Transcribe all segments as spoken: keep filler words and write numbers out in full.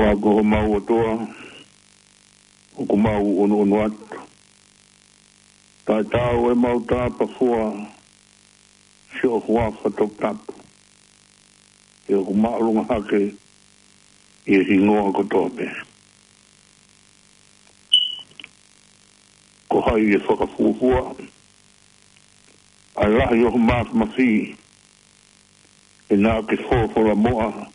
Ka ko homau ʻOtua, ʻoku mau ʻunuʻunu atu. Taʻetaau ʻemau tāpafua siʻo huafa toputapu, he ʻoku māʻolunga hake ʻi he hingoa kotoa pē. Ko hai ʻe fakafuofua ʻa e lahi ʻo ho māfimafi, ʻi he naʻa ke folofola muʻa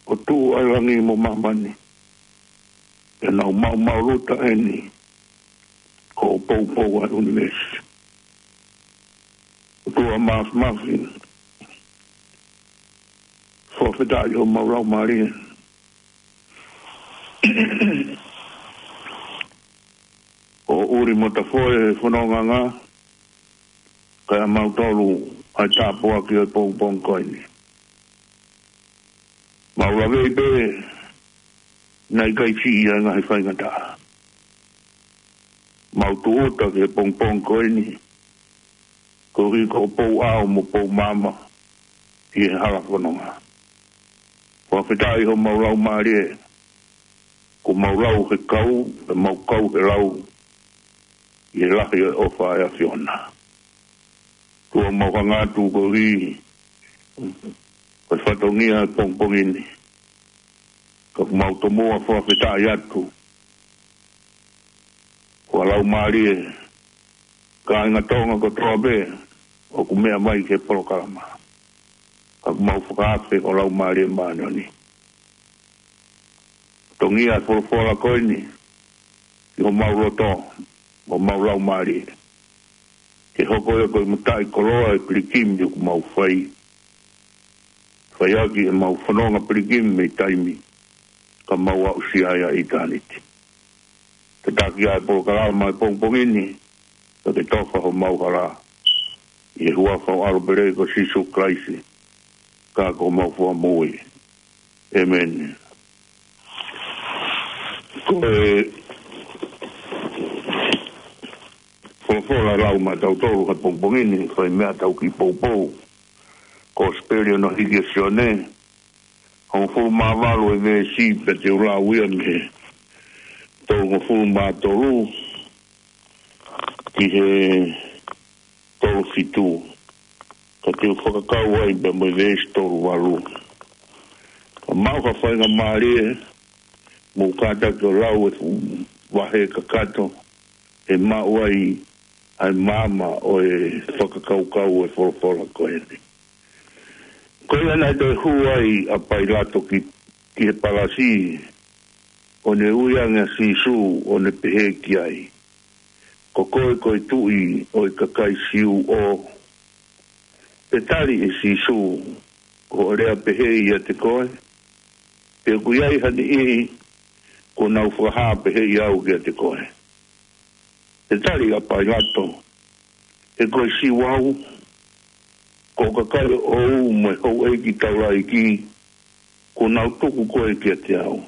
ʻo tuʻu ʻa e langi mo māmani, pea nau maumau luta eni, ko e poupou ʻa e ʻunivēsi. ʻOtua māfimafi, fakafetaʻi homau laumālie. ʻO ʻuli mo tafoe fononga, kae ʻa mautolu ʻa e tāpuaki ʻo e pongipongi ko eni. Mau lavei pē, naʻe ʻikai siʻi ʻa e ngaahi faingataʻa. Mau tūʻuta ki he pongipongi ko eni, koeʻuhi ko e pou ʻao mo pou maama ʻi he hala fononga. Fakafetaʻi homau laumālie, kuo mau lau he kau, pea mau kau he lau, ʻi he lahi ʻo e ʻofa ʻa e ʻAfiona. ʻOtua, mau hanga atu koeʻuhi ko e fatongia ʻo e pongipongi ni, ka ʻoku mau tomuʻa fakafetaʻi atu, ko e laumālie, kāinga Tonga kotoa pē ʻoku meʻa mai ki he polokalama. Ka ʻoku mau fakaafe ho Laumālie Māʻoniʻoni. Fatongia e folofola ko eni ki homau loto, mo homau laumālie, ke hoko ia ko e mataʻikoloa ʻo e pilikimi ʻoku mau fai. Fai ʻaki ʻemau fononga pilikimi mei taimi, ka mau aʻusia ia ʻi ʻitāniti. Tataki ʻa e polokalama ʻo e pongipongi ni, ka ke tofa homau hala, ʻi he huafa ʻo ho ʻAlo pele ko Sīsū Kalaisi, ka ko homau Fakamoʻui. ʻĒmeni. Ko e folofola ʻe lau maʻa tautolu he pongipongi ni, fai meʻa tau kiʻi poupou. Kosipeli hono hiki ʻe Sione, hongofulu mā valu e veesi, pea te u lau ia mei he tolungofulu mā tolu ki he tolu fitu. Ka te u fakakau ai pea mo e veesi tolu valu. Ka maʻu ha faingamālie, mou kātaki ʻo lau e fuʻu vahe kakato, ʻe maʻu ai ʻa e maama ʻo e fakakaukau ʻo e folofola ko eni. Ko ia naʻe toe hū ai ʻa Pailato ki, ki he palasi, ʻo ne ui ange ʻa Sīsū, ʻo ne pehē ki ai, Ko koe ko e Tuʻi ʻo e kakai Siu ʻo? Pea tali ʻe Sīsū, Ko hoʻo lea pehē ʻiate koe, pea ʻoku ʻi ai ha niʻihi kuo nau fakahā pehē au kiate koe. Pea tali ʻa Pailato, He ko e Siu au? Ko e kakai ʻoʻou mo e houʻeiki taulaʻeiki kuo nau tuku koe kiate au.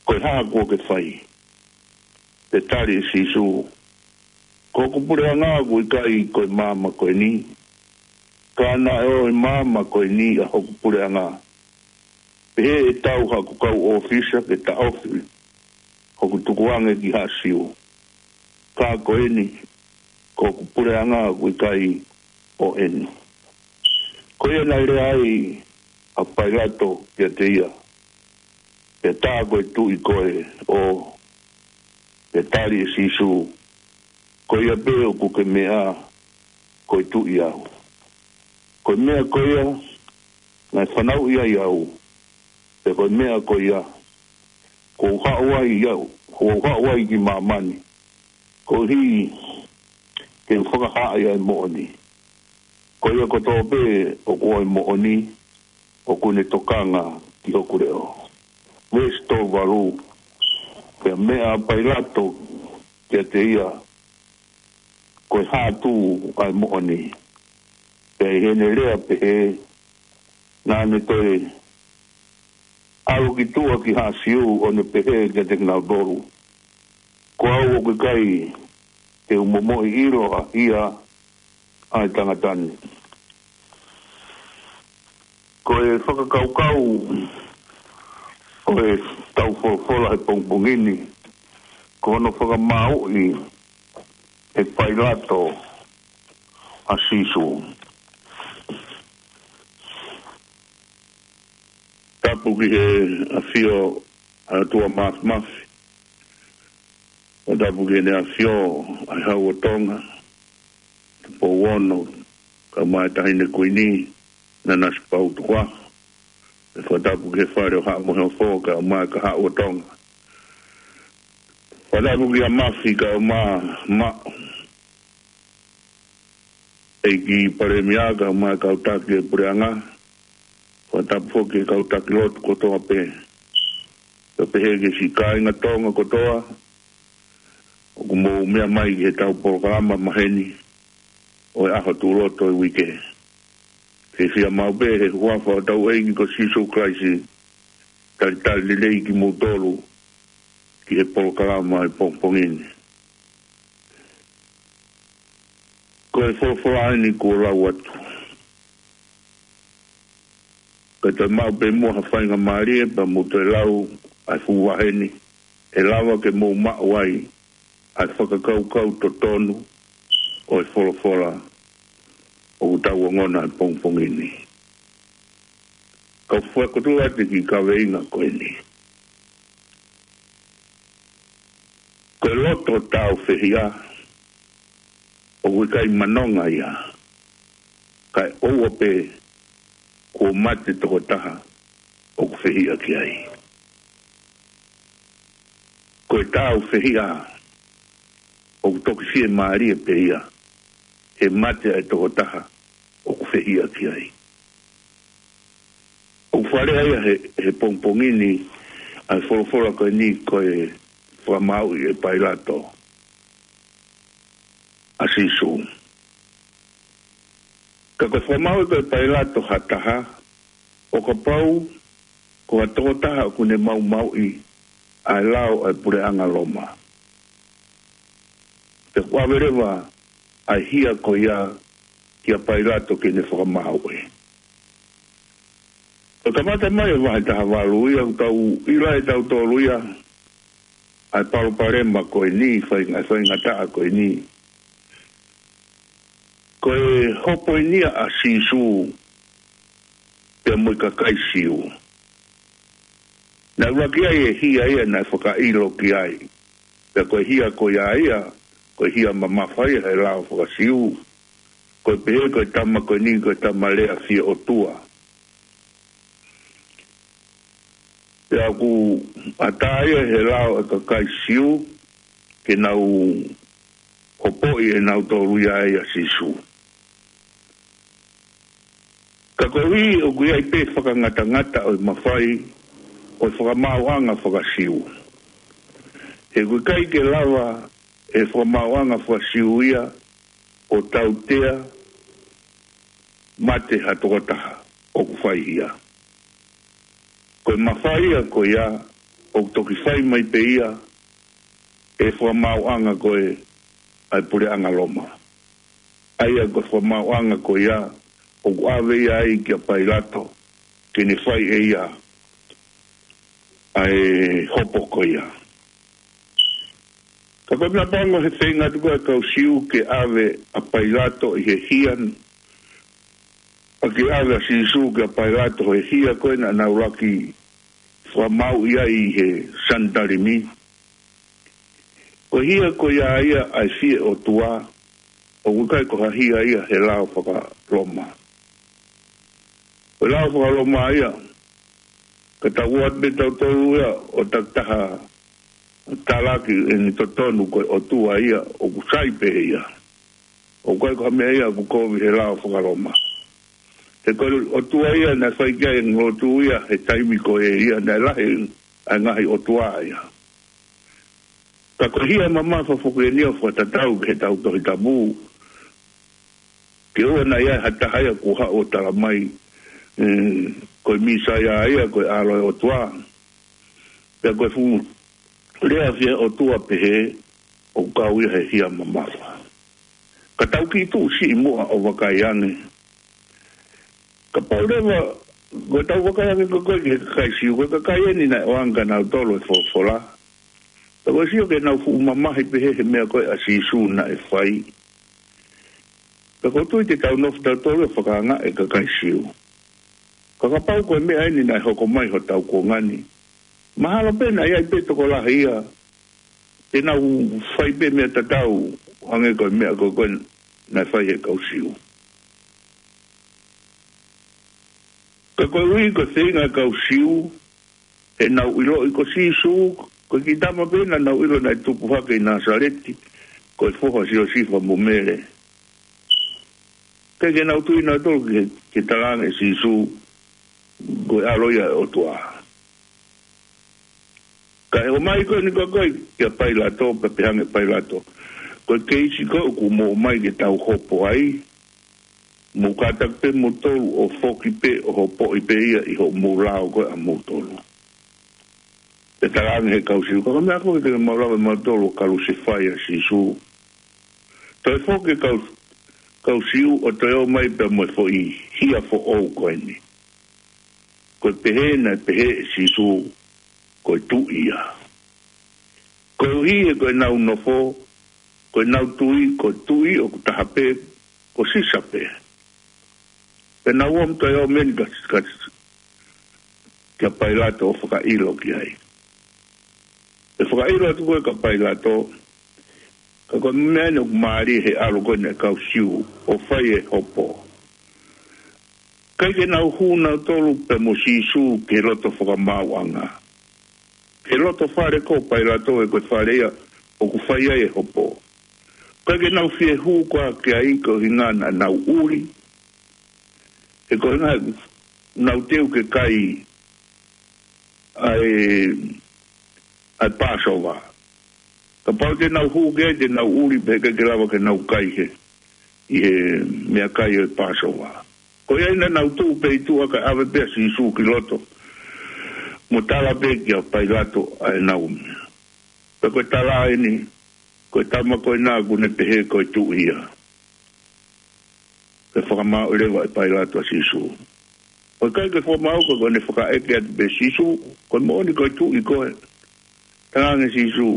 Ko e hā kuo ke fai? Pea tali ʻe Sīsū, Ko hoku puleʻanga ʻoku ʻikai ko e maama ko eni, ka naʻe ʻo e maama ko eni ʻa hoku puleʻanga, pehē ʻe tau haku kau ʻōfisa ke taʻofi hoku tukuange ki Haʻa Siu. Ka ko eni, ko hoku puleʻanga ʻoku ʻikai ʻo eni. Ko ia naʻe lea ai ʻa Pailato kiate ia, Pea tā ko e Tuʻi koe ʻo? Pea tali ʻe Sīsū, Ko ia pē ʻoku ke meʻa ko e Tuʻi au. Ko e meʻa ko ia naʻe fanauʻi ai au, pea ko e meʻa ko ia kuo u haʻu ai au, kuo u haʻu ai ki māmani, koeʻuhi ke u fakahaaʻi ʻa e moʻoni. Ko ia kotoa pē ʻoku ʻo e moʻoni, ʻoku ne tokanga ki hoku leʻo. Veesi tolu valu, Pea meʻa ʻa Pailato kiate ia, Ko e hā tū ʻa e moʻoni? Pea ʻi heʻene lea pehē, naʻa ne toe ʻalu ki tuʻa ki Haʻa Siu, ʻo ne pehē kiate kinautolu, Ko au ʻoku ʻikai te u momoʻi ʻiloʻi ʻa e tangata ni. Ko e fakakaukau ʻo e tau folofola he pongipongi ni, ko hono fakamāuʻi ʻe Pailato ʻa Sīsū. Tapu ki he ʻafio ʻa e ʻOtua Māfimafi. ʻO tapu ki heʻene ʻafio ʻa e Hau ʻo Tonga, Tupou Ono, kae ʻumaʻā e Taʻahine Kuini, Nanasipauʻu Tukuʻaho. ʻE fakatapu ki he Fale ʻo Haʻa Moheofo, kae ʻumaʻā e Kahaʻu ʻo Tonga. Fakatapu kia Mafi, kae ʻumaʻā Maʻu, ʻEiki Palēmia, kae ʻumaʻā e kau taki ʻo e puleʻanga. Fakatapu foki ki he kau taki lotu kotoa pē. Kae pehē ki he siʻi kāinga Tonga kotoa ʻoku mou meʻa mai ki he tau polokalama maheni ʻo e ʻaho tuʻuloto ʻo e uike. Fiefia maʻu pē he huafa ʻo hotau ʻEiki ko Sīsū Kalaisi, talitali lelei kimoutolu ki he polokalama ʻo e pongipongi ni. Ko e folofola eni kuo lau atu. Kae toe maʻu pē muʻa ha faingamālie pea mou toe lau ʻa e fuʻu vahe ni, ʻe lava ke mou maʻu ai ʻa e fakakaukau totonu ʻo e folofola ʻoku tau ongona he pongipongi ni. Kau fakakotoa atu ki he kaveinga ko eni. Ko e loto tāufehiʻa, ʻoku ʻikai manonga ia, kae ʻoua pē kuo mate tokotaha ʻoku fehiʻa ki ai. Ko e tāufehiʻa, ʻoku toki fiemālie pē ia, he mate ʻa e tokotaha ʻoku fehiʻa ki ai. ʻOku fakalea ia he, he pongipongi ni ʻa e folofola ko eni ko e fakamāuʻi ʻe Pailato ʻa Sīsū. Ka ko e fakamāuʻi ko ē ʻe Pailato ha taha, ʻo kapau ko ha tokotaha ʻoku ne maumauʻi ʻa e lao ʻa e puleʻanga Loma. Pea kuo ʻave leva ʻa e hia ko ia kia Pailato ke ne fakamāuʻi. Ko e kamata mai e vahe taha valu ia, ʻoku tau ʻilo ʻe tautolu ia ʻa e palopalema ko eni, fai-, ʻa e faingataʻa ko eni. Ko e hopo eni ia ʻa Sīsū pea mo e kakai Siu. Naʻe ʻuluaki ʻi ai e hia ia naʻe fakaʻilo ki ai. Pea ko e hia ko ia ia, ko e hia mamafa ia he lao faka-Siu. Ko e pehē ko e tama ko eni ko e tama lea fie ʻotua. Pea ʻoku ʻatā ia he lao ʻa e kakai Siu ke nau hopoʻi ʻenautolu ia ʻia Sīsū. Ka koeʻuhi ʻoku ʻi ai pē fakangatangata ʻo e mafai ʻo e fakamaauʻanga faka-Siu. He ʻoku ʻikai ke lava ʻe he fakamaauʻanga faka-Siu ia ʻo tautea mate ha tokotaha ʻoku fai hia. Ko e mafai ia ko ia ʻoku toki fai mai pē ia ʻe he fakamaauʻanga ko ē ʻa e puleʻanga Loma. ʻA ia ko e fakamaauʻanga ko ia ʻoku ʻave ia ai kia Pailato ke ne fai ʻe ia ʻa e hopo ko ia. Ka ko e meʻapango he feinga atu ko ē ʻa e kau Siu ke ʻave ʻa Pailato ʻi he hia, ʻa ke ʻave ʻa Sīsū kia Pailato he hia ko ē naʻa nau ʻuluaki fakamāuʻi ai ʻi he Sanitalimi. Ko e hia ko ia ia ʻa e fie ʻotua, ʻoku ʻikai ko ha hia ia he lao faka-Loma. Ko e lao faka-Loma ia, ka tau ʻoatu pē tautolu ia ʻo takitaha talaki ʻene totonu ko e ʻotua ia ʻoku sai pē ia. ʻOku ʻikai ko ha meʻa ia ʻoku kovi he lao faka-Loma. He ko e ʻotua ia naʻe fai ki ai e lotu ia he taimi ko ē ia naʻe lahi ʻa e ngaahi ʻotua ia. Ka ko e hia mamafa foki eni ʻoku fakatatau ki heʻetau Tohi Tapu. Ke ʻoua naʻa ʻi ai ha taha ia kuo haʻu ʻo tala mai, ē, ko e Mīsaia ia, ko e ʻAlo ʻo e ʻOtua. Pea ko e fuʻu lea fie ʻotua pehē ʻoku kau ia he hia mamafa. Ka tau kiʻi tuʻu siʻi muʻa ʻo vakai ange. Kapau leva Ko e tau vakai ange ko ē ki he kakai Siu, ko e kakai eni naʻe ʻoange kia nautolu e folofola. Pea ko e sio ke nau fuʻu mamahi pehē he meʻa ko ē ʻa Sīsū naʻe fai. Pea ko e tui te tau nofo tautolu ʻo fakaangaʻi e kakai Siu. Ka kapau ko e meʻa eni naʻe hoko mai hotau kuonga ni, mahalo pē naʻe ʻi ai pē tokolahi ia te nau fai pē meʻa tatau, hangē ko e meʻa ko ē naʻe fai he kau Siu. Ka koeʻuhi ko e feinga e kau Siu, he naʻa nau ʻiloʻi ko Sīsū, ko e kiʻi tama pē naʻa nau ʻilo naʻe tupu hake ʻi Nāsaleti, ko e foha ʻo Siosifa mo Mele. ʻIkai ke nau tui nautolu ki he, ki he talaange ʻe Sīsū, ko e ʻAlo ia ʻo e ʻOtua. Ka ʻi he ʻomai ko eni ko ē ko ē kia Pailato, pea pehē ange ʻe Pailato, ko e keisi ko ē ʻoku mou ʻomai ke tau hopo ai, mou kātaki pē moutolu ʻo foki pē ʻo hopoʻi pē ia ʻi hoʻomou lao ko ē ʻamoutolu. Pea talaange ʻe he kau Siu, ko e meʻa ko ē ke mau lava ʻe mautolu ʻo kalusefai ʻa Sīsū. Toe foki e kau, kau Siu ʻo toe ʻomai pea mo e foʻi hia foʻou ko eni. Ko e pehē naʻe pehē ʻe Sīsū, ko e tuʻi ia. Koeʻuhi he ko ʻenau nofo, ko ʻenau tui, ko e tuʻi ʻoku taha pē, ko Sisa pē. Pea nau ō mo toe ō mai eni ka, ka, kia Pailato ʻo fakaʻilo ki ai. ʻE fakaʻilo atu ko ē kia Pailato, ka ko e meʻa eni ʻoku mālie he ʻalu ko eni e kau Siu ʻo fai e hopo. ʻIkai ke nau hū nautolu pea mo Sīsū ki he loto fakamaauʻanga, ki he loto fale ko Pailato, he ko e fale ia ʻoku fai ai e hopo. ʻIkai ke nau fie hū koā ki ai koeʻuhinga naʻa nau ʻuli. He koeʻuhinga nau teu ke kai ʻa e, ʻa e Pāsova. Kapau te nau hū ki ai te nau ʻuli pea ʻikai ke lava ke nau kai he, ʻi he meʻakai ʻo e Pāsova. Ko ia naʻa nau tuʻu pē ʻi tuʻa kae ʻave pē ʻa Sīsū ki loto, mo tala pē kia Pailato ʻa ʻenau meʻa. Pea ko e tala eni, ko e tama ko ena ʻoku ne pehē ko e tuʻi ia. Pea fakamaau leva ʻe Pailato ʻa Sīsū. ʻOku ʻikai ke fakamaau, ka ko ʻene fakaʻeke atu pē, Sīsū, ko e moʻoni ko e tuʻi koe? Talaange ʻe Sīsū,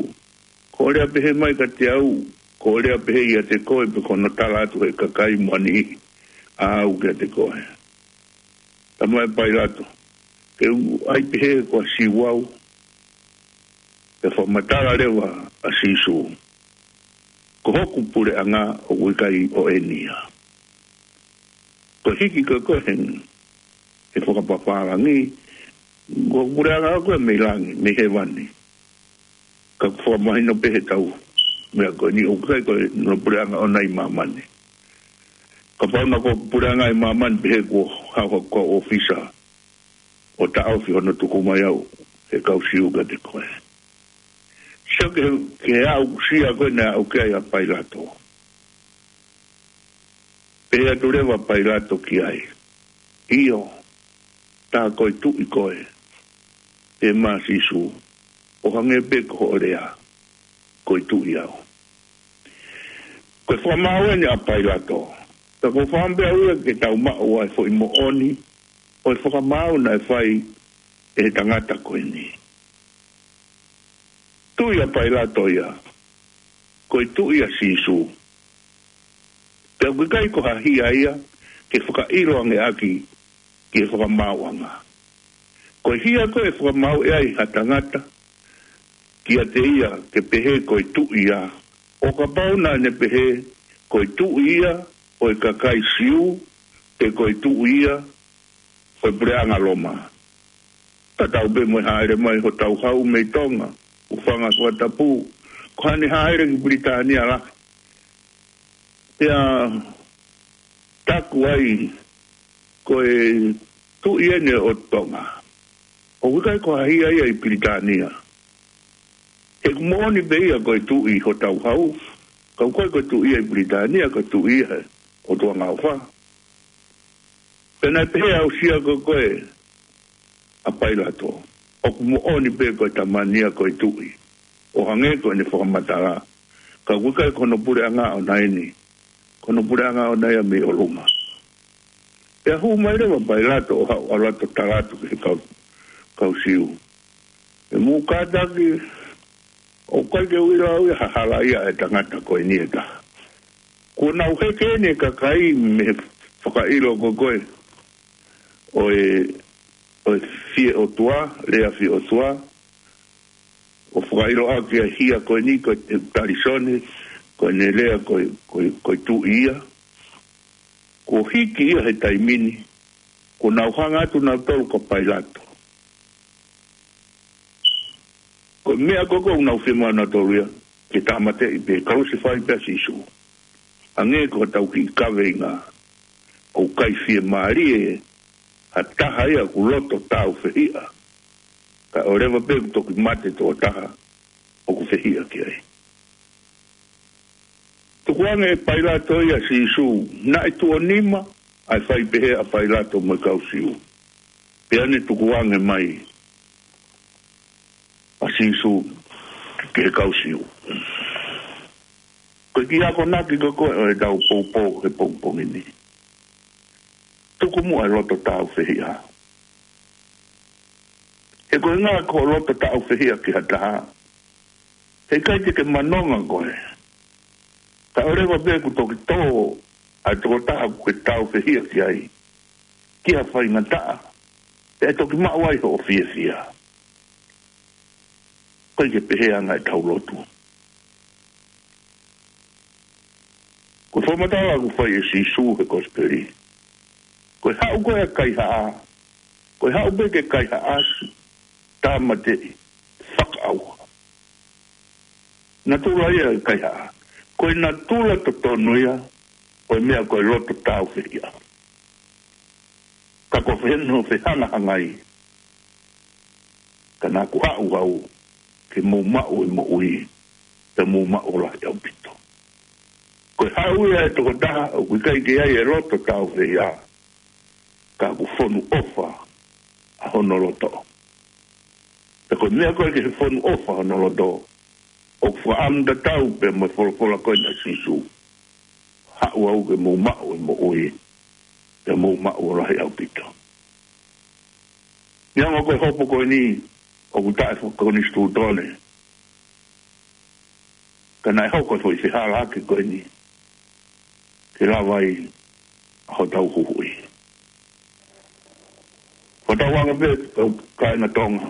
ko hoʻo lea pehē mai kiate au, ko hoʻo lea pehē ʻiate koe, pe ko hono tala atu ʻe he kakai mo ha niʻihi ʻaʻau kiate koe? Talamai ʻe Pailato, ke u ʻai pehē ko e Siu au? Pea fakamatala leva ʻa Sīsū, ko hoku puleʻanga ʻoku ʻikai ʻo eni ia. Ko e hiki ko ē ko ē he, he fakapapālangi, ko e puleʻanga ko ē mei langi, mei hēvani. Ka ʻoku fakamahino pē he tau meʻa ko eni, ʻoku ʻikai ko hono puleʻanga ʻoʻona ʻi māmani. Kapau naʻa ko e puleʻanga ʻi māmani, pehē kuo haʻu haku kau ʻōfisa ʻo taʻofi hono tuku mai au ʻe he kau Siu kiate koe. Sio ki he, ki he aʻusia ko ē naʻe aʻu ki ai ʻa Pailato. Pehē atu leva ʻa Pailato ki ai, ʻIo, tā ko e tuʻi koe? Pehē mai ʻa Sīsū, ʻO hangē pē ko hoʻo lea, ko e tuʻi au. Ko e fakamaau eni ʻa Pailato. Ka ʻoku ou fakaʻamu pē au ia ke tau maʻu ʻa e foʻi moʻoni ʻo e fakamaau naʻe fai ʻe he tangata ko eni. Tui ʻa Pailato ia ko e tuʻi ʻa Sīsū. Pea ʻoku ʻikai ko ha hia ia ke fakaʻilo ange ʻaki ki he fakamaauʻanga. Ko e hia ko ē ʻe fakamaau ai ha tangata kiate ia ke pehē ko e tuʻi ia, ʻo kapau naʻa ne pehē ko e tuʻi ia ʻo e kakai Siu, pe ko e tuʻi ia ʻo e puleʻanga Loma. Tatau pē mo e hāʻele mai hotau hau mei Tonga, ʻo fanga fakatapu, ko haʻane hāʻele ki Pilitānia lahi. Pea taku ai, ko e tuʻi eni ʻo Tonga. ʻOku ʻikai ko ha hia ia ʻi Pilitānia. He ʻoku moʻoni pē ia ko e tuʻi hotau hau, ka ʻoku ʻikai ko e tuʻi ia ʻi Pilitānia, ko e tuʻi ia he ʻOtua Ngaofa. Pea naʻe pehē ʻa e aʻusia ko ē ʻa Pailato, ʻOku moʻoni pē ko e tama ni ia ko e tuʻi, ʻo hangē ko ʻene fakamatala, ka ʻoku ʻikai ko hono puleʻanga ʻoʻona eni, ko hono puleʻanga ʻoʻona ia mei ʻolunga. Pea hū mai leva Pailato ʻo haʻu ʻo loto tala atu ki he kau, kau Siu. ʻE mou kātaki, ʻoku ʻikai ke u ʻilo au ia ha hala ia ʻa e tangata ko eni ʻe taha. Kuo nau heke eni e kakai mei he fakaʻilo ko ē ʻo e, ʻo e fie ʻotua, lea fie ʻotua, ʻo fakaʻilo ʻaki ʻa e hia ko eni, ko e talisone, ko ʻene lea ko e, ko e, ko e tuʻi ia. Kuo hiki ia he taimi ni, kuo nau hanga atu nautolu kia Pailato. Ko e meʻa ko ē ʻoku nau fiemaʻu nautolu ia, ke tāmateʻi pē, kalusefai pē ʻa Sīsū. Hangē ko hotau kiʻi kaveinga, ʻoku ʻikai fiemālie ha taha ia ʻoku loto tāufehiʻa. Kae ʻoua leva pē kuo toki mate toko taha ʻoku fehiʻa ki ai. Tukuange ʻe Pailato ia ʻa Sīsū, naʻe tuʻo nima ʻa e fai pehē ʻa Pailato mo e kau Siu. Pea ne tukuange mai ʻa Sīsū ki he kau Siu. Ko e kiʻi akonaki ko ē ʻo ʻetau poupou he pongipongi ni. Tuku muʻa e loto tāufehiʻa. He ko e ʻuhinga ko e loto tāufehiʻa ki ha taha, heʻikai te ke manonga koe. Kae ʻoua leva pē kuo toki tō ʻa e tokotaha ʻoku ke tāufehiʻa ki ai, ki ha faingataʻa, pea toki maʻu ai hoʻo fiefia. Ko e ʻikai ke pehē ʻa e anga ʻetau lotu. Ko e fakamatala ʻoku fai ʻe Sīsū he Kosipeli, ko e haʻu ko ē ʻa e kaihaʻa, ko e haʻu pē ke kaihaʻasi, tāmateʻi, fakaʻauha. Natula ia ʻa e kaihaʻa. Ko e natula totonu ia ʻo e meʻa ko e loto tāufehiʻa. Ka ko e fehano fehangahangai, ka naʻa ku haʻu au ke mou maʻu e moʻui, pea mou maʻu ʻo lahi ʻaupito. Ko e haʻu ia ʻa e tokotaha ʻoku ʻikai ke ʻi ai e loto tāufehiʻa, ka ʻoku fonu ʻofa ʻa hono loto. Pea ko e meʻa ko ē ki he fonu ʻofa hono loto, ʻoku fakaʻamu tatau pē mo e folofola ko eni ʻa Sīsū, haʻu au ke mou maʻu e moʻui, pea mou maʻu ʻo lahi ʻaupito. Neongo ko e hopo ko eni ʻoku taʻefakakonisitūtone, ka naʻe hoko e foʻi fehālaaki ko eni ke lava ai ʻa hotau huhuʻi. Fakatauange pē, kau kāinga Tonga,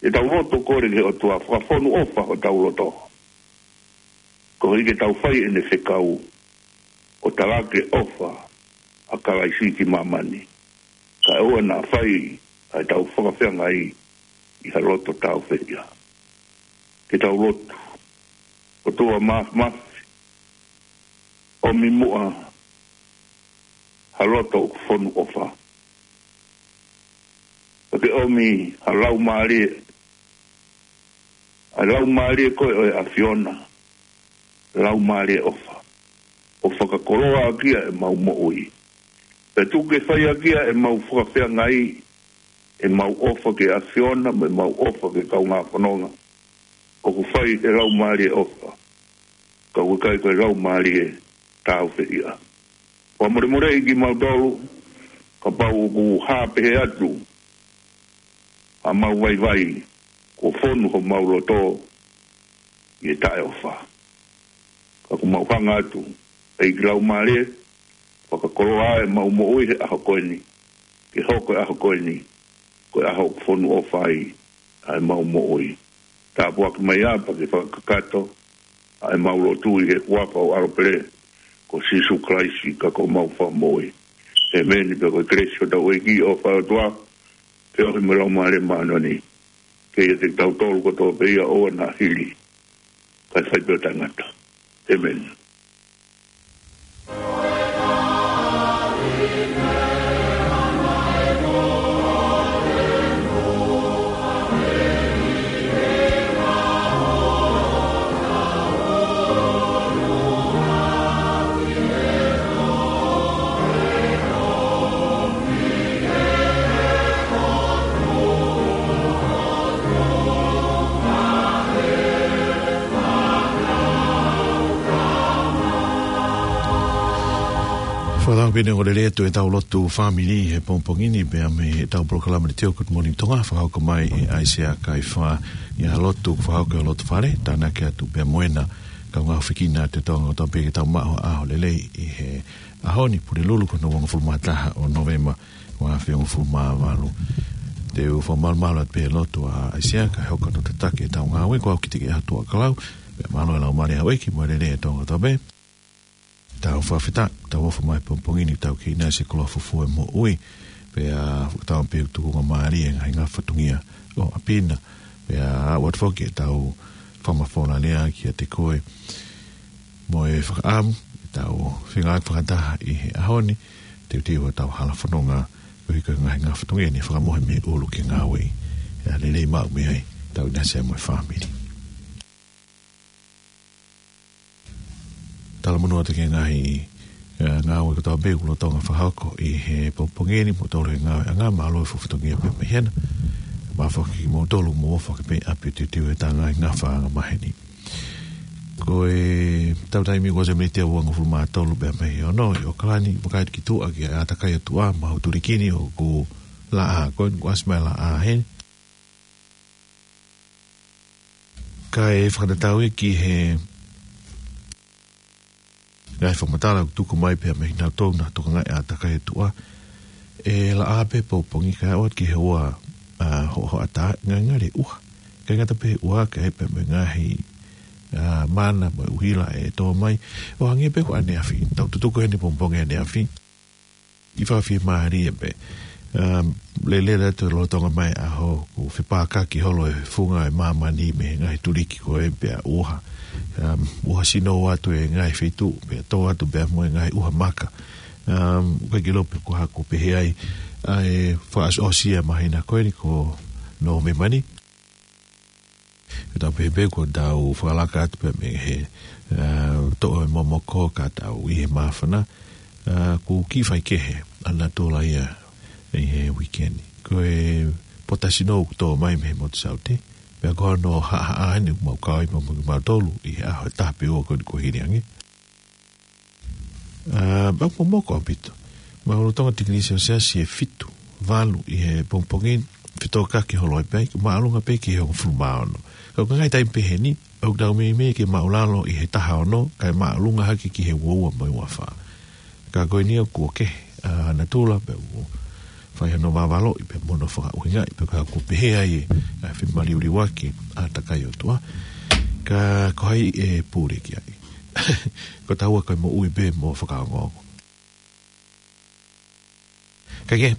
ʻetau lotu ʻo kole ki he ʻOtua, fakafonu ʻofa hotau loto, koeʻuhi ke tau fai ʻene fekau, ʻo talaki e ʻofa ʻa Kalaisi ki māmani, kae ʻoua naʻa fai ʻa ʻetau fakafeangai ʻi ha loto tāufehiʻa. Ke tau lotu. ʻOtua Māfimafi, ʻomi muʻa ha loto ʻoku fonu ʻofa. Pea ke ʻomi ha laumālie, ʻa e laumālie ko ē ʻo e ʻAfiona, laumālie ʻofa, ʻo fakakoloa ʻaki ʻemau moʻui. Pea tuku ke fai ʻaki ʻemau fakafeangai, ʻemau ʻofa ki he ʻAfiona, mo ʻemau ʻofa ki he kaungā fononga, ʻoku fai ʻe he laumālie ʻofa, ka ʻoku ʻikai ko e laumālie tāufehiʻa. Fakamolemoleʻi kimautolu kapau ʻoku hā pehē atu haʻamau vaivai, kuo fonu homau loto ʻi he taʻeʻofa. Ka ʻoku mau hanga atu, ʻEiki Laumālie, fakakoloa ʻemau moʻui he ʻaho ko eni, ke hoko e ʻaho ko eni ko e ʻaho ʻoku fonu ʻofa ai ʻa ʻemau moʻui. Tāpuaki mai ā pea ke fakakakato ʻa ʻemau lotu ʻi he huafa ʻo ho ʻAlo pele ko Sīsū Kalaisi ka ko homau Fakamoʻui. ʻĒmeni. Pea ko e kelesi ʻa hotau ʻEiki, ʻofa ʻa e ʻOtua, feohi mo e Laumālie Māʻoniʻoni, ke ʻiate kitautolu kotoa pē ia ʻo ʻoua naʻa hili, kae fai pē ʻo taʻengata. ʻĒmeni. Pea pehē ʻoku lelei atu ʻetau lotu fāmili he pongipongi ni pea mei heʻetau polokalama ni Teo Good Morning Tonga, fakahoko mai ʻe ʻAisea Kaifā ʻi he lotu, fakahoko ʻi he loto fale, tānaki atu pea mo ʻena kaungā fekina ʻa e Tonga kotoa pē ke tau maʻu ha ʻaho lelei ʻi he ʻaho ni, Pulelulu ko hono uofulu mā taha ʻo Nōvema, ua afe uofulu mā valu. Te u fakamalumalu atu pē he lotu ʻa ʻAisea kae hoko atu ʻo tataki ʻetau ngāue. Ko au Kitike ʻAtuʻakalau, pea mālō e laumālie ʻa houʻeiki mo e lelei ʻa e Tonga kotoa pē. Tau fakafetaʻi, tau ʻofa mai he pongipongi ni, tau kei ʻinasi he koloa fufū ʻo e moʻui, pea fakatauange pē ʻoku tukungamālie e ngaahi ngafa fatongia ʻo ʻapi na, pea ʻoatu foki ʻetau fakamafola lea kiate koe mo e fakaʻamu ke tau fengāueʻaki fakataha ʻi he ʻaho ni, teuteu ʻetau hala fononga, koeʻuhi ko e ngaahi ngafa fatongia ni ʻe fakamohe mei ʻolunga ke ngāueʻi. ʻE lelei maʻu mei ai, tau ʻinasi ai mo e fāmili. Talamonū atu ki he ngaahi, ē, ngāue kotoa pē ʻoku lolotonga fakahoko ʻi he pongipongi ni, mo tolu he ngāueʻanga, mālō e fatongia pē mei hena. Mālō foki kimoutolu mou ʻofa ʻaki pē ʻapi ʻo teuteu ʻetau ngaahi ngafa angamaheni. Ko ʻetau taimi kuo ʻosi e miniti ʻe uangofulu mā tolu pē mei he ono ʻi ʻAokalani, vakai atu ki tuʻa ki he ʻātakai ʻo e ʻOtua, maʻu e tuliki ni ʻoku laʻā, ko eni kuo ʻasi mai e laʻā heni. Kae fakatatau ia ki he ngaahi fakamatala ʻoku tuku mai pea mei kinautolu naʻa nau tokangaʻi e ʻātakai ʻo e ʻOtua, ʻe laʻā pē pongipongi kae ʻoatu ki he ua, ā, hoʻohoʻatā, ngali ngali ʻuha. ʻIkai ngata pē he ʻuha, kae pehē mo e ngaahi, ā, mana mo e ʻuhila ʻe tō mai. ʻO hangē pē ko ʻaneafi, tau tutuku heni pongipongi ʻaneafi. ʻI he fakafiemālie pē. Um, lele atu e lolotonga mai e ʻaho, kuo fepākaki holo e funga ʻo e māmani mei he ngaahi tuliki ko ē pea ʻuha. Um, ʻuha sino atu e ngaahi feituʻu, pea tō atu pea mo e ngaahi ʻuha maka. Um, ʻoku ʻikai ke u ʻilo pe ko e hā kuo pehē ai ʻa e fakaʻosiʻosi ʻo e māhina ko eni ko Nōvema ni. Ke tau pehē pē kuo tau fakalaka atu pē mei he, ā, toʻo e momoko ka tau ʻi he māfana, ā, kuo kiʻi faikehe ʻa natula ia ʻi he uike ni. Ko e pota sino ʻoku tō mai mei he motu saute, pea ko hono haʻahaʻa eni ʻoku mau kau ai pea mo kimautolu ʻi he ʻaho ʻe taha pe ua ko eni kuo hili ange. Ā, pea ʻoku momoko ʻaupito. Mahalo ʻoku tō ʻa e tikilī selesiasi ʻe fitu, valu ʻi he pongipongi, fetōkaki holo ai pē, māʻolunga pē ki he hongofulu mā ono. Ka ko e ngaahi taimi pehē ni, ʻoku tau meimei ke māʻulalo ʻi he taha ono, kae māʻolunga hake ki he ua ua mo e ua fā. Ka ko eni ʻoku kehe ʻa natula pea ʻoku fai hono vavaloʻi pea mo hono fakaʻuhingaʻi pea ko e hā kuo pehē ai ʻa e femaliuliuaki ʻa e ʻātakai ʻo e ʻOtua. Ka ko hai ʻe pule ki ai? Ko taua ko e moʻui pē mo fakaongoongo. Kae kehe,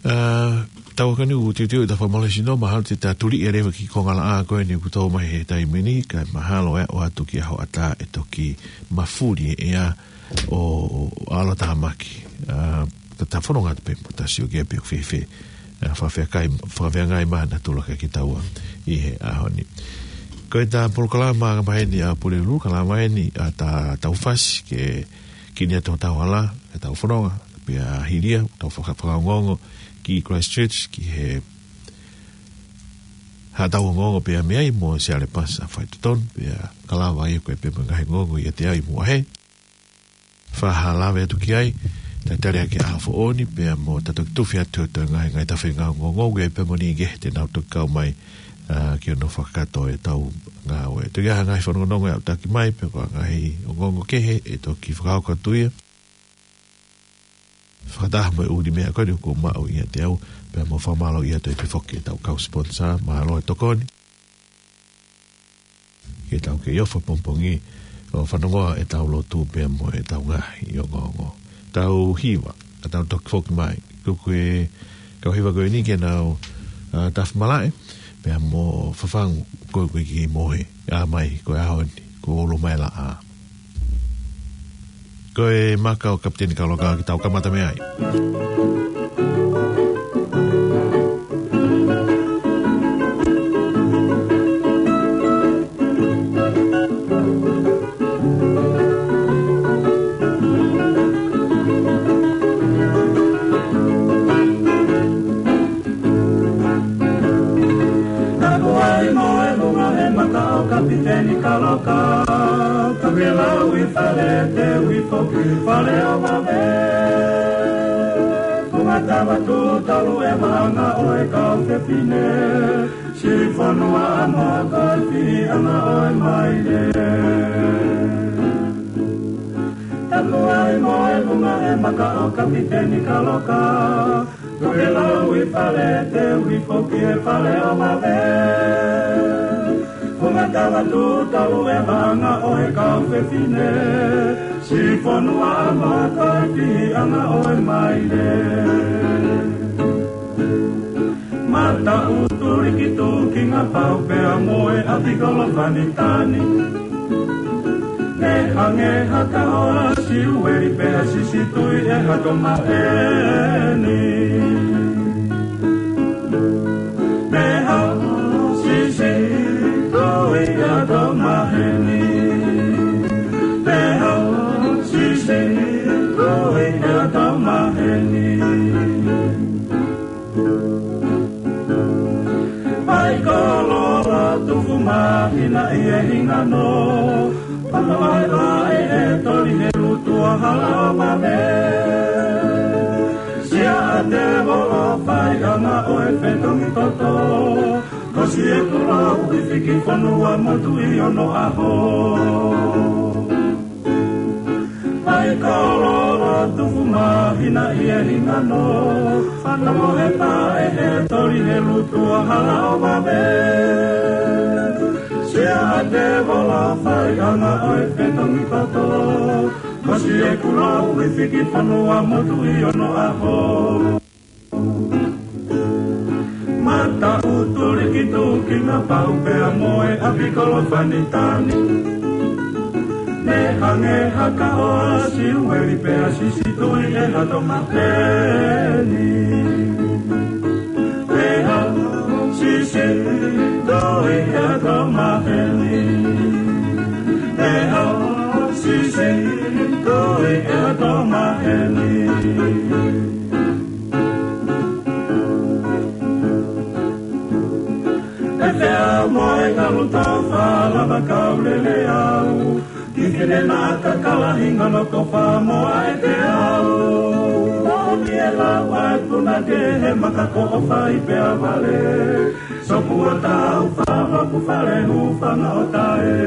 ā, tau ʻoku ʻi ai ʻa e ʻū tiutiuʻi ʻetau fakamālohisino, mahalo te ta tuli ʻe leva ki he konga laʻā ko eni ʻoku tō mai he taimi ni, kae mahalo ʻe ʻoatu ki he hoʻatā ʻe toki mafuli e ʻea ʻo, ʻo ʻalotāmaki. Ā, ka ta fononga atu pē mo ta sio ki ai pe ʻoku fēfē, ā, fakafeakai, fakafeangai mai ʻa natula kiate kitaua ʻi he ʻaho ni. Ko ʻeta polokalama angamaheni ʻa Pulelulu, kalama eni ʻa ʻetau fasi ke kini atu hotau hala, ʻetau fononga, pea hili ia, tau faka-, fakaongoongo ki Christchurch, ki he haʻatau ongoongo pea mei ai mo Siale Pasa Faitotonu, pea kalava ia ko e pea mo e ngaahi ongoongo ʻiate au ʻi Muʻa Hē. Fakahalave atu ki ai, talitali ʻaki ʻa e ʻaho foʻou ni, pea mo ta toki tufi atu ʻo toe ngaahi, ngaahi tafe ngaahi ongoongo, ʻoku ʻi ai pē mo e niʻihi kehe te nau toki kau mai, ā, ki hono fakakakato ʻetau ngāue. Toki ʻi ai ha ngaahi fanongonongo ʻe aʻutaki mai, pe ko ha ngaahi ongoongo kehe, ʻe toki fakahoko atu ia. Fakataha mo e ʻū meʻa ko eni ʻoku maʻu ʻiate au, pea mo e fakamālō atu ʻi he efiafi foki ki heʻetau kau sponsor, mālō e tokoni. Ke tau kei ʻofa pongipongi, ʻo fanongoa ʻetau lotu pea mo ʻetau ngaahi ongoongo. Tau hiva, ka tau toki foki mai. Ko e kau hiva ko eni ke nau, ā, tafi malaʻe, pea mo fafangu ko e, ko e kiʻi mohe, ʻā mai ko e ʻaho ni, kuo ʻalu mai e laʻā. Ko e maka ʻo Kapiteni Kaloka ke tau kamata mei ai. Kapiteni Kaloka, Tokelau ʻi Fale, Teu ʻi Foki, Fale ʻo Vave. Ko Matavatu tolu e vaʻanga ʻo e kau fefine, siʻi fonua ʻa Mokofi ʻanga ʻo e maile. Tapu ai mo e lunga e maka ʻo Kapiteni Kaloka, Tokelau ʻi Fale, Teu ʻi Foki, Fale ʻo Vave. Ko Matavatu tolu e vaʻanga ʻo e kau fefine, siʻi fonua ʻa Mokofi ʻanga ʻo e maile. Mataʻutu Likituki Ngapau pea mo e ʻApikolofani Tani. Ne hangē ha kahoa Siueli pea sisitui ʻe Hato Maheni. Ne ha sisitui ʻe Hato Maheni. Ne ha sisitui ʻe Hato Maheni. Paikoloa Tufu Mahina ʻi he hingano, Papa Vaevae ʻe Toli he lutu ʻa Hala ʻo Vave. Siaʻatevolo Faiʻanga ʻo e Fetongi Toto, Kosi ʻEkulou ʻi Fiki Fonua Motu ʻi Onoʻaho. Paikoloa Tufu Mahina ʻi he hingano, Fano he Pae ʻe Toli he lutu ʻa Hala ʻo Vave. Siaʻatevolo Faiʻanga ʻo e Fetongi Toto, Kosi ʻEkulou ʻi Fiki Fonua Motu ʻi Onoʻaho. Mataʻutu Likituki Ngapau pea mo e ʻApikolofani Tani. Ne hangē ha kahoa Siueli pea sisitui ʻe Hato Maheni. Ne ha sisitui ʻe Hato Maheni. Ne ha sisitui ʻe Hato Maheni. ʻE Feʻao mo e Ngalu Tofa, Lava Kauleleʻau, Kiʻi Fine Naʻa Kakala, Hinga Noko Famoa ʻe Feʻao. Moʻoni e lau ʻa e punake he maka ko ʻOfa ʻi Peavale, Sopu ʻo Taufa, Hoku Fale, Hūfanga ʻo Tae.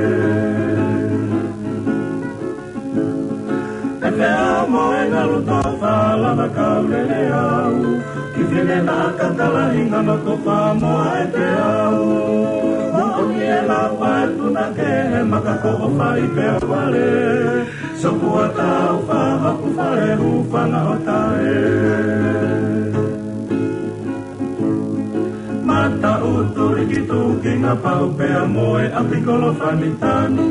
ʻE Feʻao mo e Ngalu Tofa, Lava Kauleleʻau, Kiʻi Fine Naʻa Kakala, Hinga Noko Famoa ʻe Feʻao. Moʻoni e lau ʻa e punake he maka ko ʻOfa ʻi Peavale, Sopu ʻo Taufa, Hoku Fale, Hūfanga ʻo Tae. Mataʻutu Likituki Ngapau pea mo e ʻApikolofani Tani.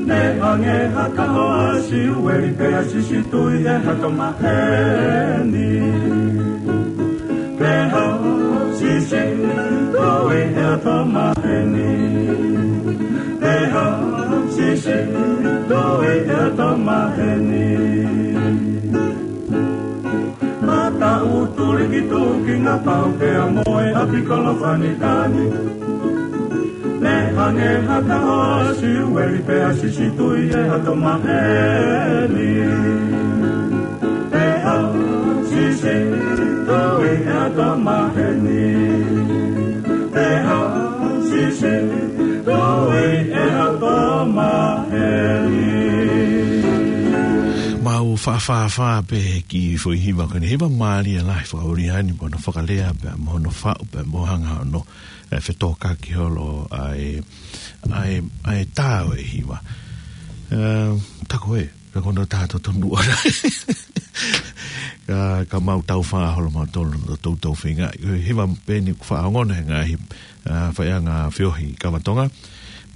Ne hangē ha kahoa Siueli pea sisitui ʻe Hato Maheni. Ne ha sisitui ʻe Hato Maheni. Ne ha sisitui ʻe Hato Maheni. Mataʻutu Likituki Ngapau pea mo e ʻApikolofani Tani. Ne hangē ha kahoa Siueli pea sisitui ʻe Hato Maheni. Ne ha sisitui ʻe Hato Maheni. Ne ha sisitui ʻe Hato Maheni. Mau faʻa fāfā pē ki he foʻi hiva ko eni, hiva mālie lahi fakaʻoriʻani, mo hono fakalea pea mo hono faʻu pea mo hanga hono, ē, fetōkaki holo ʻa e, ʻa e, ʻa e tā ʻo e hiva. Ē, tā ko ē, ka ko hono tā totonu ʻona. Ka, ka mau tau fā holo mautolu, tau tau feinga. Hiva pē eni ʻoku faʻa ongona he ngaahi, ā, faiʻanga feohi kava Tonga.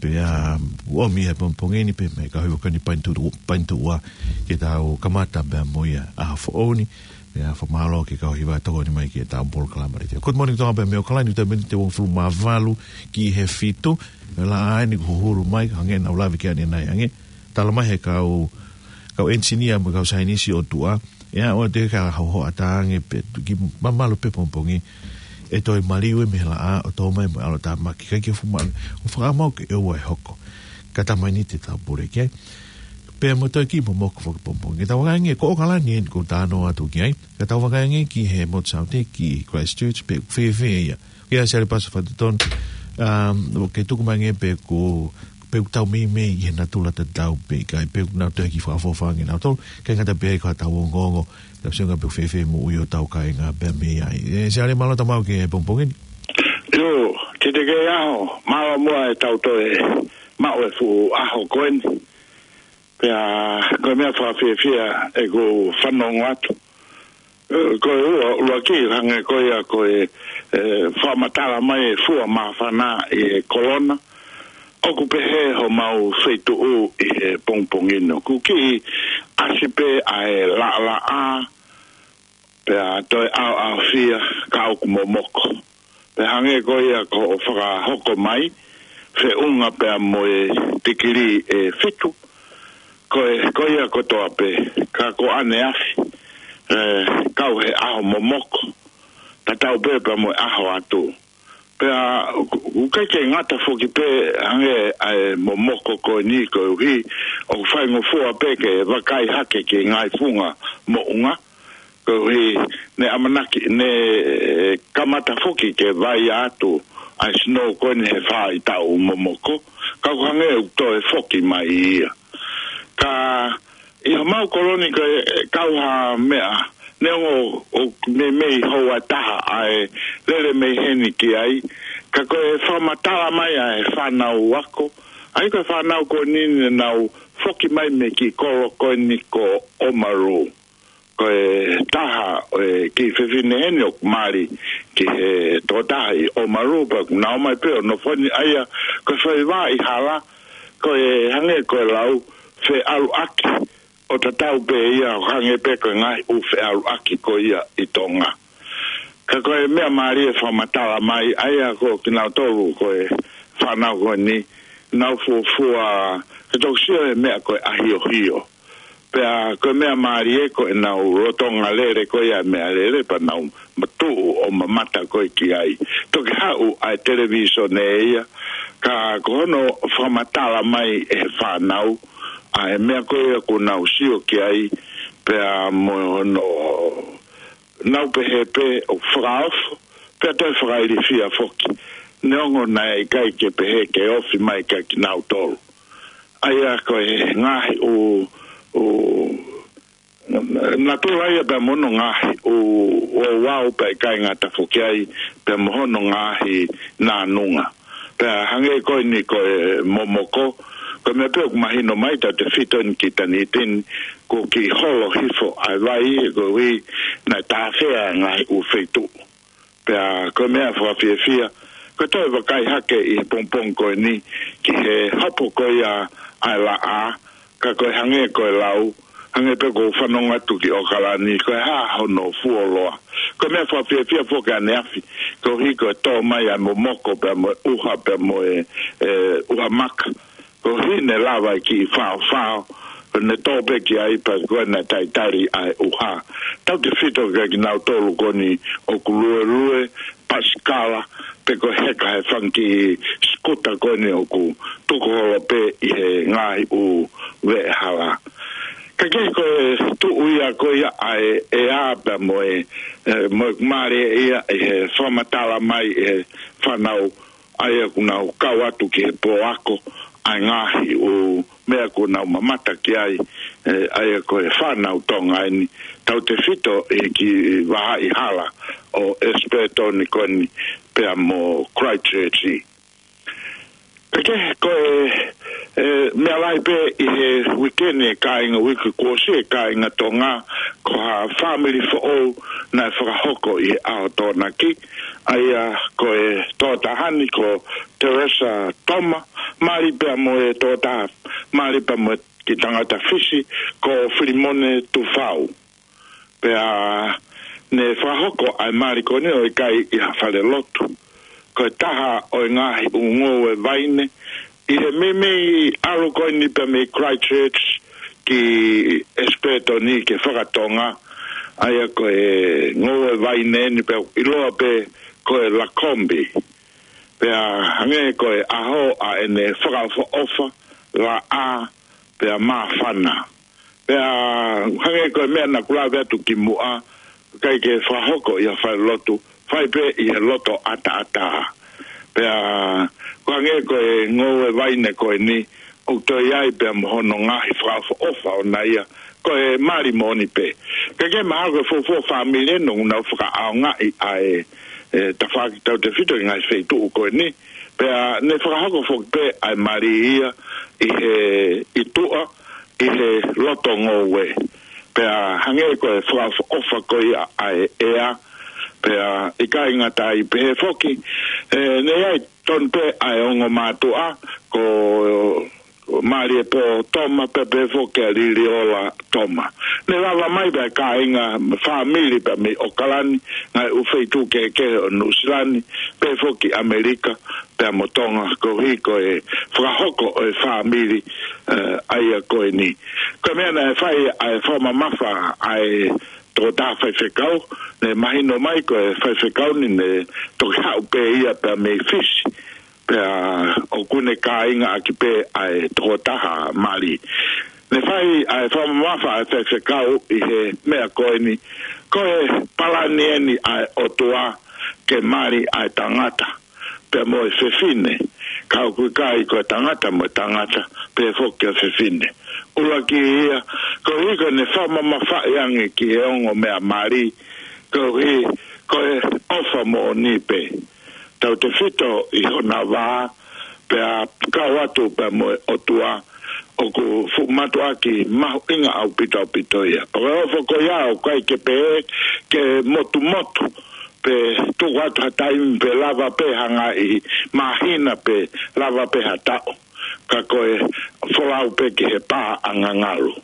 Pea, ʻomi he pongipongi ni pē mei he kau hiva ko eni Paenituʻu, Paenituʻu ua, ke tau kamata pea mo ia ʻaho foʻou ni. Pea fakamālō ki he kau hiva tokoni mai ki heʻetau polokalama letiō. Good Morning Tonga pea mei ʻAokalani, ʻi he miniti ʻe uofulu mā valu ki he fitu. Pea laʻā eni kuo hulu mai, hangē naʻa ku lave ki ai ʻanenai ange. Tala mai he kau, kau enisinia mo e kau saienisi ʻo tuʻa, ʻe aʻu atu ki he hoʻatā ange pē, tuki mamalu pē pongipongi. ʻe toe maliu ia mei he laʻā ʻo tō mai mo e ʻalotāmaki. ʻIkai ke fuʻu maʻu, ʻo fakamau ke ʻoua ʻe hoko. Ka taimi ni te tau pule ki ai. Pea mo toe kiʻi momoko foki pongipongi. Ke tau vakai ange, ko ʻAokalani eni ʻoku ou talanoa atu ki ai. Ka tau vakai ange ki he motu Saute ki Christchurch pe ʻoku fēfē ia. Kia Siale Pasa Fatutonu, um, ʻoku ke tuku mai ange pe ʻoku, pe ʻoku tau meimei ʻi he natula tatau pe ʻikai, pe ʻoku nau toe kiʻi fakaʻofoʻofa ange nautolu, ʻikai ngata pē ko ʻetau ongoongo, tau sio ange pe ʻoku fēfē moʻui hotau kāinga pea mei ai. ʻE, Siale, mālō e tau maʻu ki he pongipongi ni. ʻIo, Tite, kei ʻaho, mālō muʻa ʻetau toe maʻu e fuʻu ʻaho ko eni. Pea ko e meʻa fakafiefia ʻeku fanongo atu. ʻE, ko e ua, ʻuluaki, hangē ko ia ko e, ʻe, fakamatala mai e fua māfana ʻi he kolona. ʻOku pehē homau feituʻu ʻi he pongipongi ni. ʻOku kiʻi ʻasi pē ʻa e laʻalaʻā, pea toe ʻaoʻaofia ka ʻoku momoko. Pea hangē ko ia ko hoʻo fakahoko mai, feʻunga pea mo e tikilī ʻe fitu, ko e, ko ia kotoa pē, ka ko ʻaneafi, ʻe, kau he ʻaho momoko, tatau pē pea mo e ʻaho atu. Pea ʻoku, ʻoku ʻikai ke ngata foki pē hangē ʻa e momoko ko eni koeʻuhi, ʻoku faingofua pē ke vakai hake ki he ngaahi funga moʻunga, koeʻuhi ne ʻamanaki, ne kamata foki ke vai atu ʻa e snow ko eni he faʻahitaʻu momoko, ka ʻoku hangē ʻoku toe foki mai ia. Ka ʻi homau koloni ko e kau ha meʻa, neongo ʻoku meimei houa ʻe taha ʻa e lele mei heni ki ai, ka ko e fakamatala mai ʻa e fānau ako, ʻa ia ko e fānau ko eni ne nau foki mai mei he kiʻi kolo ko eni ko Oamaru. Ko e taha ʻo e kiʻi fefine heni ʻoku mali ki he tokotaha ʻi Oamaru, pea ʻoku na ō mai pē ʻo nofo ni ʻa ia, ko e foʻi vā ʻi hala, ko e hangē ko e lau, feʻaluʻaki, ʻo tatau pē ia ʻo hangē pē ko e ngaahi ʻū feʻaluʻaki ko ia ʻi Tonga. Ka ko e meʻa mālie fakamatala mai, ʻa ia ko kinautolu ko e fānau ko eni, nau fuofua, ke toki sio he meʻa ko e ʻahiohio. Pea ko e meʻa mālie ko ʻenau lolotonga lele ko ia meʻalele, pea nau matuʻu ʻo mamata ko ē ki ai. Toki haʻu ʻa e televīsone ia, ka ko hono fakamatala mai ʻe he fānau ʻa e meʻa ko ia ʻoku nau sio ki ai, pea mo hono nau pehē pē ʻoku fakaofo, pea toe fakailifia foki. Neongo naʻe ʻikai ke pehē ke ofi mai kia kinautolu. ʻA ia ko e ngaahi ʻū, ʻū, natula ia pea mo hono ngaahi ʻū, ʻū ouau pea ʻikai ngata foki ai, pea mo hono ngaahi nānunga. Pea hangē ko eni ko e momoko, ko e meʻa pē ʻoku mahino mai tautefito eni ki Tanitini, ko e kiʻi holo hifo ʻa e vai, koeʻuhi naʻe tāfea e ngaahi ʻū feituʻu. Pea ko e meʻa fakafiefia, ko e toe vakai hake ʻi he pongipongi ko eni ki he hopo ko ia ʻa e laʻā, ka ko e hangē ko e lau, hangē pē ko e fanongo atu ki ʻAokalani, ko e hā hono fuoloa. Ko e meʻa fakafiefia foki ʻaneafi, koeʻuhi ko e tō mai ʻa e momoko pea mo e ʻuha pea mo e, e, ʻuha maka. Koeʻuhi ne lava e kiʻi faofao, ko ʻene tō pē ki ai pea ko ʻene talitali ʻa e ʻuha. Tautefito kia kinautolu ko eni ʻoku luelue, pasikala, pe ko e heka he fanga kiʻi sikuta ko eni ʻoku tuku holo pē ʻi he ngaahi ʻū veʻehala. Ka kehe ko e tuʻu ia ko ia ʻa e, ʻea pea mo e, e, mo e mare ia ʻi he fakamatala mai ʻe he fānau ʻa ia ʻoku nau kau atu ki he pōako, ʻa e ngaahi ʻū meʻa ʻoku nau mamata ki ai, e, ʻa ia ko e fānau Tonga eni, tautefito ʻi he kiʻi vahaʻa hala ʻo ʻEsipetoni ko eni pea mo Christchurch. Ka kehe ko e, e, meʻa lahi pē ʻi he uike ni e kāinga, uike kuo ʻosi e kāinga Tonga, ko ha fāmili foʻou naʻe fakahoko ʻi he ʻaho Tokonaki, ʻa ia ko e tokotaha ni ko Teresa Toma, mali pea mo e tokotaha, mali pea mo e kiʻi tangata Fisi, ko Filimone Tufau. Pea ne fakahoko ʻa e mali ko eni ʻo ʻikai ʻi ha fale lotu. Ko e taha ʻo e ngaahi ʻū ngoue vaine, ʻi he meimei ʻalu ko eni pea mei Christchurch ki ʻEsipetoni ke fakatonga, ʻa ia ko e ngoue vaine eni pea ʻiloa pē ko e Lakombi. Pea hangē ko e ʻaho ʻa ʻene fakaʻofoʻofa, laʻā, pea māfana. Pea hangē ko e meʻa naʻa ku lave atu ki muʻa, ʻikai ke fakahoko ʻi ha falelotu, fai pē ʻi he loto ʻataʻatā. Pea ko hangē ko e ngoue vaine ko eni, ʻoku toe ʻi ai pea mo hono ngaahi fakaʻofoʻofa ʻona ia, ko e mali moʻoni pē. Ka ke mahalo ko e fuofua fāmili eni ʻoku nau fakaʻaongaʻi ʻa e, e tafaʻaki tautefito ʻi he ngaahi feituʻu ko eni. Pea ne fakahoko foki pē ʻa e mali ia ʻi he ʻi tuʻa, ʻi he loto ngoue. Pea hangē ko e fakaʻofoʻofa ko ia ʻa e ʻea, pea ʻikai ngata ai pē foki, e, ne ʻi ai tonu pē ʻa e ongo mātuʻa, ko Maliepō Toma, pea pehē foki ʻa Liliola Toma. Ne lava mai pē ʻa e kāinga fāmili pea mei ʻOkalani, ngaahi ʻū feituʻu kehekehe ʻo Nuʻusila ni, pehē foki ʻAmelika, pea mo Tonga, koeʻuhi ko e fakahoko ʻo e fāmili, e, ʻa ia ko eni. Ko e meʻa naʻe fai ʻa e fakamamafa ʻa e tokotaha faifekau, ne mahino mai ko e faifekau ni ne toki haʻu pē ia pea mei Fisi. Pea ʻoku ne kāingaʻaki pē ʻa e tokotaha mali. Ne fai ʻa e fakamamafa ʻa e faifekau ʻi he meʻa ko eni, ko e palani eni ʻa e ʻOtua ke mali ʻa e tangata pea mo e fefine, ka ʻoku ʻikai ko e tangata mo e tangata, pehē foki ʻa e fefine. ʻUluaki ia, koeʻuhi ko ʻene fakamamafaʻi ange ki he ongo meʻa mali, koeʻuhi ko e ʻofa moʻoni pē. Tautefito ʻi hona vā, pea kau atu pea mo e ʻOtua, ʻoku fuʻu mātuʻaki mahuʻinga ʻaupito ʻaupito ia. Pea ko e ʻofa ko ia ʻoku ʻikai ke pehē ke motumotu, pe tuku atu ha taimi pe lava pē ha ngaahi māhina pe lava pē ha taʻu. Ka ko e folau pē ki he pā ʻangangalu.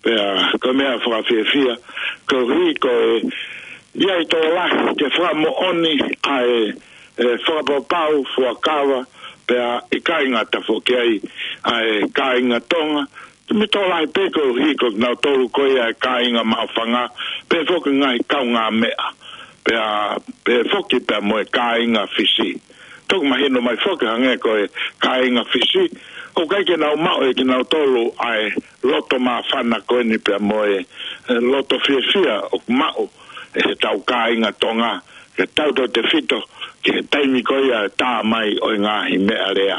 Pea ko e meʻa fakafiefia, koeʻuhi ko e ʻi ai tokolahi ke fakamoʻoni ʻa e, e fakapapau, fuakava, pea ʻikai ngata foki ai ʻa e kāinga Tonga, mei tokolahi pē koeʻuhi ko kinautolu ko ia e kāinga maʻufanga, pehē foki ngaahi kaungāmeʻa, pea, pehē foki pea mo e kāinga Fisi. Toki mahino mai foki hangē ko e kāinga Fisi, ʻoku ʻikai ke nau maʻu ʻe kinautolu ʻa e loto māfana ko eni pea mo e, e loto fiefia ʻoku maʻu ʻe heʻetau kāinga Tonga, ke tautautefito ki he taimi ko ia e tā mai ʻo e ngaahi meʻalea.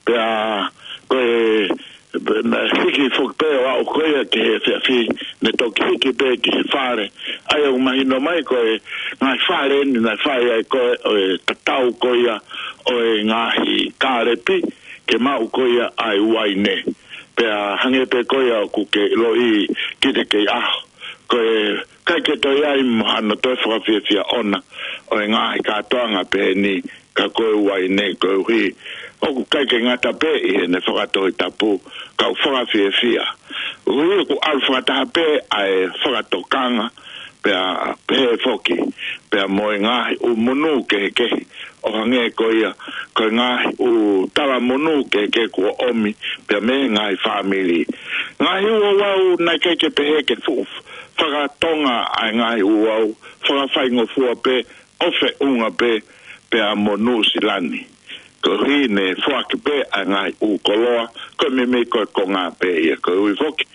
Pea ko e, pea naʻe hiki foki pē ʻo aʻu ko ia ki he efiafi, ne toki hiki pē ki he fale. ʻA ia ʻoku mahino mai ko e ngaahi fale eni naʻe fai ai ko ē ʻo e tatau ko ia ʻo e ngaahi kālepi ke maʻu ko ia ʻa e uaine. Pea hangē pē ko ia ʻoku ke ʻiloʻi ki te kei ʻaho, ko e ʻikai ke toe ʻi ai mo hano toe fakafiefia ʻona ʻo e ngaahi kātoanga pehē ni, ka ko e uaine, koeʻuhi ʻoku ʻikai ke ngata pē ʻi heʻene fakatohitapu, ka ʻoku fakafiefia. ʻUhi ʻoku ʻalu fakataha pē ʻa e fakatokanga, pea pehē foki pea mo e ngaahi ʻū monū kehekehe, ʻo hangē ko ia ko e ngaahi ʻū tala monū kehekehe kuo ʻomi pea mei he ngaahi fāmili. Ngaahi ʻū ouau naʻe ʻikai ke pehē ke fuʻu fakatonga ʻa e ngaahi ʻū ouau, fakafaingofua pē, ʻo feʻunga pē pea mo Nuʻusila ni. Koeʻuhi ne foaki pē ʻa e ngaahi ʻū koloa, ko e meimei ko e konga pē ia, koeʻuhi foki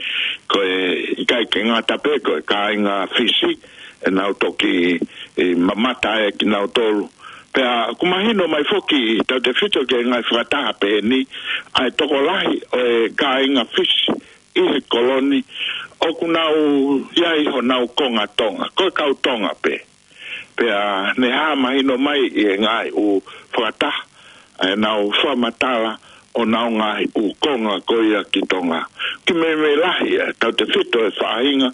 ko e ʻikai ke ngata pē ko e kāinga Fisi ʻenau toki, e, mamata ai kinautolu. Pea ʻoku mahino mai foki tautefito ki he ngaahi fakataha pehē ni, ʻa e tokolahi ʻo e kāinga Fisi ʻi he kolo ni, ʻoku nau ʻi ai honau konga Tonga, ko e kau Tonga pē. Pea ne hā mahino mai ʻi he ngaahi ʻū fakataha, ʻenau fakamatala ʻo ʻenau ngaahi ʻū konga ko ia ki Tonga. Ki meimei lahi ʻa e tautefito e faʻahinga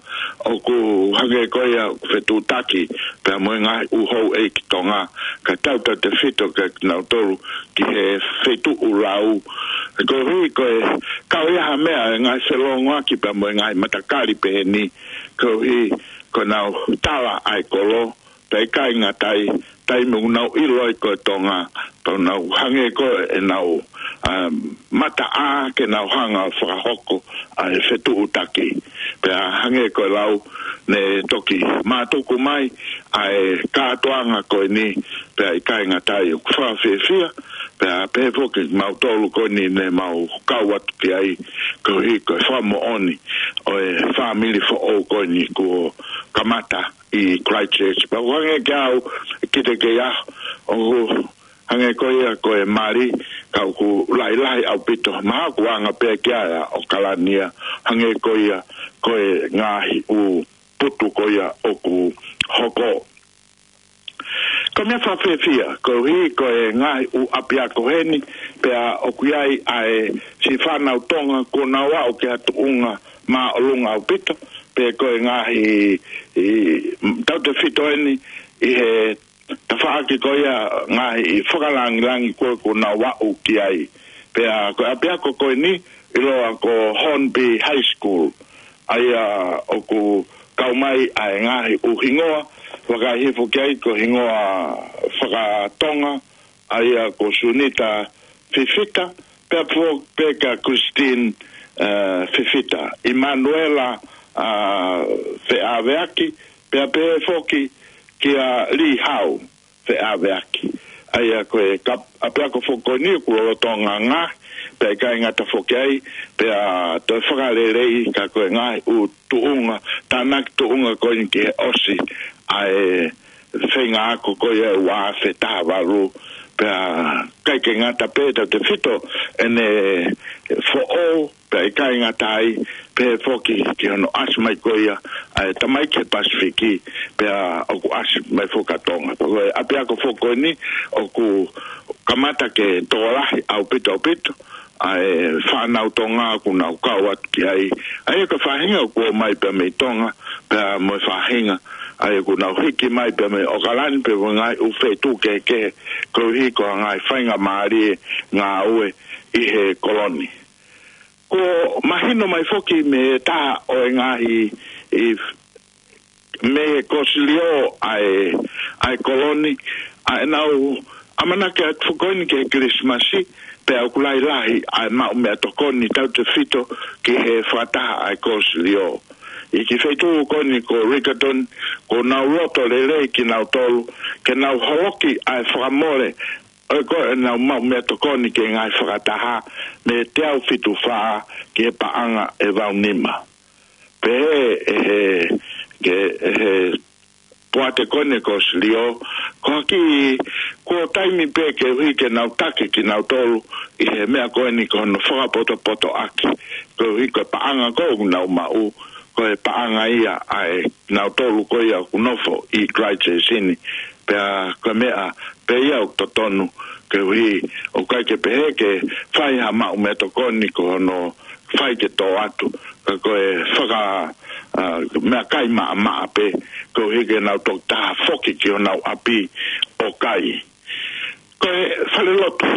ʻoku hangē ko ia ʻoku fetuʻutaki pea mo e ngaahi ʻū houʻeiki Tonga, ka tautautefito kia kinautolu ki he feituʻu lau. Koeʻuhi ko e kau ia ha meʻa e ngaahi felōngoaki pea mo e ngaahi matakali pehē ni, koeʻuhi ko ʻenau tala ʻa e kolo, pea ʻikai ngata ai, taimi ʻoku nau ʻilo ai ko e Tonga, pea nau hangē ko ʻenau ʻa e mataʻā ke nau hanga ʻo fakahoko ʻa e fetuʻutaki. Pea hangē ko e lau ne toki mātuku mai ʻa e kātoanga ko eni, pea ʻikai ngata ai ʻoku fakafiefia, pea pehē foki mautolu ko eni ne mau kau atu ki ai, koeʻuhi ko e fakamoʻoni ʻo e fāmili foʻou ko eni kuo kamata ʻi Christchurch. Pea ʻoku hangē kiate au, kiate au, ʻoku hangē ko ia ko e mali, ka ʻoku lahilahi ʻaupito. Mahalo ʻoku anga pē ki ai ʻa ʻAokalani ia, hangē ko ia ko e ngaahi ʻū putu ko ia ʻoku hoko. Ko e meʻa fakafiefia, koeʻuhi ko e ngaahi ʻū ʻapiako heni, pea ʻoku ʻi ai ʻa e siʻi fānau Tonga, kuo nau aʻu ki ha tuʻunga māʻolunga ʻaupito, pea ko e ngaahi, ʻi, tautefito eni, ʻi he tafaʻaki ko ia ngaahi fakalāngilangi ko ē kuo nau aʻu ki ai. Pea ko e ʻapiako ko eni, ʻiloa ko Hornby High School. ʻA ia ʻoku kau mai ʻa e ngaahi ʻū hingoa, vakai hifo ki ai ko e hingoa fakatonga, ʻa ia ko Sunita Fifita, pea foki pē kia Christine, eh, Fifita, Emanuela, ah, Feʻaveaki, pea pehē foki kia Lee Hau Feʻaveaki. ʻA ia ko e kau ʻapiako foki ko eni ʻoku lolotonga ngaahi, pea ʻikai ngata foki ai, pea toe fakaleleiʻi ka ko e ngaahi ʻū tuʻunga, tānaki tuʻunga ko eni ki he ʻosi ʻa e feinga ako ko ia ʻe ua afe taha valu, pea ʻikai ke ngata pē tautefito ʻene foʻou, pea ʻikai ngata ai, pehē foki ki hono ʻasi mai ko ia ʻa e tamaiki he Pasifiki, pea ʻoku ʻasi mai foki ki Tonga. Ko e ʻapiako foki ko eni ʻoku kamata ke tokolahi ʻaupito ʻaupito ʻa e fānau Tonga ʻoku nau kau atu ki ai. ʻA ia ko e faʻahinga ʻoku ō mai pea mei Tonga, pea mo e faʻahinga ʻa ia ʻoku nau hiki mai pea mei ʻAokalani pea mo e ngaahi ʻū feituʻu kehekehe, koeʻuhi ko e ngaahi faingamālie ngāue ʻi he koloni. Kuo mahino mai foki mei he taha ʻo e ngaahi, ʻi, mei he kōsilio ʻa e, ʻa e koloni, ʻa ʻenau ʻamanaki atu foki ko eni ki he Kilisimasi, pea ʻoku lahilahi ʻa e maʻu meʻatokoni tautefito ki he fakataha ʻa e kōsilio. ʻI he kiʻi feituʻu ko eni ko Riccarton, kuo nau loto lelei kinautolu ke nau holoki ʻa e fakamole ʻo e ko ʻenau maʻu meʻatokoni ki he ngaahi fakataha mei he teau fitu fā ki he paʻanga ʻe valu nima. Pehē ʻe he, ke, ʻe he poate ko eni kōsilio, ko e kiʻi, kuo taimi pē koeʻuhi ke nau taki kinautolu ʻi he meʻa ko eni ko hono fakapotopotoʻaki, koeʻuhi ko e paʻanga ko ē ʻoku nau maʻu, ko e paʻanga ia ʻa kinautolu ko ia ʻoku nofo ʻi Christchurch ni, pea ko e meʻa pē ia ʻoku totonu, koeʻuhi ʻoku ʻikai ke pehē ke fai ha maʻu meʻatokoni ko hono fai ke tō atu, ka ko e faka, ah, meʻakai maʻamaʻa pē, koeʻuhi ke nau toki taha foki ki honau ʻapi ʻo kai. Ko e falelotu,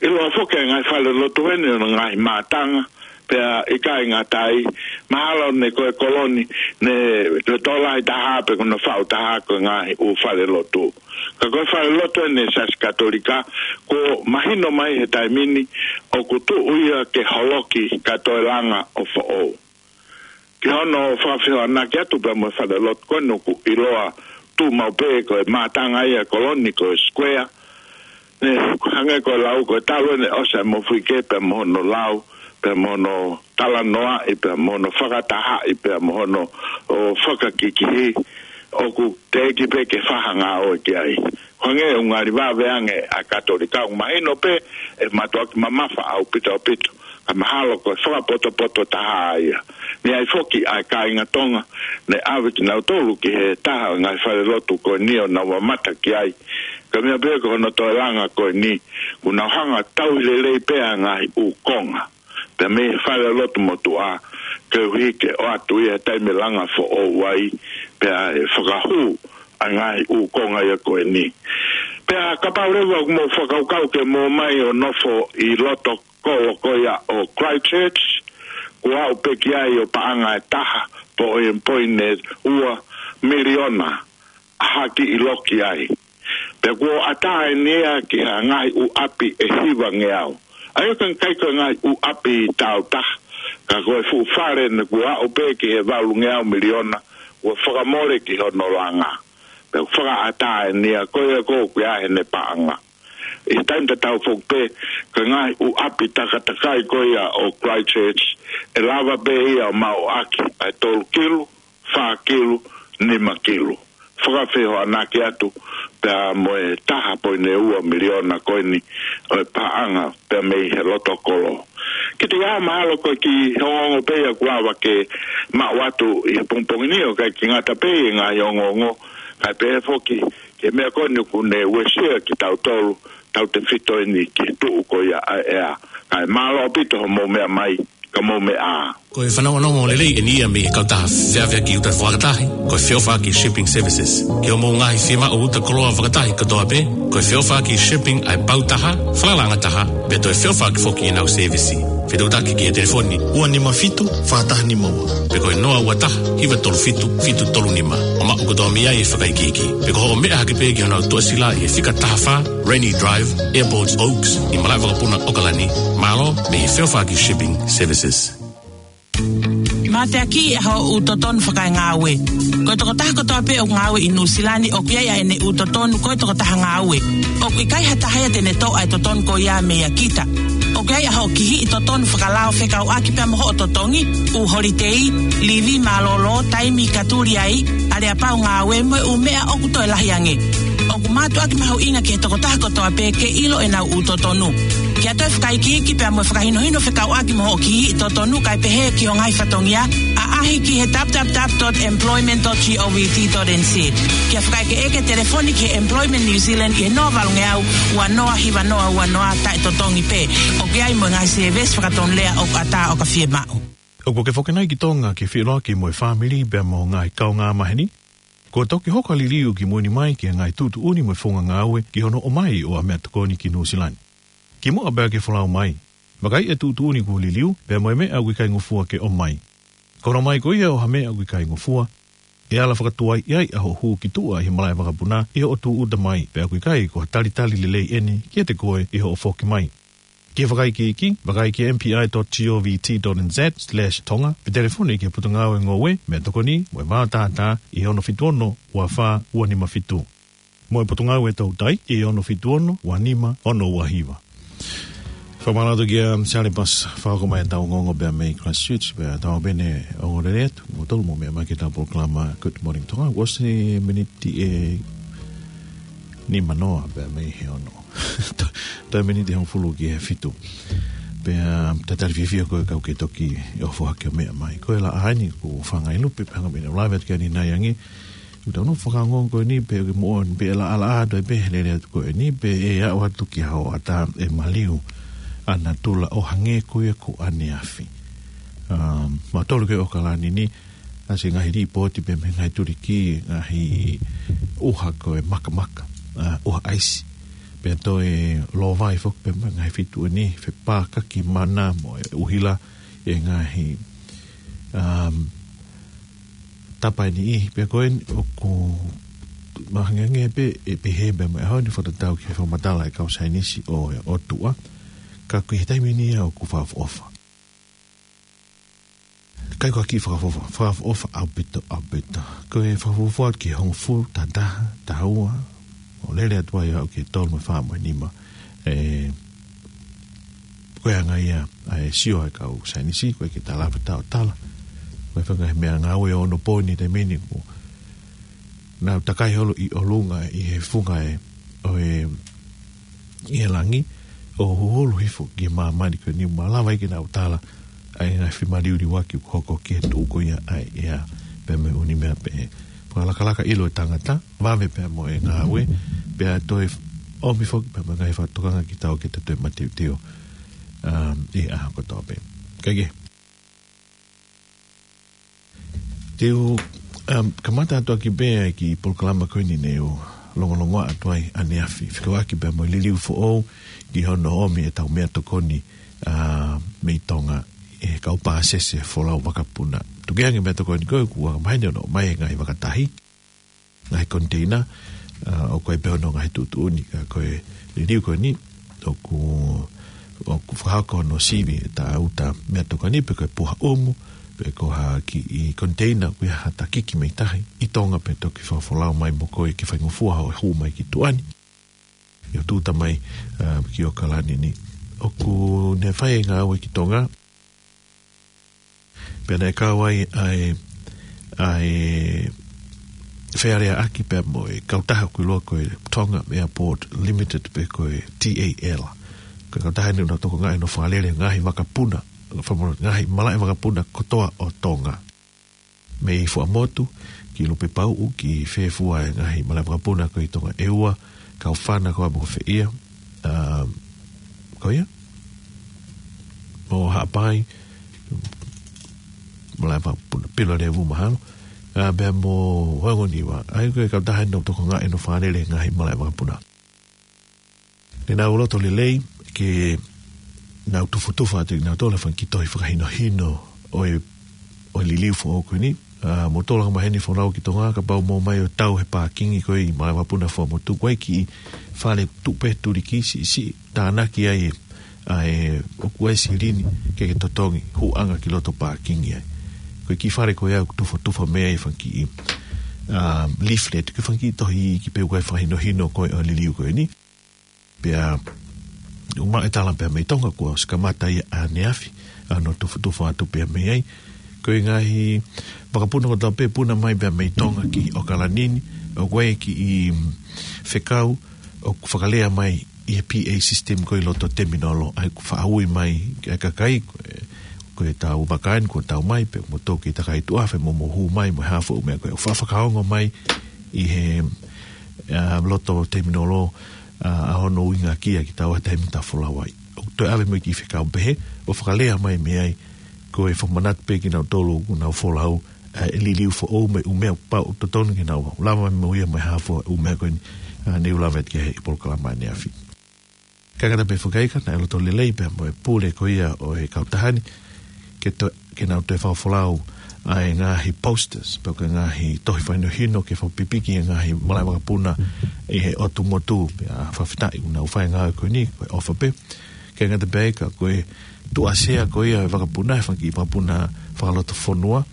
ʻiloa foki e ngaahi falelotu eni ʻo e ngaahi mātanga, pea ʻikai ngata ai, mahalo ne ko e koloni, ne ko e tokolahi taha pē ko hono faʻu taha ko e ngaahi ʻū falelotu. Ka ko e falelotu eni ʻa e Siasi Katolika, kuo mahino mai he taimi ni ʻoku tuʻu ia ke holoki ka toe langa ʻo foʻou. Ki hono fakafehoanaki atu pea mo e falelotu ko eni ʻoku ʻiloa tuʻu maʻu pē ko e mātanga ia ʻa e koloni ko e square. Ne hangē ko e lau ko e talu eni ʻosi ʻa e mofuike pea mo hono lau, pea mo hono talanoaʻi, pea mo hono fakatahaʻi, pea mo hono ʻo fakakikihi, ʻoku teʻeki pē ke fai ha ngāue ki ai. Hangē ʻoku ngali vave ange ʻa e Katolika, ʻoku mahino pē ʻe mātuʻaki mamafa ʻaupito ʻaupito, ka mahalo ko e fakapotopoto taha ia. Naʻe ʻi ai foki ʻa e kāinga Tonga, ne ʻave kinautolu ki he taha ʻo e ngaahi falelotu ko eni ʻo nau mamata ki ai. Ka meʻa pē ko hono toe langa ko eni, ʻoku nau hanga ʻo tauhi lelei pē ʻa e ngaahi ʻū konga pea mei he falelotu motuʻa, koeʻuhi ke ʻoatu ia he taimi ʻe langa foʻou ai, pea ʻe fakahū ʻa e ngaahi ʻū konga ia ko eni. Pea kapau leva ʻoku mou fakakaukau ke mou ō mai ʻo nofo ʻi loto kolo ko ia ʻo Christchurch, kuo aʻu pē ki ai ʻo paʻanga ʻe taha poʻi, poini ua miliona ʻa e kiʻi loki ai. Pea kuo ʻatā eni ia ki ha ngaahi ʻū ʻapi ʻe hivangeau. ʻA ia ko e ʻikai ko e ngaahi ʻū ʻapi tāutaha, ka ko e fuʻu fale naʻe aʻu pē ki he valungeau miliona, ʻoku fakamole ki hono langa. Pea fakaʻatā eni ia ko ia ko ē ʻoku ʻi ai ʻene paʻanga. ʻI he taimi tatau foki pē, ko e ngaahi ʻū ʻapi takatakai ko ia ʻo Christchurch, ʻe lava pē ia ʻo maʻuʻaki ʻa e tolu kilu, fā kilu, nima kilu. Fakafehoanaki atu pea mo e taha poini ua miliona ko eni ʻo e paʻanga pea mei he loto kolo. Kiate au mahalo ko e kiʻi ongoongo pē ia ʻoku lava ke maʻu atu ʻi he pongipongi ni, ʻo ʻikai ke ngata pē ʻi he ngaahi ongoongo, kae pehē foki ki he meʻa ko eni ʻoku ne uesia kitautolu, tautefito eni ki he tuʻu ko ia ʻa e ʻea. Kae mālō ʻaupito hoʻomou meʻa mai, ka mou meʻa ā. Ko e fanongonongo lelei eni ia mei he kautaha feʻaveʻaki uta fakatahi, ko e Feʻofaʻaki Shipping Services. Ki hoʻomou ngaahi fiemaʻu uta koloa fakatahi kotoa pē, ko e Feʻofaʻaki Shipping ʻa e pau taha, falalaʻanga taha, pea toe feʻofaʻaki foki ʻenau sēvisi. Fetuʻutaki ki he telefoni ua nima fitu, fā taha nima ua. Pe ko e noa ua taha, hiva tolu fitu, fitu tolu nima. ʻO maʻu kotoa mei ai e fakaikiiki. Pe ko hoʻo meʻa hake pē ki honau tuʻasila ʻi he fika taha fā, Rainy Drive, Airport Oaks, ʻi malaʻe vakapuna ʻAokalani, mālō mei he Feʻofaʻaki Shipping Services. Mateaki ʻa hoʻo ʻū totonu fakaengāue. Ko e tokotaha kotoa pē ʻoku ngāue ʻi Nuʻusila ni ʻoku ʻi ai ʻa ʻene ʻū totonu ko e tokotaha ngāue. ʻOku ʻikai ha taha ia te ne toʻo ʻa e totonu ko ia meia kita. ʻOku ʻi ai ʻa hoʻo kihiʻi totonu fakalao fekauʻaki pea mo hoʻo totongi, ʻū holitei, livi mālōlō, taimi ka tuli ai, aleapau ngāue mo e ʻū meʻa ʻoku toe lahi ange. ʻOku mātuʻaki mahuʻinga ki he tokotaha kotoa pē ke ʻilo ʻenau ʻū totonu. Ke ʻoatu e fakaikiiki pea mo e fakahinohino fekauʻaki mo hoʻo kihiʻi totonu kae pehē ki ho ngaahi fatongia, ʻaʻahi ki he www dot employment dot govt dot nz. Ke fakaʻekeʻeke, telefoni ki he Employment New Zealand ʻi he noa valungeau ua noa hiva noa ua noa, taʻetotongi pē. ʻOku ʻi ai mo e ngaahi sēvesi fakatonulea ʻoku ʻatā ʻo ka fiemaʻu. ʻOku ke foki nai ki Tonga ke feʻiloaki mo e fāmili pea mo e ngaahi kaungāmaheni? Kuo toki hoko ʻa e liliu kimui ni mai ki he ngaahi tuʻutuʻuni mo e founga ngāue ki hono ʻomai ʻo ha meʻatokoni ki Nuʻusila ni. Kimuʻa pea ke folau mai, vakai e tuʻutuʻuni kuo liliu pea mo e meʻa ʻoku ʻikai ngofua ke ʻomai. Ko hono ʻomai ko ia ʻo ha meʻa ʻoku ʻikai ngofua, ʻe ala fakatuai ai ʻa hoʻo hū ki tuʻa ʻi he malaʻe vakapuna ʻi hoʻo tūʻuta mai, pea ʻoku ʻikai ko ha talitali lelei eni kiate koe ʻi hoʻo foki mai. Ki he fakaikiiki, vakai ki he M P I dot govt dot N Z slash Tonga, pe telefoni ki he Potungāue Ngoue, Meʻatokoni mo e Vaotātā ʻi he ono fitu ono, ua fā, ua nima fitu. Mo e Potungāue Toutai ʻi he ono fitu ono, ua nima, ono ua hiva. Fakamālō atu kia Sale Pas, fakahoko mai ʻetau ongoongo pea mei Christchurch, pea tau pehē ʻe ongoongolelei atu kimoutolu hoʻomou meʻa mai ki heʻetau polokalama Good Morning Tonga. Kuo ʻosi e miniti ʻe nima noa pea mei he ono. Toe miniti ʻe hongofulu ki he fitu. Pea tatali fiefia ko e kau ke toki ʻohake ʻo meʻa mai. Ko e laʻā eni ʻoku fanga ʻi lupe, pea hanga pē ʻe au ʻo lave atu ki ai ʻanenai ange. ʻOku tau nofo fakaongoongo ko eni pē ʻoku moʻoni pē ʻe laʻalaʻā atu ai pē he lele atu ko eni pē ʻe aʻu atu ki ha hoʻatā ʻe maliu ʻa natula ʻo hangē ko ia ko ʻaneafi. Um, mautolu ko ē ʻAokalani ni, ʻasi e ngaahi lipooti pea mei he ngaahi tuliki, ngaahi ʻuha ko e makamaka, ʻa, ʻuha ʻaisi. Pea toe lōvai foki pea mei he ngaahi feituʻu ni, fepākaki mana mo e ʻuhila e ngaahi, um, tapa ʻe niʻihi. Pea ko eni ʻoku mahangeange pē ʻe pehē pea mei he ʻaho ni fakatatau ki he fakamatala ʻa e kau saienisi ʻo e ʻOtua. Ka ko e taimi ni ia ʻoku fakaʻofoʻofa. ʻIkai ko ha kiʻi fakaʻofoʻofa, fakaʻofoʻofa ʻaupito, ʻaupito. Ko e fakafuofua ki he hongofulu, taha taha, taha ua, ʻo lele atu ai ʻo aʻu ki he tolu mo e fā mo e nima. ʻE, ko e anga ia ʻa e sio ʻa e kau saienisi, ʻoku ʻikai ke tala pe tau tala. Ko e fanga he meʻangāue ʻo onopooni he taimi ni ʻoku nau takai holo ʻi ʻolunga ʻi he funga ʻe, ʻo e ʻi he langi, ʻo huhulu hifo ki māmani ko eni ʻo malava ai ke nau tala ʻa e ngaahi femaliuliuaki ʻoku hoko ki he tuʻu ko ia ʻa e ʻea, pea mo e ʻū meʻa pehē. Fakalakalaka ʻilo e tangata, vave pea mo e ngāue, pea toe ʻomi foki pea mo e ngaahi fakatokanga ki tau ke tatau e mateuteu, um, ʻi he ʻaho kotoa pē. Kae kehe. Te u, um, kamata atu ʻaki pē ʻa e kiʻi polokalama ko eni ne u longolongoaʻa atu ai ʻaneafi. Fekauʻaki pea mo e liliu foʻou ki hono ʻomi ʻetau meʻatokoni, uh, mei Tonga ʻe he kau pāsese folau vakapuna. Tukuange meʻatokoni ko ē ʻoku anga maheni hono ʻomai he ngaahi vakatahi, ngaahi koniteina, uh, ʻoku ʻi ai pē hono ngaahi tuʻutuʻuni, ka ko e liliu ko eni, ʻoku ʻoku fakahoko hono sivi ʻe taʻeuta meʻatokoni pe ko e puha ʻumu, pe ko ha kiʻi container ʻoku ʻi ai ha takiki mei tahi ʻi Tonga pea toki fakafolau mai mo koe ke faingofua hoʻo hū mai ki tuʻa ni. ʻI hoʻo tuʻuta mai, ā, ki ʻAokalani ni. ʻOku ne fai e ngāue ki Tonga. Pea naʻe kau ai ʻa e, ʻa e fealeaʻaki pea mo e kautaha ʻoku ʻiloa ko e Tonga Airport Limited pe ko e T A L. Ko e kautaha eni ʻoku nau tokangaʻi hono fakalele ngaahi vakapuna, famo-, ngaahi malaʻe vakapuna kotoa ʻo Tonga. Mei Fuaʻamotu ki Lupepauʻu, ki fē fua e ngaahi malaʻe vakapuna ko ē ʻi Tonga, ʻEua, Kaufana, ko ā mo ko fē ia, ā, ko ia, mo Haʻapai, malaʻe vakapuna, Pilolevu mahalo, ā, pea mo Vaongoniva, ʻa ia ko e kautaha eni ʻoku tokangaʻi hono fakalele ngaahi malaʻe vakapuna. Ne nau loto lelei ke nau tufotufa atu ʻe kinautolu e fanga kiʻi tohi fakahinohino ʻo e, ʻo e liliu foʻou ko eni. Ā, mou tolonga mai heni folau ki Tonga, kapau ʻoku mou ō mai ʻo tau he pākingi ko ē ʻi malaʻe vakapuna Fuaʻamotu, ko e kiʻi fale tuʻu pē tuliki siʻisiʻi, tānaki ai ʻa e, ʻoku ʻi ai e silini ke ke totongi, hūʻanga ki loto pākingi ai. Ko e kiʻi fale ko ia ʻoku tufotufa mei ai e fanga kiʻi, ā, leaflet, ko e fanga kiʻi tohi iiki pē ʻoku ʻi ai e fakahinohino ko ē ʻo e liliu ko eni. Pea ʻoku maʻu e tala pē mei Tonga kuo ʻosi kamata ia ʻaneafi, ā, hono tufotufa atu pē mei ai. Ko e ngaahi vakapuna kotoa pē ʻoku puna mai pē mei Tonga ki ʻAokalani ni, ʻoku ʻi ai e kiʻi, mm, fekau ʻoku fakalea mai ʻi he P A system ko ē ʻi loto terminal, ʻa ia ʻoku faʻa ui mai ki he kakai, ko e, ko ʻetau vaka eni kuo tau mai, pea mou toki takai tuʻa afe mo mou hū mai mo e hā fua e ʻū meʻa ko ē. ʻOku faʻa fakaongo mai ʻi he, ā, loto terminal, ā, ʻa hono ʻuhinga kia kitaua he taimi ʻoku tau folau ai. ʻOku toe ʻave mai e kiʻi fekau pehē, ʻo fakalea mai mei ai, ko e fakamanatu pē kia kinautolu ʻoku nau folau, ā, e liliu foʻou mo e ʻū meʻa ʻoku pau ʻoku totonu ke nau lava mai mo ia mo e hā fua e ʻū meʻa ko eni, ā, ne u lave atu ki ai he polokalama ʻaneafi. Kae ʻikai ngata pē foki ai ka naʻe loto lelei pē mo e pule ko ia ʻo e kautaha ni, ke to-, ke nau toe fakafolau ʻa e ngaahi posters, pe ko e ngaahi tohi fakahinohino ke fakapipiki e ngaahi malaʻe vakapuna ʻi he ʻotu motu, pea fakafetaʻi ʻoku nau fai e ngāue ko eni, ko e ʻofa pē. Kae ʻikai ngata pē ai ka ko e tuʻasea ko ia e vakapuna, e fanga kiʻi vakapuna fakalotofonua,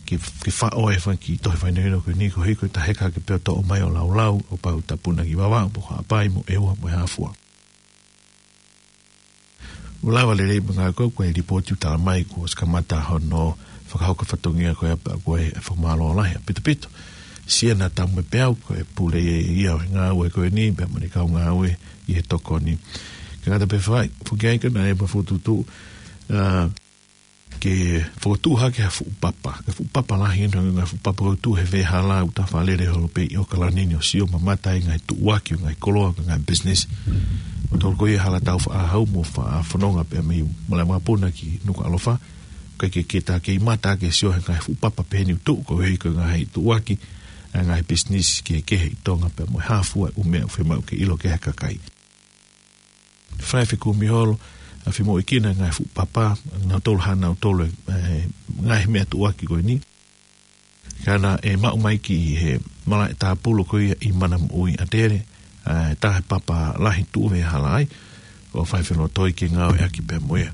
ke, ke faʻo e fanga kiʻi tohi fakahinohino ko eni koeʻuhi ko e taʻe heka hake pē ʻo toʻo mai ʻo laulau, ʻo pau ʻe tau puna ki Vavaʻu, mo Haʻapai, mo ʻEua, mo e hā fua. ʻOku lava lelei mo e ngāue ko ē, ko e lipooti ʻoku tala mai kuo ʻosi kamata hono fakahoko e fatongia ko ia pea ko e fakamālō lahi ʻaupito. Siana Tamuepeau, ko e pule ia ʻo e ngāue ko eni, pea mo ʻene kau ngāue ʻi he tokoni. Kae ʻikai ngata pē fai, foki ai ka naʻe mafotutuʻu, ā, ke fokotuʻu hake ha fuʻu papa. Ko e fuʻu papa lahi eni, ngaahi fuʻu papa ʻoku tuʻu he veʻehala ʻoku tau fakalele holo pē ʻi ʻAokalani ni ʻo sio mamata ai e ngaahi tuʻuaki ʻo e ngaahi koloa, ʻo e ngaahi business. Mo tolu ko ia hala tau faʻa hau mo faʻa fononga pē mei malaʻe vakapuna ki Nukuʻalofa. Ko e ke, ke ta kei mata ke sio he ngaahi fuʻu papa pehē ni ʻoku tuʻu koeʻuhi ko e ngaahi tuʻuaki ʻa e ngaahi business kehekehe ʻi Tonga pea mo e hā fua e ʻū meʻa ʻoku fiemaʻu ke ʻilo ki ai e kakai. Fai fekumi holo, ā, fai mo e kina ngaahi fuʻu papa, nautolu hā nautolu, ē, ngaahi meʻa tuʻuaki ko eni. Ka naʻe maʻu mai ki he malaʻe tāpulu ko ia ʻi Manamoʻui ʻAtele, ā, taha e papa lahi tuʻu he veʻehala ai, ʻo fai felotoi ke ngāueʻaki pē mo ia.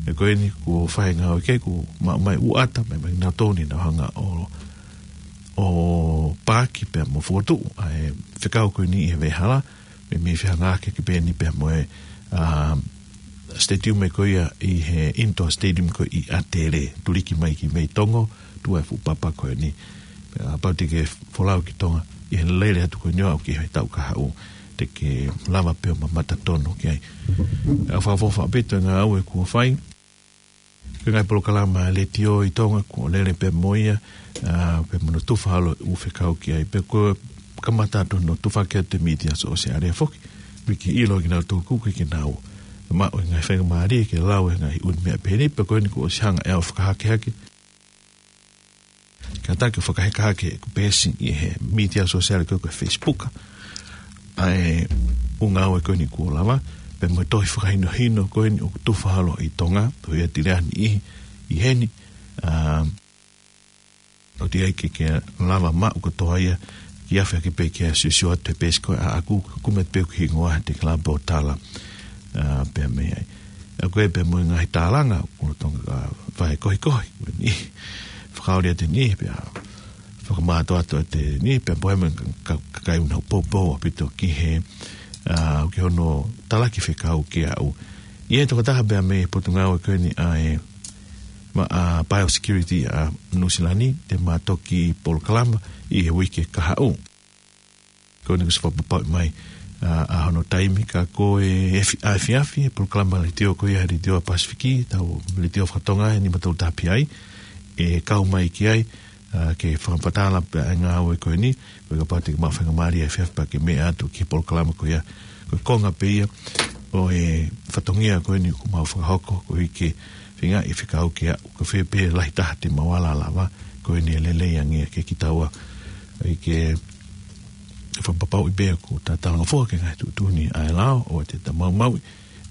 Ē ko eni kuo fai e ngāue ki ai, kuo maʻu mai ʻū ʻata, mai mai nautolu ni nau hanga ʻo, ʻo paaki pea mo fokotuʻu ʻa e fekau ko eni ʻi he veʻehala, mei, mei fehangahangai pē eni pea mo e, ā, stadium ko ia ʻi he indoor stadium ko ē ʻi ʻAtele, tuliki mai ki mei Tonga, tuʻu ai e fuʻu papa ko eni. Ā, kapau te ke folau ki Tonga, ʻi he lele atu ko eni ʻo aʻu ki he taʻu kahaʻu, te ke lava pē ʻo mamata tonu ki ai. ʻOku fakaʻofoʻofa ʻaupito e ngāue kuo fai, ko e ngaahi polokalama letiō ʻi Tonga kuo lele pē mo ia, ā, pea mo hono tufa holo e ʻū fekau ki ai, pea kuo kamata atu hono tufa ki he mītia sōsiale foki. Pea ke ʻilo ʻe kinautolu ʻoku ʻikai ke nau maʻu e ngaahi faingamālie ke lau e ngaahi ʻū meʻa pehē ni, pea ko eni kuo ʻosi hanga ʻe au ʻo fakahakehake. Kātaki ʻo fakaheka hake ʻeku peesi ʻi he mītia sōsiale ko ē ko e Facebook. ʻA e ʻū ngāue ko eni kuo lava, pea mo e tohi fakahinohino ko eni ʻoku tufa holo ʻi Tonga, tohi ʻa Tileani ʻi, ʻi heni, ā, ʻoku ʻi ai ke, ke lava maʻu kotoa ia, ke afe hake pē ke siosio atu he peesi ko ē ʻaʻaku, kumi atu pē hoku hingoa he te ke lava pē ʻo tala, ā, pea mei ai. ʻA ko ē pea mo e ngaahi tālanga, ko Tonga, ʻa, fai kohikohi, ko eni. Fakaoli atu eni, pea fakamātoato atu eni, pea pehē mo e ka-, ka-, kakai ʻoku nau poupou ʻaupito ki he, ʻa, ki hono talaki fekau kiate au. ʻI he tokotaha pea mei Potungāue ko eni ʻa e, ma-, ʻa, Biosecurity ʻa Nuʻusila ni, te ma toki polokalama ʻi he uike kahaʻu. Ko eni kuo ʻosi fakapapauʻi mai, ʻa, ʻa hono taimi ka ko e efi-, ʻa efiafi, e polokalama letiō ko ia, letiō Pasifiki, tau letiō fakatonga, ʻe nima tolu taha pē ai, ʻe kau mai ki ai, ʻa, ke fakamatala pē ʻa e ngāue ko eni, ko e kapau te ke maʻu faingamālie efiafi pea ke meʻa atu ki he polokalama ko ia, ko e konga pē ia, ʻo e fatongia ko eni kuo mau fakahoko, koeʻuhi ke feinga ʻe fekau ke aʻu, ko fē pē lahi taha te mau ala lava, ko eni ʻe lelei ange ke kitaua, ʻai ke fakapapauʻi pē ʻoku ta talangofua ki he ngaahi tuʻutuʻuni ʻa e lao, ʻoua te ta maumauʻi,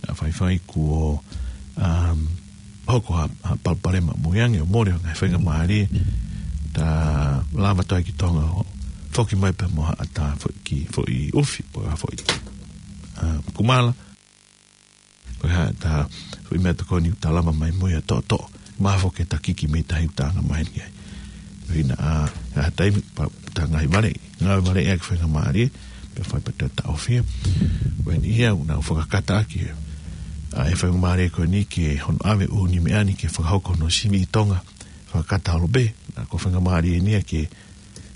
naʻa faifai kuo, um, hoko ha, ha palopalema mo e ange ʻo mole ʻo ngaahi faingamālie, ta lava toe ki Tonga ʻo foki mai pē mo haʻata foʻi ki, foʻi ʻufi, pe ko ha foʻi, um, kumala, pe ko ha ta foʻi meʻatokoni ʻoku ta lava mai mo ia toʻotoʻo. Mahalo foki ke ta kiki mei tahi ʻoku ta anga mai ki ai. Pea ʻi he, ʻa, ʻa e taimi pea ta ngaahi vale, ngaahi vale ʻa e faingamālie, pea fai pē ʻeta ʻaofia. Ko eni ia ʻoku nau fakakata ʻaki ʻa e faingamālie ko eni ke hono ʻave ʻū nimeʻa ni ke fakahoko hono sivi ʻi Tonga. Fakakata holo pē, naʻa ko e faingamālie eni ia ke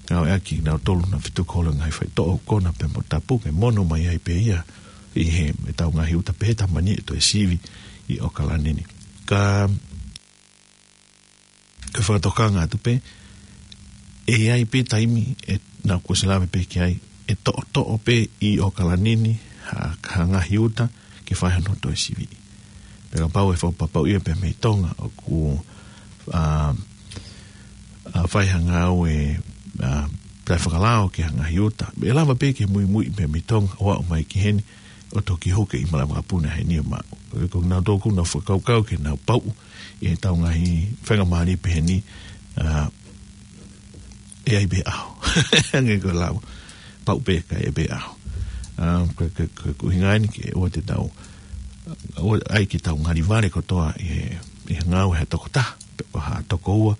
ngāueʻaki kinautolu naʻa fetuku holo ngaahi faitoʻo ʻoku kona pea mo tapu ke mono mai ai pē ia ʻi he, ʻetau ngaahi uta pehē ta mani ʻe toe sivi ʻi ʻAokalani ni. Ka, ka fakatokanga atu pē, ʻe ʻi ai pē taimi ʻe naʻa kuo ʻosi lave pē ki ai, ʻe toʻotoʻo pē ʻi ʻAokalani ni ha, ha ngaahi uta ke fai hono toe sivi. Pea kapau ʻe fakapapauʻi ia pea mei Tonga ʻoku, ʻa, ʻa, fai ha ngāue, ʻa, taʻefakalao ki ha ngaahi uta. ʻE lava pē ke muimui pea mei Tonga ʻo aʻu mai ki heni ʻo toki hū ki he ʻi malava kapuna heni ʻo maʻu. Ko e, ko nautolu ʻoku nau fakakaukau ke nau pauʻu ʻi heʻetau ngaahi faingamālie pehē ni, ʻa, ʻe ʻi ai pē ʻaho. Ange ko e lau. Pauʻu pē kae ʻi ai pē ʻaho. ʻA, ko, ko, ko, ko e ʻuhinga eni ke ʻoua te tau, ʻoua, ʻai ke tau ngali vale kotoa ʻi he, ʻi he ngāue ha tokotaha, pe ko ha tokoua,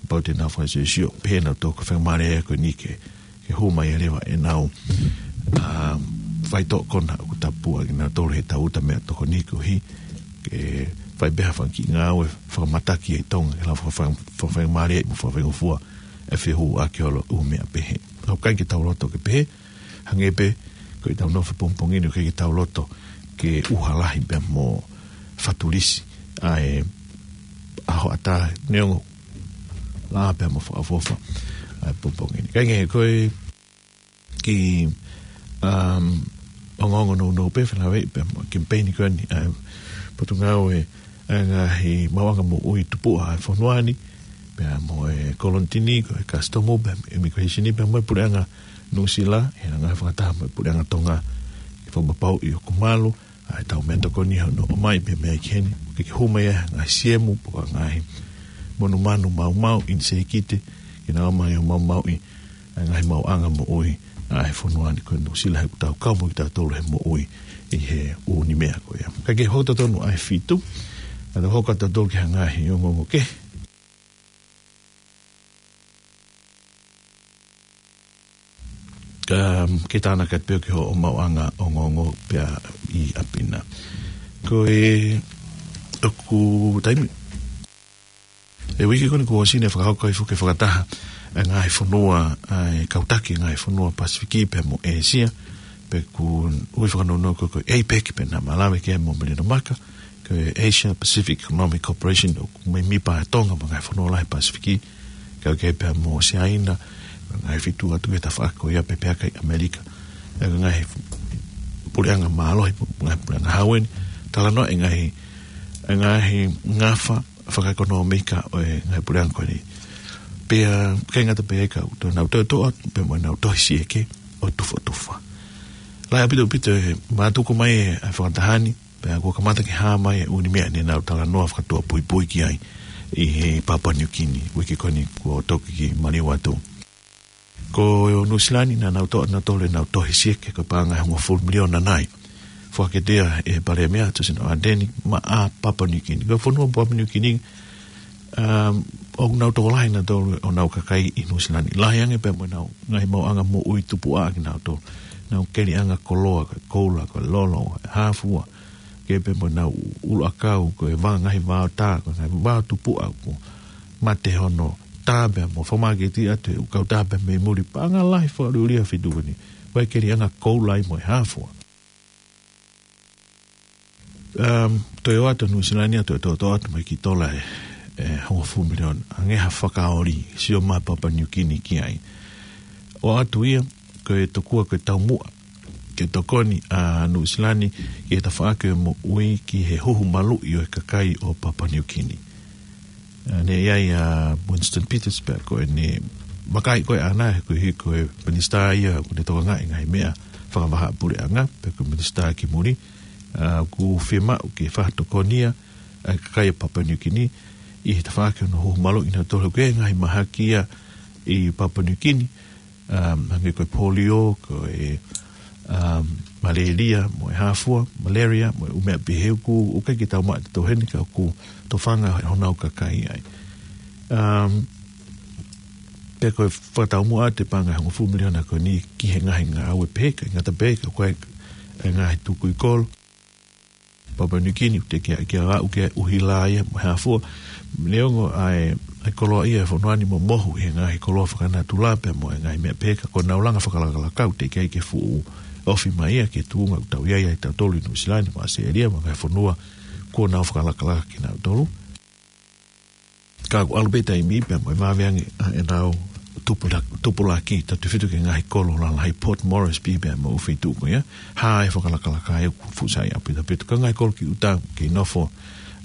kapau te nau fakasiosio, pehē nautolu ko e faingamālie ko eni ke, ke hū mai ʻo leva ʻenau, ʻa, faitoʻo kona ʻoku tapu ange nautolu heʻetau uta meʻatokoni koeʻuhi ke fai pē ha fanga kiʻi ngāue fakamataki ʻi Tonga, ke lava faka-, faka-, fakafaingamālie mo fakafaingofua ʻa e fehuʻaki holo ʻū meʻa pehē. ʻOku ʻikai ke tau loto ke pehē, hangē pē ko ʻetau nofo pongipongi ni, ʻoku ʻikai ke tau loto ke ʻuha lahi pea mo fatulisi ʻa e ʻaho ʻatā neongo laʻā pea mo fakaʻofoʻofa ʻa e pongipongi ni. Ka ʻi he ngaahi ko e kiʻi, um, ongoongo nounou pē fenave pea mo e kemipeini ko eni ʻa e Potungāue ʻa e Ngaahi Maʻuʻanga Moʻui Tupuʻa ʻa e fonua ni, pea mo e Kolonitini, ko e Kasitomu, pea mo e Immigrationi, pea mo e Puleʻanga Nuʻusila, ʻi he ngaahi fakataha mo e Puleʻanga Tonga, ke fakapapauʻi ʻoku malu ʻa ʻetau meʻatokoni hono ʻomai pē mei ai ki heni, ke, ke hū mai ʻa e ngaahi siemu, pe ko e ngaahi monumanu maumau, ʻinisēkite, ke nau ō mai ʻo maumauʻi ʻa e ngaahi maʻuʻanga moʻui ʻa e fonua ni ko Nuʻusila, he ʻoku tau kau mo kitautolu he moʻui ʻi he ʻū nimeʻa ko ia. Ka ke hoko totonu ʻa e fitu, ka tau hoko atu totonu ki he ngaahi ongoongo kehe. Ka, ke tānaki atu pē ki hoʻo maʻuʻanga ongoongo pea ʻi ʻapi na. Ko e, ʻoku taimi ʻe uike ko eni kuo ʻosi ne fakahoko ai foki e fakataha ʻa e ngaahi fonua, ʻa e kau taki ngaahi fonua Pasifiki pea mo ʻĒsia, pea ʻoku ui fakanounou ko e, ko e APEC pea naʻa ma lave ki ai mo Melino Maka, ko e Asia Pacific Economic Cooperation, ʻoku mei mipa ʻa Tonga mo e ngaahi fonua lahi Pasifiki, kau ki ai pea mo Siaina, ngaahi feituʻu atu ki he tafaʻaki ko ia pea pehē ki ʻAmelika. ʻA e ngaahi puleʻanga mālohi, ngaahi puleʻanga hau eni, talanoa e ngaahi, e ngaahi ngafa fakaʻekonōmika ʻo e ngaahi puleʻanga ko eni. Pea, ʻikai ngata pē ka, ʻoku toe nau toe toʻa, pea mo ʻenau tohi sieke ʻo tufotufa. Lahi ʻaupito ʻaupito e mātuku mai e, e fakataha ni, pea kuo kamata ke hā mai e ʻū meʻa ne nau talanoa fakatuʻapuipui ki ai ʻi he Papua New Guinea, uike ko eni kuo toki maliu atu. Ko Nuʻusila ni naʻa nau toʻa nautolu ʻenau tohi sieke ko e paʻanga ʻe hongofulu miliona nai. Foaki atu ia ʻe he Palēmia Tusino Ardeni maʻa Papua Niu Kini. Ko e fonua Papua Niu Kini, um, ʻoku nau tokolahi nautolu ʻenau kakai ʻi Nuʻusila ni. Lahi ange pē mo ʻenau ngaahi maʻuʻanga moʻui tupuʻaʻa kinautolu. Nau keliʻanga koloa, ko e koula, ko e lolo, ko e hāfua. Kei pē mo ʻenau ʻuluʻakau, ko e vā ngaahi vaotā, ko e ngaahi vao tupuʻa ʻoku mate hono tā pē mo fakamāketi atu ʻe he kau tā pē mei muli, paʻanga lahi fakaʻuliʻulia ʻa e feituʻu ko eni. Vai keliʻanga koula ai mo e hāfua. Um, toe ʻoatu Nuʻusila ni ʻa e toe toʻotoʻo atu mai ki tola ʻe, ʻe hongofulu miliona. Hangē ha fakaoli, sio mai Papua Niu Kini ki ai. ʻOatu ia, ko e tokua ko e taumuʻa ke tokoni ʻa Nuʻusila ni ki he tafaʻaki ʻo e moʻui ki he huhu maluʻi ʻo e kakai ʻo Papua Niu Kini. ʻA, naʻe ʻi ai ʻa Winston Peters pea ko ʻene vakai ko ē ʻaʻana, he ko e, he ko e minisitā ia ʻoku ne tokangaʻi ngaahi meʻa fakavahaʻapuleʻanga, pea ko e minisitā ki muli, ʻa, ʻoku fiemaʻu ke fakatokonia ʻa e kakai ʻo Papua Niu Kini ʻi he tafaʻaki ʻo hono huhu maluʻi nautolu, ko e ngaahi mahaki ia ʻi Papua Niu Kini, um, hangē ko e polio, ko e, um, malaria, mo e hāfua, malaria, mo e ʻū meʻa pehē, ʻoku, ʻoku ʻikai ke tau maʻu ʻe tautolu heni ka ʻoku tofanga honau kakai ai. Um, pea ko e fakataumuʻa atu e paʻanga ʻe hongofulu miliona ko eni ki he ngaahi ngāue pehē, ʻikai ngata pē, ka ko e, e ngaahi tukui kolo. Papua Niu Kini, ʻoku teʻeki ai ke aʻu ki he ʻuhila ia mo e hāfua. Neongo ʻa e, ʻa e koloaʻia ʻa e fonua ni mo mohu he ngaahi koloa fakanatula pea mo e ngaahi meʻa pehē, ka ko ʻenau langa fakalakalaka ʻoku teʻeki ai ke fuʻu ofi mai ia ki he tuʻunga ʻoku tau ʻi ai ʻa tautolu ʻi Nuʻusila ni mo ʻAositelēlia mo e ngaahi fonua kuo nau fakalakalaka kinautolu. Ka ʻoku ʻalu pē taimi pea mo e vave ange ʻa ʻenau tupula-, tupulaki, tautefito ki he ngaahi kolo lalahi, Port Moresby pea mo e ʻū feituʻu ko ia, hā e fakalakalaka ʻoku fuʻu saiʻia pē tautefito ki he ngaahi kolo ki ʻuta, kei nofo,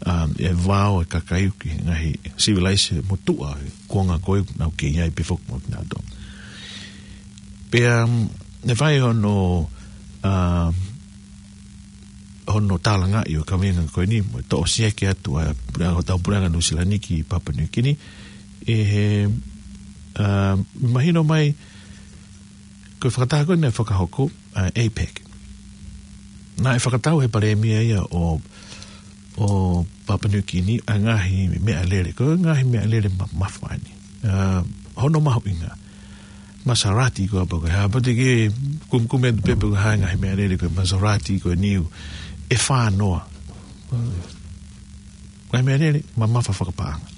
um, e vao ʻo e kakai ki he ngaahi sivilaise motuʻa ʻo e kuonga ko ē ʻoku nau kei ai pē foki mo kinautolu. Pea, um, naʻe fai hono, um, hono tālangaʻi ʻo e kaveinga ko eni, mo e toʻo sieke atu ʻa e puleʻanga, hotau puleʻanga Nuʻusila ni ki Papua Niu Kini, ʻe he, ā, mahino mai, ko e fakataha ko eni naʻe fakahoko, ā, APEC. Naʻe fakatau ʻe he palēmia ia ʻo, ʻo Papua Niu Kini ʻa e ngaahi meʻalele, ko e ngaahi meʻalele ma-, mamafa eni. Ā, hono mahuʻinga. Maserati ko ē pē ko e hā, pea te ke kumikumi atu pē pe ko e hā e ngaahi meʻalele ko e Maserati ko eni ʻoku fānoa. Ngaahi meʻalele mamafa fakapaʻanga.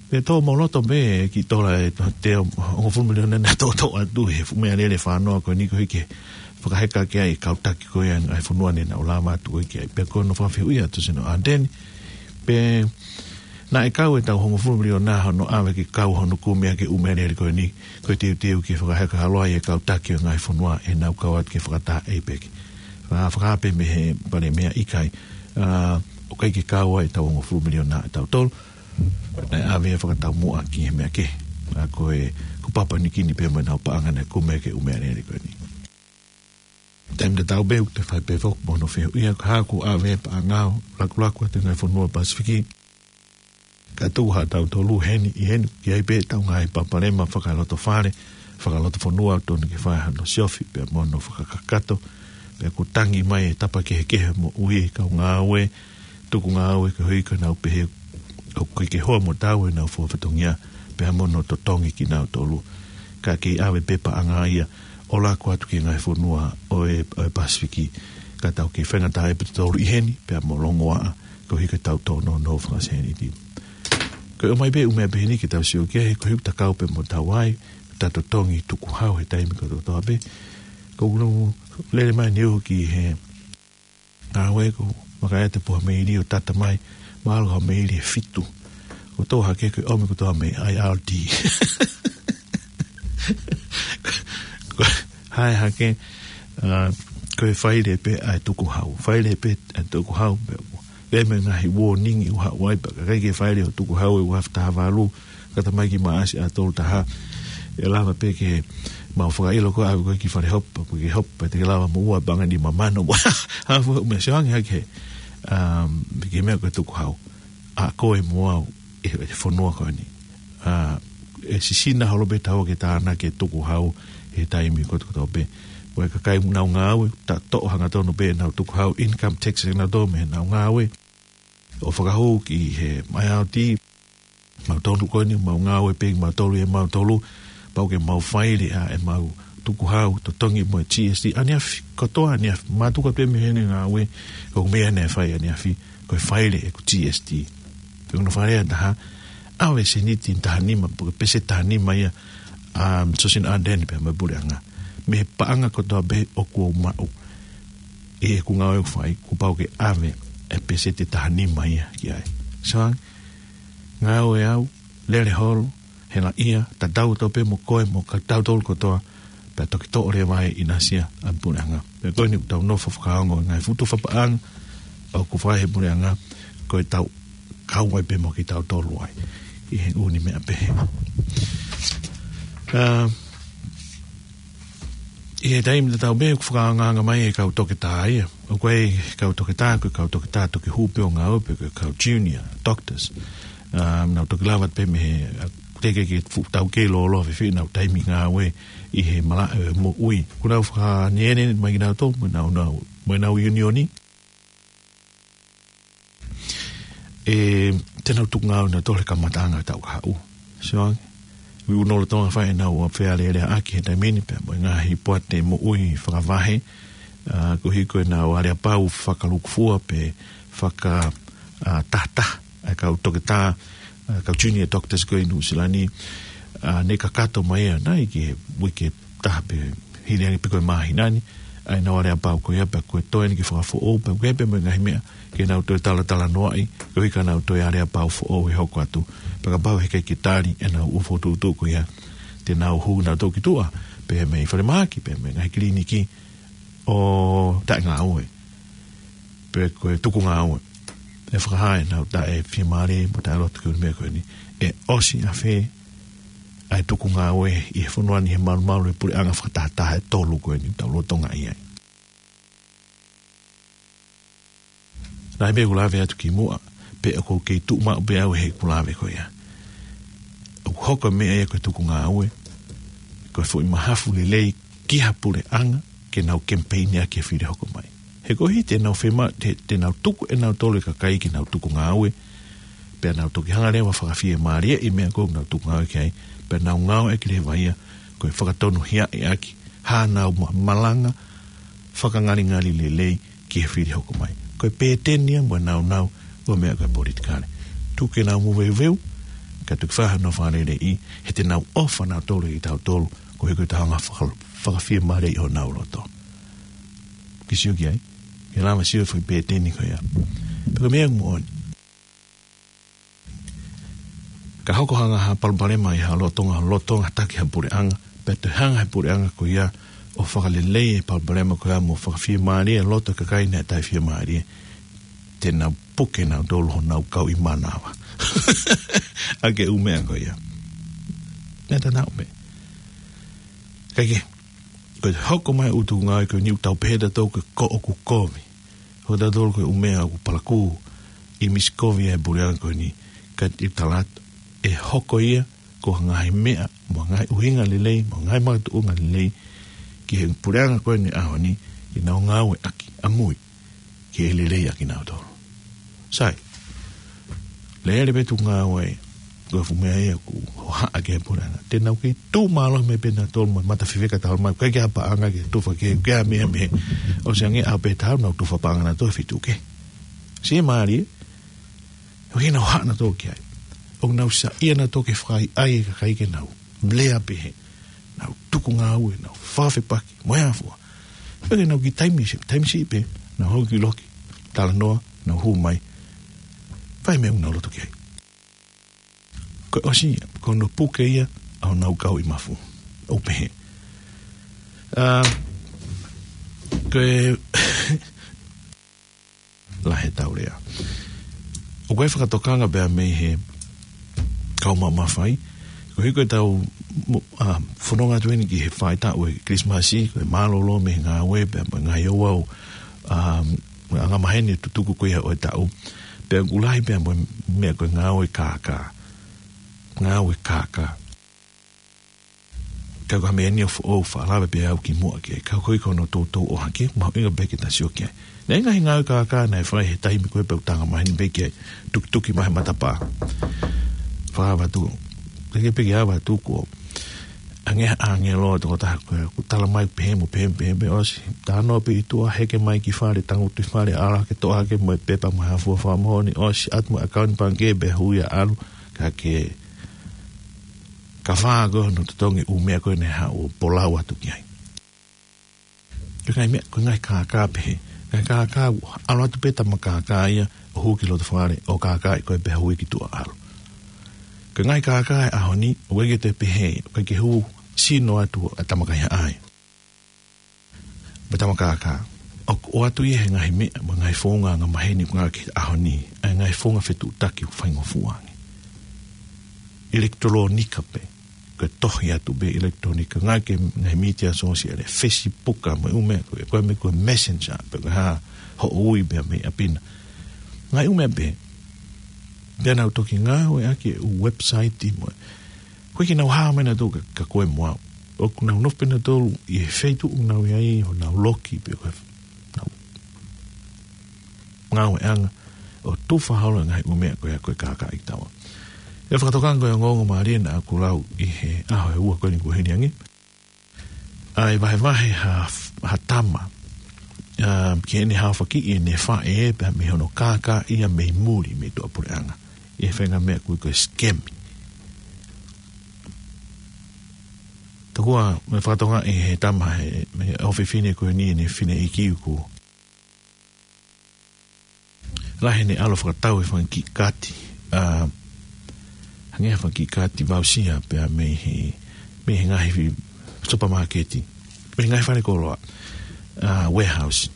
Pea tō mo loto pē ki tola ʻe toe hongofulu miliona naʻe toʻotoʻo atu he fuʻu meʻalele fānoa ko eni koeʻuhi ke fakaheka ki ai e kau taki ko ia ʻa e fonua ne nau lava atu ko ē ki ai. Pea ko hono fakafehuʻi atu Tusino Ardeni, pe naʻe kau ʻetau hongofulu miliona hono ʻave ke kau hono kumi ʻaki e ʻū meʻalele ko eni, ko e teuteu ke fakaheka holo ai e kau taki ʻo e ngaahi fonua ʻenau kau atu ki he fakataha APEC. Faka-, fakapē mei he palēmia ʻikai, ā, ʻoku ʻikai ke kau ai ʻetau hongofulu miliona ʻa tautolu, naʻe ʻave ia fakataumuʻa ki he meʻa kehe. ʻA ko e, ko Papua Niu Kini pē mo ʻenau paʻanga naʻe kumi ʻaki e ʻū meʻalele ko eni. Taimi tatau pē ʻoku te fai pē foki mo hono fehuʻi ia, ko e hā ʻoku ʻave e paʻanga ʻo lakulaku atu e ngaahi fonua Pasifiki. Ka tuku ha tautolu heni ʻi heni, ʻoku ʻi ai pē ʻetau ngaahi palopalema fakalotofale, fakalotofonua, tonu ke fai hano siofi, pea mo hono fakakakato, pea ʻoku tangi mai e tapa kehekehe moʻui e kau ngāue, tuku ngāue koeʻuhi ko ʻenau pehē ʻoku ʻikai ke hoa mo taau ʻenau fua fatongia, pea mo hono totongi kinautolu. Ka kei ʻave pē paʻanga ia ʻo laku atu ki he ngaahi fonua ʻo e, ʻo e Pasifiki, ka tau kei faingataʻaʻia pē tautolu ʻi heni, pea mo longoaʻa, koeʻuhi ko ʻetau tōnounou fakasēniti. Ko e ʻomai pē ʻū meʻa pehē ni ke tau sio ki ai, he koeʻuhi ʻoku ta kau pē mo taua ai, ta totongi tukuhau he taimi kotoa pē. Ko ʻeku lele mai ni uhu ki he ngāue ko, maka e te poha meili ʻo tata mai, mahalo ko e meili ʻe fitu. ʻO tō hake ko e ʻomi kotoa mei IRD. Ko e hā e hake, ā, ko e faile pē ʻa e tukuhau. Faile pē ʻa e tukuhau pē. Pea mo e ngaahi warning ʻoku haʻu ai pea ka ʻikai ke faile hoʻo tukuhau ʻi he ua afe taha valu, ka ta mai ki Maʻasi ʻa tolu taha. ʻE lava pē ke mau fakaʻilo ko e ʻave ko ē ki fale hopa, pe ke hopa, te ke lava mo ua paʻanga nima mano. Hā fua ʻū meʻa sio ange hake, um, ki he meʻa ko e tukuhau. ʻA koe mo au, ʻi he, ʻi he fonua ko eni. Ā, ʻe sisina holo pē taua ke tānaki e tukuhau he taimi kotokotoa pē. Ko e kakai ʻoku nau ngāue, ta toʻo hangatonu pē ʻenau tukuhau income tax ʻa kinautolu mei heʻenau ngāue. ʻO fakahū ki he M I R D, mautolu ko eni, mau ngāue pē mautolu ʻe mautolu, pau ke mau faile ʻa ʻemau tukuhau, totongi mo e G S T, ʻaneafi, kotoa ʻaneafi, mātuku atu pē mei heʻene ngāue, ʻoku meʻa ʻene fai ʻaneafi, ko e faile ʻeku G S T. Pe ʻoku nau faile ʻa taha, ʻave seniti taha nima, pe ko e pēseti taha nima ia, um, Sosina Ardern pea mo e puleʻanga. Mei he paʻanga kotoa pē ʻoku ou maʻu ʻi heʻeku ngāue ʻoku fai, kuo pau ke ʻave e pēseti taha nima ia ki ai. So, ngāue au, lele holo, hela ia, tatau atu pē mo koe, mo kitautolu kotoa, pea toki toʻo leva e ʻinasi ʻa e puleʻanga. Pea ko eni ʻoku tau nofo fakaongo, ngaahi futu fapaʻanga, ʻoku fai he puleʻanga, ko e tau kau ai pē mo kitautolu ai. ʻI he ʻū meʻa pehē. Ah, ʻi he taimi tatau pē ʻoku fakaangaanga mai e kau toketā ia. ʻOku ʻi ai e kau toketā, ko e kau toketā toki hū pē ʻo ngāue pe ko e kau junior doctors. Ah, nau toki lava pē mei he, ah, teʻeki ke fuʻu taukei lōloa fēfē ʻenau taimi ngāue ʻi he malaʻe ʻo e moʻui. Kuo nau fakaneene mai kinautolu, mo ʻenau, nau, mo ʻenau ʻiunioni. ʻE, te nau tuku ngāue nautolu he kamataʻanga ʻo e taʻu kahaʻu. So, ʻoku nau lolotonga fai ʻenau fealēleaʻaki he taimi ni pea mo e ngaahi poate moʻui fakavahe, ah, koeʻuhi ko ʻenau aleapau fakalūkufua pe faka, ah, tahataha, ʻa e kau toketā, ah, kau junior doctors ko ē ʻi Nuʻu Sila ni, ah, ne kakato mai ʻanai ki he uike taha pē hili ange pe ko e māhina ni, ʻa ʻenau aleapau ko ia pea ko e toe eni ke fakafoʻou, pea ko e pē mo e ngaahi meʻa, ke nau toe talatalanoaʻi, koeʻuhi ka nau toe aleapau foʻou ʻe hoko atu, pea kapau heʻikai ke tali ʻenau ʻū fokotuʻutuʻu ko ia, te nau hū nautolu ki tuʻa, pea mei falemahaki, pea mei ngaahi kiliniki ʻo taʻengāue, pe ko e tuku ngāue. ʻE fakahā ʻenau taʻefiemālie, mo taʻeloto ki he ʻū meʻa ko eni. ʻE ʻosi ʻafē ʻa e tuku ngāue ʻi he fonua ni he malumalu ʻo e puleʻanga fakatahataha ʻe tolu ko eni ʻoku tau lolotonga ʻi ai. Naʻe pē ʻeku lave atu kimuʻa, pea ʻoku ou kei tuʻu maʻu pē au heʻeku lave ko ia. ʻOku hoko e meʻa ia ko e tuku ngāue, ko e foʻi mahafu lelei ki ha puleʻanga, ke nau kemipeini ʻaki e fili hoko mai. He koeʻuhi te nau fema-, te, te nau tuku ʻe nautolu e kakai ke nau tuku ngāue, pea nau toki hanga leva ʻo fakafiemālieʻi e meʻa ko ē ʻoku nau tuku ngāue ki ai, pea nau ngāueʻaki leva ia, ko e fakatonuhiaʻi ʻaki, haʻanau ma-, malanga, fakangalingali lelei, ki he fili hoko mai. Ko e pēteni ia mo e naunau ʻo e meʻa ko e politikale. Tuku ke nau moveuveu, kae tuku ke fai honau fakaleleiʻi, he te nau ʻofa nautolu ʻiate kitautolu, koeʻuhi ko ʻetau hanga ʻo faka-, fakafiemālieʻi honau loto. Ke sio ki ai, ke lava sio e foʻi pēteni ko ia. Pea ko e meʻa moʻoni. Ka hoko ha ngaahi palopalema ʻi ha lolotonga, lolotonga taki ha puleʻanga, pea toe hanga he puleʻanga ko ia ʻo fakaleleiʻi e palopalema ko ia mo fakafiemālie e loto e kakai naʻe taʻefiemālie, te nau puke nautolu honau kau ʻi mānava. ʻAki e ʻū meʻa ko ia. Naʻe ta nau me. Kae kehe, ko e hoko mai ʻū tuku ngāue ko eni ʻoku tau pehē ʻe tautolu ko e koʻoku kovi. Hoko ʻe tautolu ko e ʻū meʻa ʻoku palakū ʻi he misi kovi ʻa e puleʻanga ko eni, ka ʻi he tala atu, ʻe hoko ia ko ha ngaahi meʻa, mo ha ngaahi ʻuhinga lelei, mo ha ngaahi makatuʻunga lelei, ki he puleʻanga ko eni ʻaho ni, ke nau ngāueʻaki, ʻamui, ke lelei ʻaki nautolu. Sai, lele pē tuku ngāue, ko e fuʻu meʻa ia ʻoku hohaʻa ki he puleʻanga. Te nau kei tuʻu mālohi mai pē nautolu mo e mata fefeka talu mai, ʻikai ke ʻi ai ha paʻanga ke tufa ki ai, ʻikai ke ʻi ai ha meʻa, meʻa. ʻOsi ange ʻaho pē taha nau tufa paʻanga nautolu ʻe fitu kehe. Siʻi mālie, ʻoku ʻikai ke nau hohaʻa nautolu ki ai. ʻOku nau saiʻia nautolu ke fakaʻaiʻai e kakai ke nau lea pehē, nau tuku ngāue, nau fakafepaki, mo e hā fua. Pea ke nau kiʻi taimi siʻi, taimi siʻi pē, nau hoko ki loki, talanoa, nau hū mai. Fai e meʻa ʻoku nau loto ki ai. Ko e ʻosi ia, ko hono puke ia ʻa honau kau ʻi mafu. ʻOku pehē. Ah, ko e lahi ʻetau lea. ʻOku ʻi ai e fakatokanga pea mei he kau maʻu mafai. Koeʻuhi ko ʻetau mo-, ah, fononga atu eni ki he faʻahitaʻu ʻo e Kilisimasi, ko e mālōlō mei he ngāue pea mo e ngaahi ouau, ah, angamaheni tutuku ko ia ʻo e taʻu. Pea ʻoku lahi pea mo e meʻa ko e ngāue kākā. Ngāue kākā. Ka ko e meʻa ni ʻoku ou faʻa lave pē au ki muʻa ki ai. Ka ko e ʻikai ko hono toutou ʻohake, mahuʻinga pē ke ta sio ki ai. Naʻe ʻi ai e ngaahi kākā naʻe fai he taimi ko ē pea u tanga maheni pē ki ai. Tukituki mai he matapā. Fakaava atu. Teke pē ke ava atu ko. ʻAnge, ʻāngelo, tokotaha ko ē, ʻoku tala mai pehē mo pehē, pehē, pehē, ʻosi. Talanoa pē ʻi tuʻa, heke mai ki fale, tangutu ʻi fale, ʻalu hake, toʻo hake mo e pepa mo e hā fua fakamoʻoni, ʻosi, ʻatu mo e ʻakauni pangikē pea hui ʻo ʻalu, ka ke ka fā ko hono totongi ʻū meʻa ko ē naʻe haʻu ʻo polau atu ki ai. Ko e ngaahi meʻa, ko e ngaahi kākā pehē. Ngaahi kākā, ʻalu atu pē tama kākā ia, ʻo hū ki loto fale, ʻo kākāʻi koe pea hui ki tuʻa ʻalu. Ko e ngaahi kākā ʻo e ʻaho ni, ʻoku ʻikai ke toe pehē, ʻoku ʻikai ke hū sino atu ʻa e tama kaihaʻa ia. Mo e tama kākā. ʻOku ʻoatu ia he ngaahi meʻa, mo e ngaahi founga angamaheni ʻoku ngāueʻaki he ʻaho ni, ʻa e ngaahi founga fetuʻutaki ʻoku faingofua ange. ʻIlekitulōnika pē, ko e tohi atu pē ʻilekitulōnika, ngāueʻaki he ngaahi mītia sōsiale, Facebook mo e ʻū meʻa ko ē, ko e meʻa ko e Messenger, pe ko e hā, hoʻo ui pē mei ʻapi na. Ngaahi ʻū meʻa pē, pea nau toki ngāueʻaki e ʻū website mo e Ko e ke nau hā mai nautolu ka, ka ko e moa. ʻOku nau nofo pē nautolu ʻi he feituʻu ʻoku nau ʻi ai, ʻo nau loki pē ko e nau ngāueʻanga ʻo tufa holo e ngaahi ʻū meʻa ko ia ko e kākāʻi taua. ʻE fakatokanga ko e ongoongo mālie naʻa ku lau ʻi he ʻaho ʻe ua ko eni kuo hili ange. ʻA e vahevahe ha, ha tama, ʻa, ki heʻene haofakiʻi ʻene faʻē pea mei hono kākāʻi ia mei muli mei tuʻapuleʻanga. ʻI he faʻahinga meʻa ʻoku ui ko e scam. Tokua, mo e fakatokangaʻi he tama he, he ʻofefine ko eni ʻene fineʻeiki ʻoku lahi ʻene ʻalu ʻo fakatau e fanga kiʻi kaati, ʻa, hangē ha fanga kiʻi kaati voucher pea mei he, mei he ngaahi supermarket, mei he ngaahi fale koloa, ʻa, warehouse.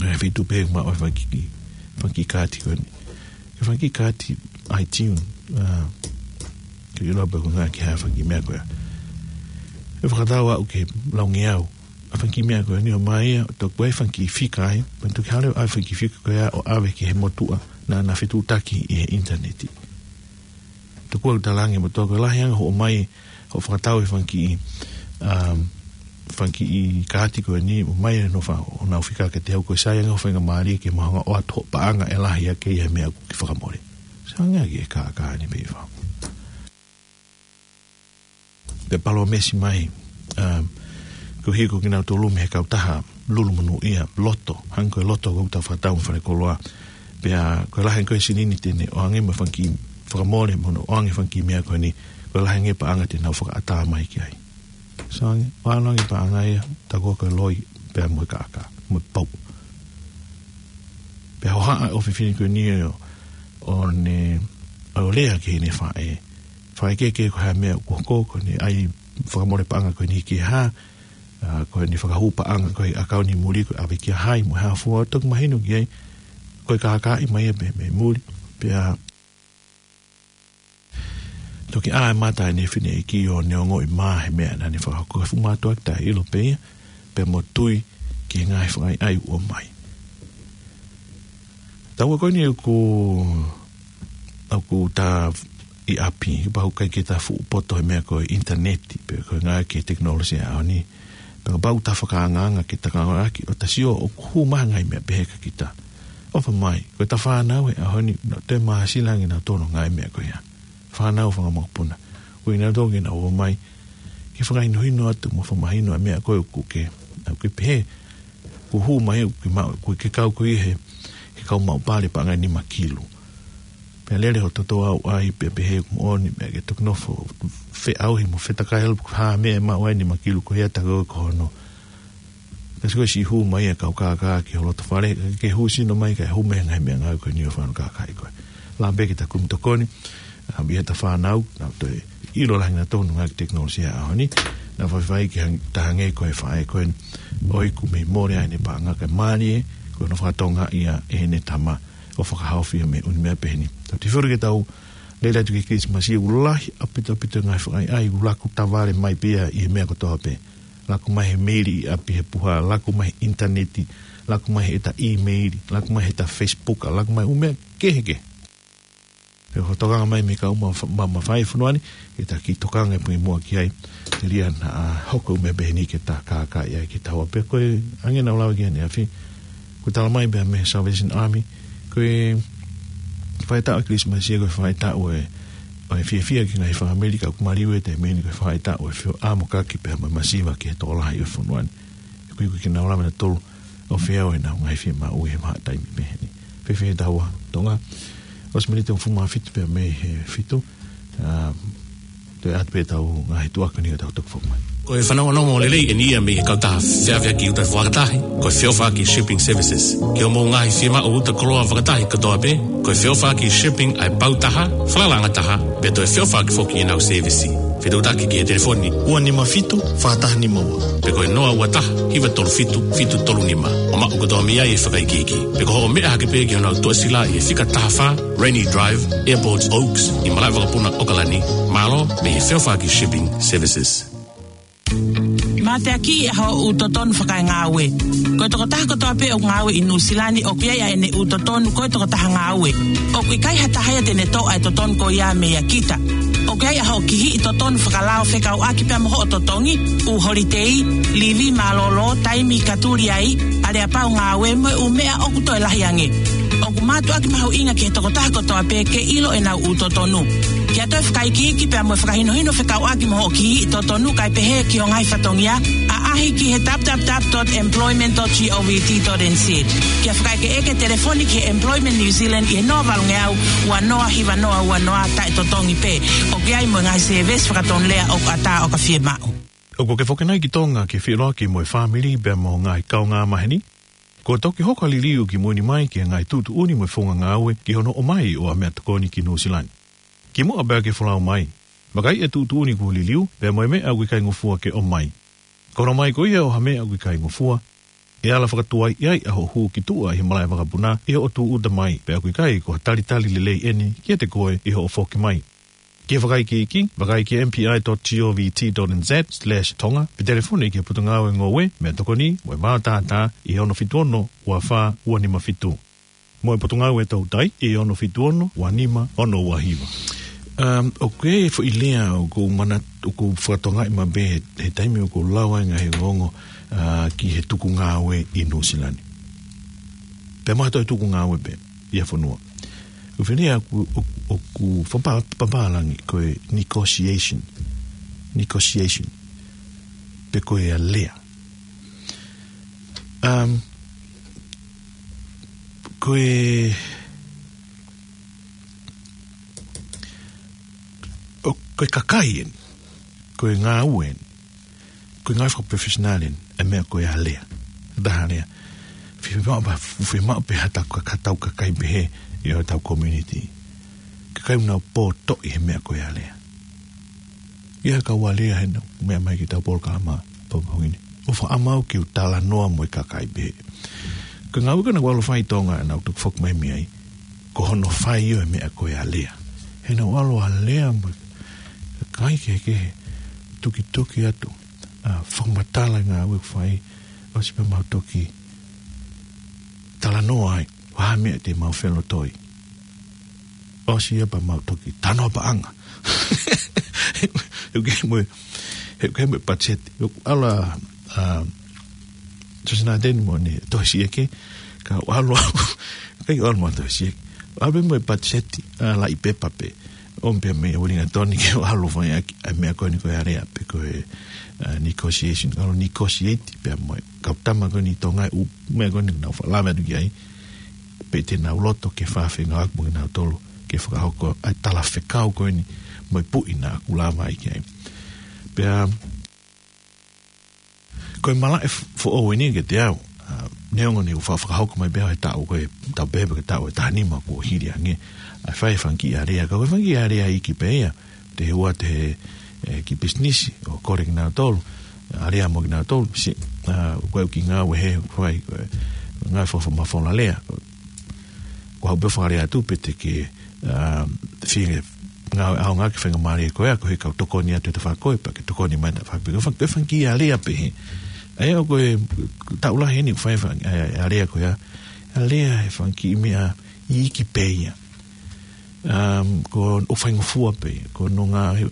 Ngaahi feituʻu pē ʻoku maʻu ai e fanga kiʻi, fanga kiʻi kaati ko eni. Ko e fanga kiʻi kaati iTunes, ʻa, ke ʻilo pē ko e ngaahi ki ha fanga kiʻi meʻa ko ia. ʻE fakatau aʻu ke laungeau ʻa e fanga kiʻi meʻa ko eni ʻo ʻomai ia, ʻo toki ʻai e fanga kiʻi fika ai, pea toki hale ʻa e fanga kiʻi fika ko ia ʻo ʻave ki he motuʻa naʻa na fetuʻutaki ʻi he ʻinitaneti. Tokua ʻoku talaange motuʻa ko e lahi ange hoʻo ʻomai, hoʻo fakatau e fanga kiʻi, um, fanga kiʻi kaati ko eni, ʻomai ʻenau fa-, ʻenau fika kiate au, ko e sai ange hoʻo faingamālie ke ma hanga ʻo ʻoatu hoʻo paʻanga ʻe lahi ange ia he meʻa ʻoku ke fakamole. Sai ange ia ki he kākā ni pē ʻi fā. Pea palōmesi mai, um, ko e hiko kinautolu mei he kautaha lulu monūʻia, Lotto, hangē ko e Lotto ʻoku tau fakatau mo e fale koloa. Pea ko e lahi ange ko e silini te ne ʻoange mo e fanga kiʻi fakamole mo hono ʻoange e fanga kiʻi meʻa ko eni, ko e lahi ange e paʻanga te nau fakaʻatā mai ki ai. Sai ange, ʻalu ange e paʻanga ia, tā ko ē ko e loi, pea mo e kākā, mo e pou. Pea hohaʻa e ʻofefine ko eni ʻo, ʻo ne, ʻo lea ki heʻene faʻē. Faʻē, ke, ke ko e hā e meʻa ʻoku hoko, ko ʻene ʻai fakamole paʻanga ko eni ki he hā, ʻa, ko ʻene fakahū paʻanga ko ē he ʻakauni muli ko ē ʻave kia hai mo e hā fua, toki mahino ki ai, ko e kākāʻi mai ia pē mei muli, pea toki ʻā e mata ʻene fineʻeiki ʻo ne ongoʻi mā he meʻa naʻa ne fakahoko, ka fuʻu mātuʻaki taʻeʻilo pē ia, pea mo tui ki he ngaahi fakaʻaiʻai ʻoku ʻomai. Taua ko eni ʻoku, ʻoku ta ʻi ʻapi, kapau ʻoku ʻikai ke ta fuʻu poto he meʻa ko e ʻinitaneti, pe ko e ngaahi ki he tekinolosia ʻaho ni. Pea kapau ta fakaangaanga ke ta ngāueʻaki, ʻo ta sio ʻoku hū mai e ngaahi meʻa pehē kia kita. ʻOfa mai, ko ʻeta fānau he ʻaho ni, nau toe māsila ange nautolu he ngaahi meʻa ko ia. Fānau, fanga mokopuna. Ko kinautolu ke nau ō mai ke fakahinohino atu mo fakamahino e meʻa ko ē ʻoku ke, ʻoku ke pehē, kuo hū mai ʻoku ke maʻu, ʻoku ke kau koe he, he kau maʻu pale paʻanga ʻe nima kilu. Pea lele hoʻo toto ʻo ʻai pē pehē ʻoku moʻoni, meʻa ke toki nofo feʻauhi mo fetakai ʻalu pe ko e hā e meʻa ʻe maʻu ai e nima kilu ko ia, tā ko ē ko hono. Ka sio ko e siʻi hū mai e kau kākā ki ho loto fale, ke hū sino mai kae hū mai e ngaahi meʻangāue ko eni ʻo fānau kākāʻi koe. Lava pē ke ta kumi tokoni, ʻa, ʻi heʻeta fānau, nau toe ʻilo lahi ange nautolu he ngaahi tekinolosia ʻaho ni, naʻa faifai ke hang-, ta hangē ko e faʻē ko eni, ʻoku ʻikai mole ai ʻene paʻanga, kae mālie, ko hono fakatokangaʻi ia ʻe heʻene tama, ʻo fakahaofi ia mei he ʻū meʻa pehē ni. Tau tui fuli ke tau lele atu ki he Kilisimasi, ʻoku lahi ʻaupito ʻaupito e ngaahi fakaʻaiʻai, ʻoku laku tavale mai pē ia ʻi he meʻa kotoa pē. Laku mai he meili ʻi ʻapi he puha, laku mai he ʻinitaneti, laku mai heʻeta ʻīmeili, laku mai heʻeta Facebook, laku mai e ʻū meʻa kehekehe. Pea ko e tokanga mai mei he kau ma-, ma-, mafai ʻo e fonua ni, ke ta kiʻi tokanga pē muʻa ki ai, telia naʻa hoko ʻa e meʻa pehē ni ke ta kākaaʻi ai kitaua. Pea ko e anga ʻenau lave ki ai ʻaneafi, ko e tala mai pē mei he Salvation Army, ko e faʻahitaʻu ʻo e Kilisimasi ia ko e faʻahitaʻu ʻo e, ʻo e fiefia ki he ngaahi fāmili, ka ʻoku maliu ʻi he taimi ni ko e faʻahitaʻu ʻo e fio-, ʻamokaki pea mo e masiva ki he tokolahi ʻo e fonua ni. He ʻoku ʻikai ke nau lava nautolu ʻo feau ʻenau ngaahi fiemaʻu ʻi he vahaʻa taimi pehē ni. Fēfē ʻa taua Tonga? ʻOsi miniti hongofulu mā fitu pea mei he fitu. ʻA, toe ʻatu pē ʻetau ngaahi tuʻa ko eni ʻo tau toki foki mai. Ko e fanongonongo lelei eni ia mei he kautaha feʻaveʻaki ʻuta fakataha, ko e Feʻofaʻaki Shipping Services. Ki hoʻomou ngaahi fiemaʻu ʻuta koloa fakataha kotoa pē, ko e Feʻofaʻaki Shipping ʻa e pau taha, falalaʻanga taha, pea toe feʻofaʻaki foki ʻenau sēvisi. Fetuʻutaki ki he telefoni ua nima fitu, fā taha nima ua. Pe ko e noa ua taha, hiva tolu fitu, fitu tolu nima. ʻO maʻu kotoa mei ai e fakaikiiki. Pe ko hoʻo meʻa hake pē ki honau tuʻasila ʻi he fika taha fā, Rainy Drive, Airport Oaks, ʻi Malaʻevakapuna, ʻAokalani. Mālō, mei he Feʻofaʻaki Shipping Services. Mateaki ʻa hoʻo totonu fakaengāue. Ko e tokotaha kotoa pē ʻoku ngāue ʻi Nuʻusila ni ʻoku ʻi ai ʻa ʻene ʻū totonu ko e tokotaha ngāue. ʻOku ʻikai ha taha ia te ne toʻo ʻa e totonu ko ia meia kita. ʻOku ʻi ai ʻa hoʻo kihiʻi totonu fakalao fekauʻaki pea mo hoʻo totongi, ʻū holitei, livi mālōlō, taimi ka tuli ai, aleapau ngāue mo e ʻū meʻa ʻoku toe lahi ange. ʻOku mātuʻaki mahuʻinga ki he tokotaha kotoa pē ke ʻilo ʻenau ʻū totonu. Ke ʻatu e fakaikiiki pea mo e fakahinohino fekauʻaki mo hoʻo kihiʻi totonu kae pehē ki ho ngaahi fatongia, ʻaʻahi ki he www dot employment dot govt dot nz. Ke fakaʻekeʻeke telefoni ki he Employment New Zealand ʻi he noa valungeau, ua noa hiva noa ua noa taʻetotongi pē. ʻOku ʻi ai mo e ngaahi sēvesi fakatonulea ʻoku ʻatā ʻo ka fiemaʻu. ʻOku ke foki nai ki Tonga ke feʻiloaki mo e fāmili pea mo e ngaahi kaungāmaheni? Kuo toki hoko ʻa e liliu ki mui ni mai ki he ngaahi tuʻutuʻuni mo e founga ngāue ki hono ʻomai ʻo ha meʻatokoni ki Nuʻusila ni. Kimuʻa pea ke folau mai, vakaiʻi e tuʻutuʻuni kuo liliu, pea mo e meʻa ʻoku ʻikai ngofua ke ʻomai. Ko hono ʻomai ko ia ʻo ha meʻa ʻoku ʻikai ngofua, ʻe ala fakatuaiʻi ai ʻa hoʻo hū ki tuʻa ʻi he malaʻevakapuna ʻi hoʻo tūʻuta mai, pea ʻoku ʻikai ko ha talitali lelei eni kiate koe ʻi hoʻo foki mai. Ke fakaikiiki, vakai ki he M P I dot govt dot nz slash Tonga, pe telefoni ki he Potungāue Ngoue, Meʻatokoni mo e Vaotātā ʻi he ono fitu ono, ua fā, ua nima fitu. Mo e Potungāue Toutai ʻi he ono fitu ono, ua nima, ono ua hiva. Um, ʻoku ʻi ai e foʻi lea ʻoku ou manatu, ʻoku ou fakatokangaʻi maʻu pē he, he taimi ʻoku ou lau ai e ngaahi ongoongo, uh, ki he tuku ngāue ʻi Nuʻusila ni. Pea mo ha toe tuku ngāue pē ʻi ha fonua. ʻOku ou fineʻeiki ʻoku, ʻoku, ʻoku fapa-, papālangi ko e negotiation. Negotiation. Pe ko e alea. Um, ko e, ʻo, ko e kakai eni, ko e ngāue eni, ko e ngāue fakaprofessional eni, ʻa e meʻa ko e alea. Taha alea. Fiemaʻu pē, fiemaʻu pē ha tau ka-, ha tau kakai pehē ʻi hotau community. Kakai ʻoku nau pōtoʻi he meʻa ko e alea. ʻI ai ha kau alea he nau meʻa mai ki heʻetau polokalama pongipongi ni. ʻOfa ʻamanau ke u talanoa mo e kakai pehē. Ko e ngāue ko ena ʻoku ʻalu ʻo fai ʻi Tonga ʻenau toki foki mai mei ai, ko hono fai ʻo e meʻa ko e alea. He nau ʻalu ʻo alea mo e kakai kehekehe, tukituki atu, ʻa, fakamatala e ngāue ʻoku fai, ʻosi pea mau toki talanoa ai, ʻo ha meʻa te mau felotoi. ʻOsi ia pea mau toki talanoa paʻanga. He ʻoku ʻi ai mo e, he ʻoku ʻi ai mo e patiseti. ʻOku ʻalu ʻa, ʻa, Sosina Teni mo ʻene tohi siʻeke, ka ʻalu ʻa, ʻikai ʻalu mo e tohi siʻeke. ʻAlu mo e patiseti, ʻa, laʻi pepa pē. ʻOmi pē mei Uelingatoni ke ʻalu ʻo fai ʻaki ʻa e meʻa ko eni ko e alea pe ko e, ʻa, negotiation. ʻAlu ʻo negotiate pea mo e kau tama ko eni ʻi Tonga ʻi he ʻū meʻa ko eni naʻa nau faʻa lave atu ki ai. Pe te nau loto ke fai ha feʻauhi mo kinautolu ke fakahoko ʻa e talafekau ko eni mo e puʻi naʻa ku lave ai ki ai. Pea, ko e malaʻe f-, foʻou eni kiate au, ʻa, neongo ne u fa-, fakahoko mai pē au he taʻu ko ē, taʻu pē pē ke taʻu ʻe taha nima kuo hili ange, ʻa e fai e fanga kiʻi alea, ka ko e fanga kiʻi alea iiki pē ia, te u ʻai atu he, ʻe, kiʻi pisinisi, ʻo kole kinautolu, alea mo kinautolu, si-, ʻa, ko e kiʻi ngāue he, ko e, ko e, ngāue fo-, fo-, mafola lea, ko, ko haʻu pē ʻo fakalea atu pe te ke, ʻa, fie ngāue ʻaonga ki he faingamālie ko ia, ko e kau tokoni atu he tafaʻaki ko ē, pea ke tokoni mai he tafaʻaki pē, ko e fanga, ko e fanga kiʻi alea pehē. ʻA ia ʻoku ou taʻu lahi eni ʻoku fai e fanga, ʻa, alea ko ia, alea he fanga kiʻi meʻa iiki pē ia. Um, ko ʻoku faingofua pē, ko hono ngaahi,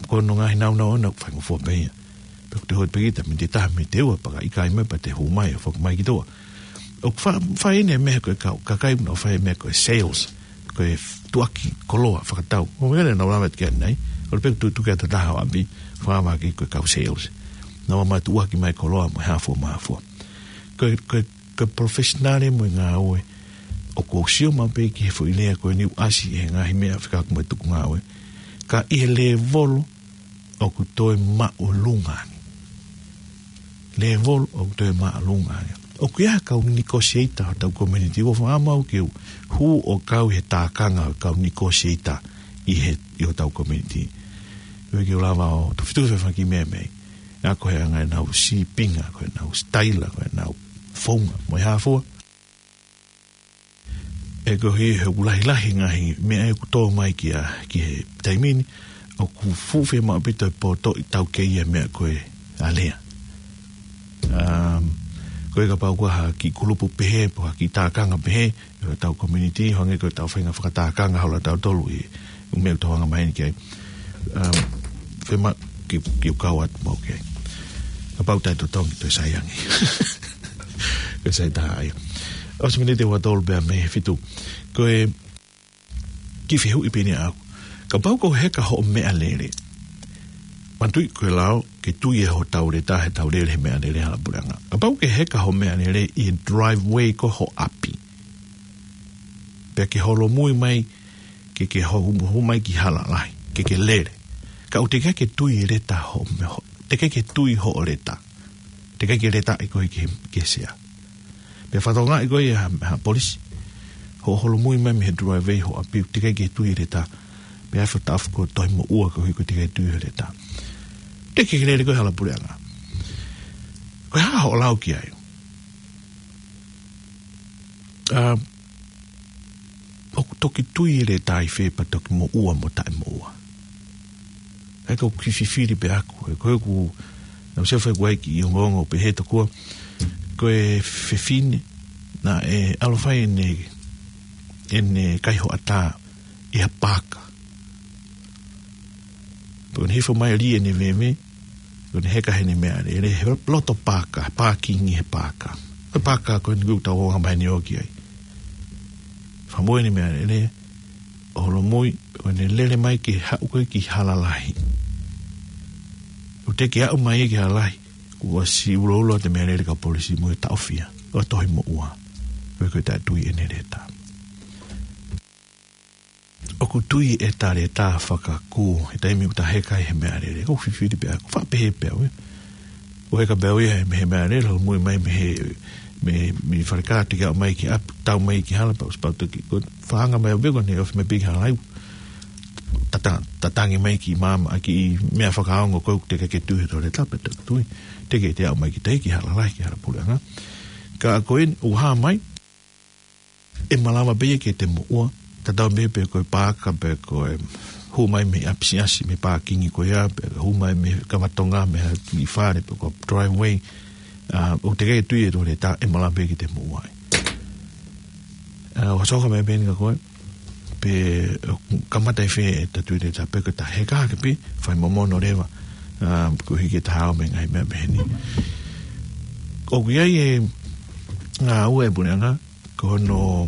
ko hono ngaahi naunau ʻoʻona ʻoku faingofua pē ia. Pea ʻoku te hot pē kita, miniti ʻe taha, miniti ʻe ua, pea ka ʻikai mai pea te hū mai, ʻo foki mai ki tuʻa. ʻOku fa-, fai eni e meʻa ko e kau, kakai ʻoku nau fai e meʻa ko e sales, ko e f-, tuʻuaki koloa fakatau. ʻO meʻa ne nau lava ki ai nei, ʻo pē tuʻutuʻu ki ha taha ʻo ʻapi, fakavaki ko e kau sales. Nau ō mai ʻo tuʻuaki mai koloa mo e hā fua mo e hā fua. Ko e, ko e, ko e professional mo e ngāue, ʻoku ou sio maʻu pē ki he foʻi lea ko eni ʻoku ʻasi he ngaahi meʻa fekauʻaki mo e tuku ngāue. Ka ʻi he lēvolo ʻoku toe māʻolunga ange. Lēvolo ʻoku toe māʻolunga ange. ʻOku ʻi ai ha kau negotiator hotau community, ʻoku ou fakamālō ke u hū ʻo kau he tākanga ʻo e kau negotiator ʻi he, ʻi hotau community. ʻOku ʻikai ke u lava ʻo tofitufi fanga kiʻi meʻa mei. Naʻa ko e anga ʻenau sīpinga, ko ʻenau sitaila, ko ʻenau founga, mo e hā fua. ʻE koeʻuhi he ʻoku lahilahi ngaahi meʻa ʻoku tō mai ki a, ki he taimi ni, ʻoku fuʻu fiemaʻu ʻaupito e poto ʻi taukei e meʻa ko e alea. Um, ko e kapau ko ha kiʻi kulupu pehē, pe ko ha kiʻi tākanga pehē, ʻi hotau community, hangē ko ʻetau faʻahinga fakatākanga holo ʻatautolu ʻi he ʻū meʻa ʻoku tau anga maheni ki ai. Um, fiemaʻu ke, ke u kau atu maʻu ki ai. Kapau ʻe toe totongi, toe sai ange. Ko e sai taha ia. ʻOsi miniti ʻe ua tolu pea mei he fitu. Ko e kiʻi fehuʻi pē eni ʻaʻaku. Kapau ʻoku heka hoʻo meʻalele. Manatuʻi ko e lao, ke tui ʻe hotau leta heʻetau lele he meʻalele hala puleʻanga. Kapau ʻoku heka hoʻo meʻalele ʻi he driveway ko ē ho ʻapi. Pea ke holomui mai, ke, ke ho-, hū mai ki hala lahi, ke ke lele. Ka ʻoku teʻeki ke tui e leta hoʻo meʻa ho-, teʻeki ke tui hoʻo leta. Teʻeki ke leta ʻe koe ki he, ki he sea. Pea fakatokangaʻi koe ʻe ha, ha polisi. Hoʻo holomui mai mei he driveway ho ʻapi, teʻeki ke tui e leta. Pea fo tafu ko e tohi moʻua koeʻuhi ko e teʻeki ke tui e leta. Teʻeki ke lele koe hala puleʻanga. Ko e hā hoʻo lau ki ai? ʻA, ʻoku toki tui e leta ʻi fē pea toki moʻua mo taʻemoʻua. ʻA ia ko e kiʻi fifili pē ʻaʻaku, ʻe ko ʻeku, naʻa ku sio fai ʻeku ʻai kiʻi ongoongo pehē tokua, ko e fefine, naʻe ʻalu ʻo fai ʻene, ʻene kaihoʻatā ʻi ha paaka. Pea ʻoku ne hifo mai ʻo lī ʻene veve, ʻoku ne heka heʻene meʻalele, he loto paaka, pākingi he paaka. Ko e paaka ko eni ʻoku tau anga maheni ʻo ō ki ai. Fakamui ʻene meʻalele, ʻo holomui, ʻo ne lele mai ke haʻu ko ē ki hala lahi. ʻOku teʻeki aʻu mai ki hala lahi, kuo ʻosi uloulo atu e meʻalele ki he kau polisi mo e taʻofia, ʻo tohi moʻua. Ko e ko e taʻetui ʻene leta. ʻOku tui ʻeta leta fakakū, he taimi ʻoku ta heka ai he meʻalele. ʻOku fifili pē ʻaʻaku, faʻa pehē pē au ē. ʻOku heka pē au ia he, he meʻalele, holomui mai mei he, mei, mei falekā teʻeki aʻu mai ki ʻapi, tau mai ki hala pea ʻosi pau toki. Ko e fakaanga mai au pē ko ʻene ofi mai pē ki hala lahi. Tata-, tatangi mai ki māmani, ʻa e kiʻi meʻa fakaongo ko ē ʻoku teʻeki ke tui hoto leta pea toki tui. Teʻeki ke aʻu mai ki tahi ki hala lahi, ki hala puleʻanga. Ka ko eni, ʻoku hā mai, ʻe malava pē ia ke te moʻua, tatau ai pē pe ko e paaka, pe ko e hū mai mei ʻapisiasi, mei he pākingi ko ia, pe hū mai mei he kava tonga, mei ha kiʻi fale, pe ko e driveway, ʻa, ʻoku teʻeki ke tui ʻe hoto leta, ʻe malava pē ia ke te moʻua ai. ʻA, ʻoku hoko mai pē eni kia koe, pe, ʻoku kamata ʻi fē ʻeta tui leta, pe ko ʻeta heka hake pē, fai momono leva, ʻa, koeʻuhi ke ta hao mei he ngaahi meʻa pehē ni. ʻOku ʻi ai e ngāue ʻa e puleʻanga, ko hono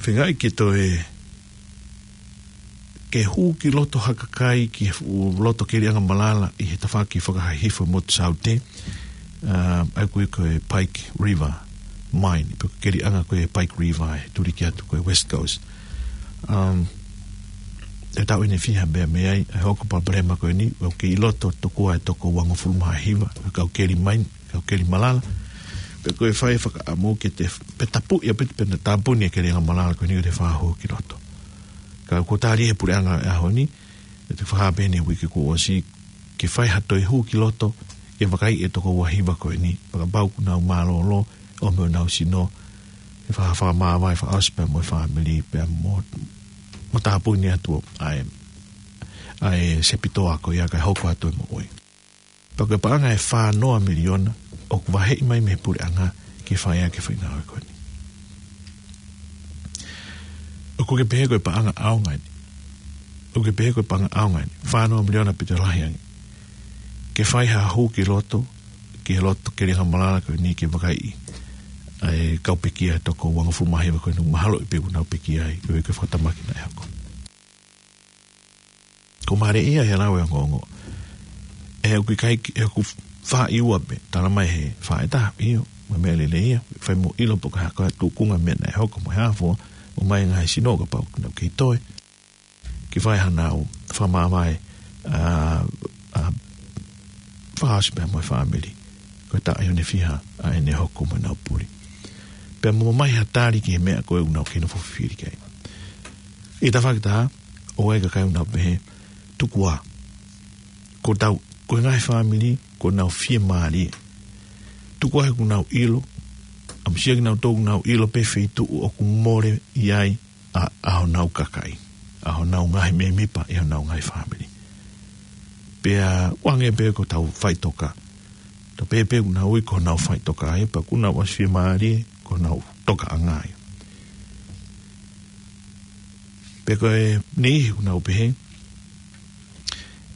feingaʻi ke toe, ke hū ki loto ha kakai ki he fuʻu loto keli angamalala ʻi he tafaʻaki fakahihifo motu saute, ʻa, ʻa ia ko e Pike River Mine, pe ko e keli anga ko e Pike River ʻe tuli ki atu ko e West Coast. Um, ʻe taʻu ʻe niʻihi ha meʻa mei ai, ʻe hoko e palopalema ko eni, ʻoku kei loto tokua e toko uangofulu mā hiva, kau keli mine, kau keli malala. Pea ko e fai fakaʻamu ke te, pe tapuʻi ʻaupito pe naʻa tāpuni e keli angamalala ko eni ke te fakahū ki loto. Ka kuo tali ʻe he puleʻanga he ʻaho ni, ʻi he fakahā pē ʻeni he uike kuo ʻosi, ke fai ha toe hū ki loto, ke vakaiʻi e toko uahiva ko eni, fakapapau ʻoku nau mālōlō, ʻomi honau sino, ʻe faka-, fakamāvae fakaʻosi pea mo e fāmili, pea mo, mo tāpuni atu ʻa e, ʻa e sepitoa ko ia kae hoko atu e moʻui. Pea ko e paʻanga ʻe fā noa miliona ʻoku vaheʻi mai mei he puleʻanga ke fai ʻaki e faʻahinga ngāue ko eni. ʻO ʻOku ke pehē ko e paʻanga ʻaonga eni. ʻOku ke pehē ko e paʻanga ʻaonga eni. Fā noa miliona pē toe lahi ange. Ke fai ha hū ki loto, ki loto, ke ʻi ai ha malanga ko eni ke vakaiʻi ʻa e kau pekia ʻe toko uangofulu mā hiva ko eni, mahalo ʻi he pē ʻoku nau pekia ai, ko e, ko e fakatamaki naʻe hoko. Ko mālie ia he lau ʻa e ongoongo. ʻE ʻoku ʻikai ke, ʻe ʻoku fā ʻi ua pē, tala mai he fā ʻe taha, ʻio, mo e meʻa lelei ia, fai mo ʻilo pe ko e hā, ko e tuʻunga meʻa naʻe hoko mo e hā fua, ʻomai ngaahi sino kapau ʻoku nau kei toe. Ke fai hanau fakamāvae, ʻa, ʻa, fakaʻosi pea mo e fāmili. Ko e taʻu ʻe fiha ʻa ʻene hoko mo ʻenau puli. Pea mo ʻomai ha tali ki he meʻa ko ē ʻoku nau kei nofo fifili ki ai. ʻI he tafaʻaki ʻe taha, ʻoku ʻi ai e kakai ʻoku nau pehē, tuku ā. Ko ʻetau, ko e ngaahi fāmili, ʻoku nau fiemālie. Tuku ā he ʻoku nau ʻilo, ʻamusia kinautolu ʻoku nau ʻilo pē feituʻu ʻoku mole ʻi ai ʻa, ʻa honau kakai, ʻa honau ngaahi mēmipa ʻi honau ngaahi fāmili. Pea ʻoange pē ko ʻetau faʻitoka. Tau pehē pē ʻoku nau ui ko honau faʻitoka ia, pea ʻoku nau ʻosi fiemālie, ko honau tokaʻanga ia. Pea ko e niʻihi ʻoku nau pehē,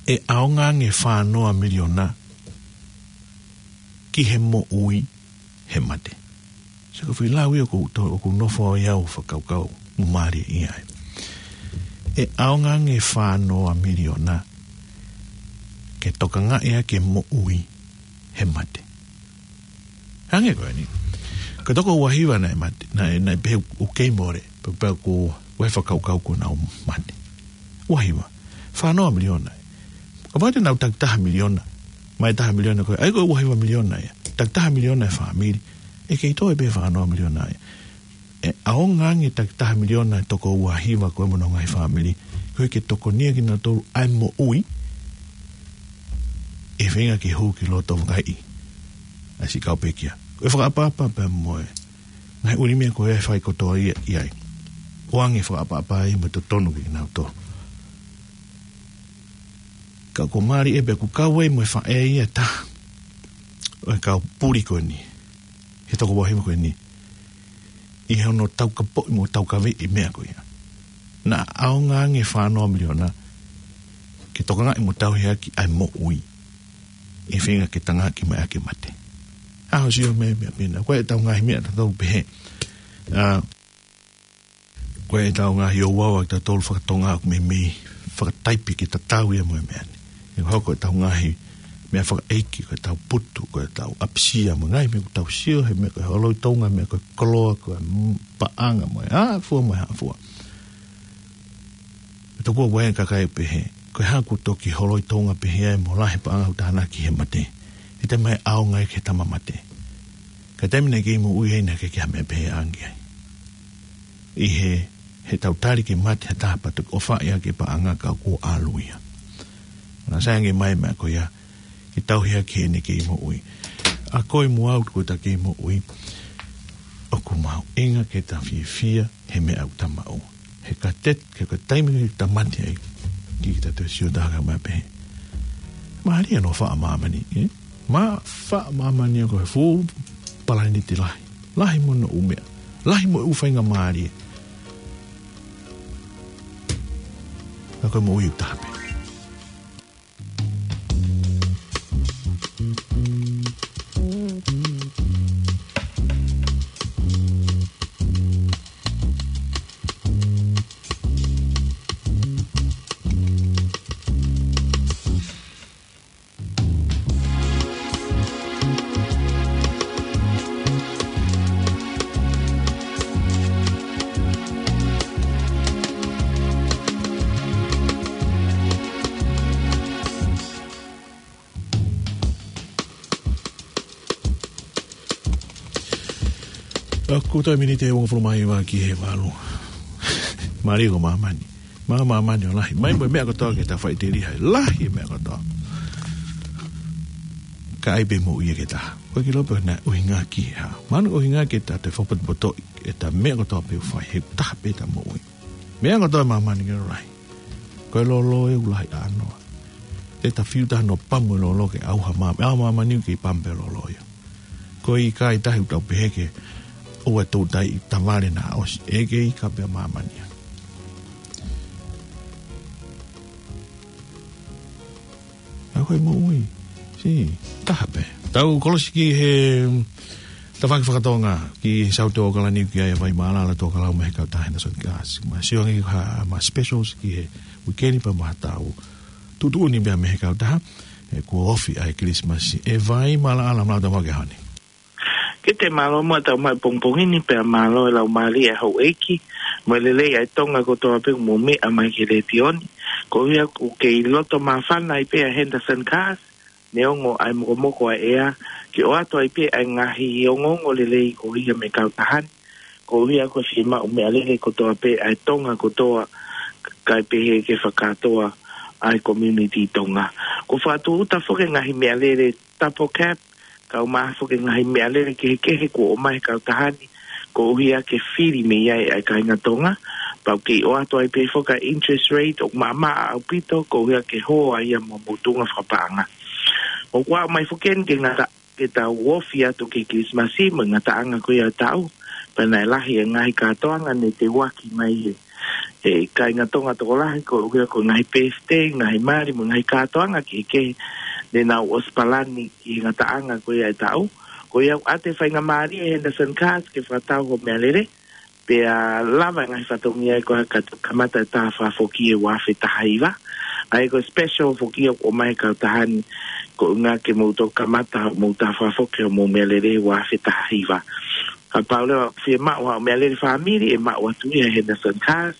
ʻe ʻaonga ange fā noa miliona ki he moʻui he mate. Sio ki he foʻi lau ia ʻoku to-, ʻoku nofo ai au fakakaukau mo mālie ai. ʻE ʻaonga ange fā noa miliona ke tokangaʻi ʻa e moʻui he mate. Hangē ko eni. Ko e toko uahiva naʻe mate, naʻe, naʻe pehē ʻoku kei mole, pea, pea ʻoku, ʻoku ʻi ai e fakakaukau kuo nau mate. Uahiva. Fā noa miliona. Kapau te nau takitaha miliona. Mai taha miliona ko ē. ʻAi ko e uahiva miliona ia. Takitaha miliona e fāmili. ʻE kei toe pē fā noa miliona ia. ʻE ʻaonga ange takitaha miliona e toko uahiva ko ē mo honau ngaahi fāmili. Ko e ke tokonia kinautolu ʻa e moʻui. ʻI he feinga ke hū ki loto vakaiʻi ʻa e siʻi kau pekia. Ko e fakaʻapaʻapa pea mo e ngaahi ʻuli meʻa ko ē ʻe fai kotoa ia ʻi ai. ʻOange fakaʻapaʻapa ai mo e totonu ke kinautolu. Ka ʻoku mālie pē ʻoku kau ai mo e faʻē ia ʻe taha ʻo e kau puli ko eni. He toko uahiva ko eni. ʻI hono taukapoʻi mo taukaveʻi e meʻa ko ia. Naʻa ʻaonga ange fā noa miliona ke tokangaʻi mo tauhi ʻaki ʻa e moʻui. ʻI he feinga ke tangaki mai ʻa e mate. ʻA hoʻo sio meʻa, meʻa, meʻa. Ko ʻetau ngaahi meʻa ʻatautolu pehē. ʻA, ko ʻetau ngaahi ouau ʻatautolu fakatonga ʻoku meimei fakataipe ke tatau ia mo e meʻa ni. ʻE hoko ʻetau ngaahi meʻa fakaʻeiki, ko ʻetau putu, ko ʻetau ʻapisia mo e ngaahi meʻa ʻoku tau sio, he meʻa ko e holoi Tonga, meʻa ko e koloa, ko e m-, paʻanga mo e hā fua mo e hā fua. ʻE tokua ʻe he kakai pehē, ko e hā ʻoku toki holoi Tonga pehē ai mo lahi e paʻanga ʻoku tānaki he mate. ʻE te mai ʻaonga ai ki he tama mate. Ka taimi naʻe kei moʻui ai naʻe ʻikai ke ha meʻa pehē ange ai. ʻI he, heʻetau tali ke mate ha taha pea toki ʻofaʻi ʻaki e paʻanga ka kuo ʻalu ia. Naʻe sai ange mai e meʻa ko ia, ke tauhi ʻaki heʻene kei moʻui. ʻA koe mo au ko ʻeta kei moʻui, ʻoku mahuʻinga ke ta fiefia he meʻa ʻoku ta maʻu. He ka te, he ko e taimi ke ta mate ai, ke ta toe sio taha mai pē. Mālie hono faʻa māmani, ē? Mo e faʻa māmani ko e fuʻu palaniti lahi. Lahi mo hono ʻū meʻa. Lahi mo e ʻū faingamālie. Ka ko e moʻui ʻoku taha pē. ʻOku toe miniti ʻe uangofulu mā hiva ki he valu. Mālie ko māmani. Mā māmani ʻo lahi. Mai mo e meʻa kotoa ke ta faʻiteliha. Lahi e meʻa kotoa. Ka ʻai pē moʻui ia ke ta. Ko e ki lope na ʻuhinga ki ha. Manu ʻuhinga ke ta te fakapotopotoʻi. ʻEta meʻa kotoa pē ʻoku fai. He taha pē ʻeta moʻui. Meʻa kotoa ʻi māmani ke lahi. Ko e lolo ʻoku lahi ʻānoa. Te ta fiu taha hono pamu e lolo ke ʻauha mā-, ʻauha māmani ke pamu pē lolo ia. Ko e ʻikai tahi ʻoku tau pehē ke ʻoua ʻe toutai ʻi tavale naʻa ʻosi. ʻE kei ʻikai pē māmani. Ko e moʻui. Sī, taha pē. Tau kolosi ki he tafaʻaki fakatonga, ki he Saute ʻo ʻAokalani, ki ai ʻa Vai Mālala Tuʻakalau mei he kautaha Henderson Gas. Ma sio ange ha, ma specials ki he weekend pea mo ha tau tuʻutuʻuni pea mei he kautaha, he kuo ofi ʻa e Kilisimasi. ʻE Vai Mālala, mālō e tau maʻu ki he ʻaho ni. Ke te mālō muʻa ʻetau maʻu pongipongi ni pea mālō e laumālie ʻa e houʻeiki mo e lelei ʻa e Tonga kotoa pē ʻoku mou meʻa mai ki he letiō ni. Koeʻuhi ʻoku kei loto māfana ai pē ʻa Henderson Gas, neongo ʻa e mokomoko ʻa e ʻea, ke ʻoatu ai pē ʻa e ngaahi ongoongo lelei ko ia mei he kautaha ni. Koeʻuhi ʻoku fiemaʻu meʻalele kotoa pē ʻa e Tonga kotoa, kae pehē ke fakakātoa ʻa e community Tonga. Kuo fakatūʻuta foki e ngaahi meʻalele Double Cab, kae ʻumaʻā foki e ngaahi meʻalele kehekehe kuo ʻomai he kautaha ni, koeʻuhi ke fili mei ai ʻa e kāinga Tonga, pea ʻoku kei ʻoatu ai pē foki ʻa e interest rate ʻoku maʻamaʻa ʻaupito, koeʻuhi ke hō ai ʻa e motuʻa fakapaʻanga. ʻOku ʻomai foki eni ke ngata, ke tau ofi atu ki he Kilisimasi mo e ngataʻanga ko ia ʻo e taʻu, pea naʻe lahi e ngaahi kātoanga ne teuaki mai he he kāinga Tonga tokolahi, koeʻuhi ko e ngaahi birthday, ngaahi mali, mo e ngaahi kātoanga kehekehe ne nau ʻosi palani ki he ngataʻanga ko ia ʻo e taʻu. Ko ia ʻoku ʻoatu e faingamālie ʻe Henderson Gas ke fakatau hoʻo meʻalele, pea lava e ngaahi fatongia ko ia ka kamata e tā fakafoki ʻi he ua afe taha hiva. ʻA ia ko e special foki ʻoku ʻomai he kautaha ni, koeʻuhi ke mou toki kamata hoʻomou tā fakafoki hoʻomou meʻalele ʻi he ua afe taha hiva. Kapau leva ʻoku fiemaʻu haʻo meʻalele fāmili, ʻe maʻu atu ia ʻe Henderson Gas.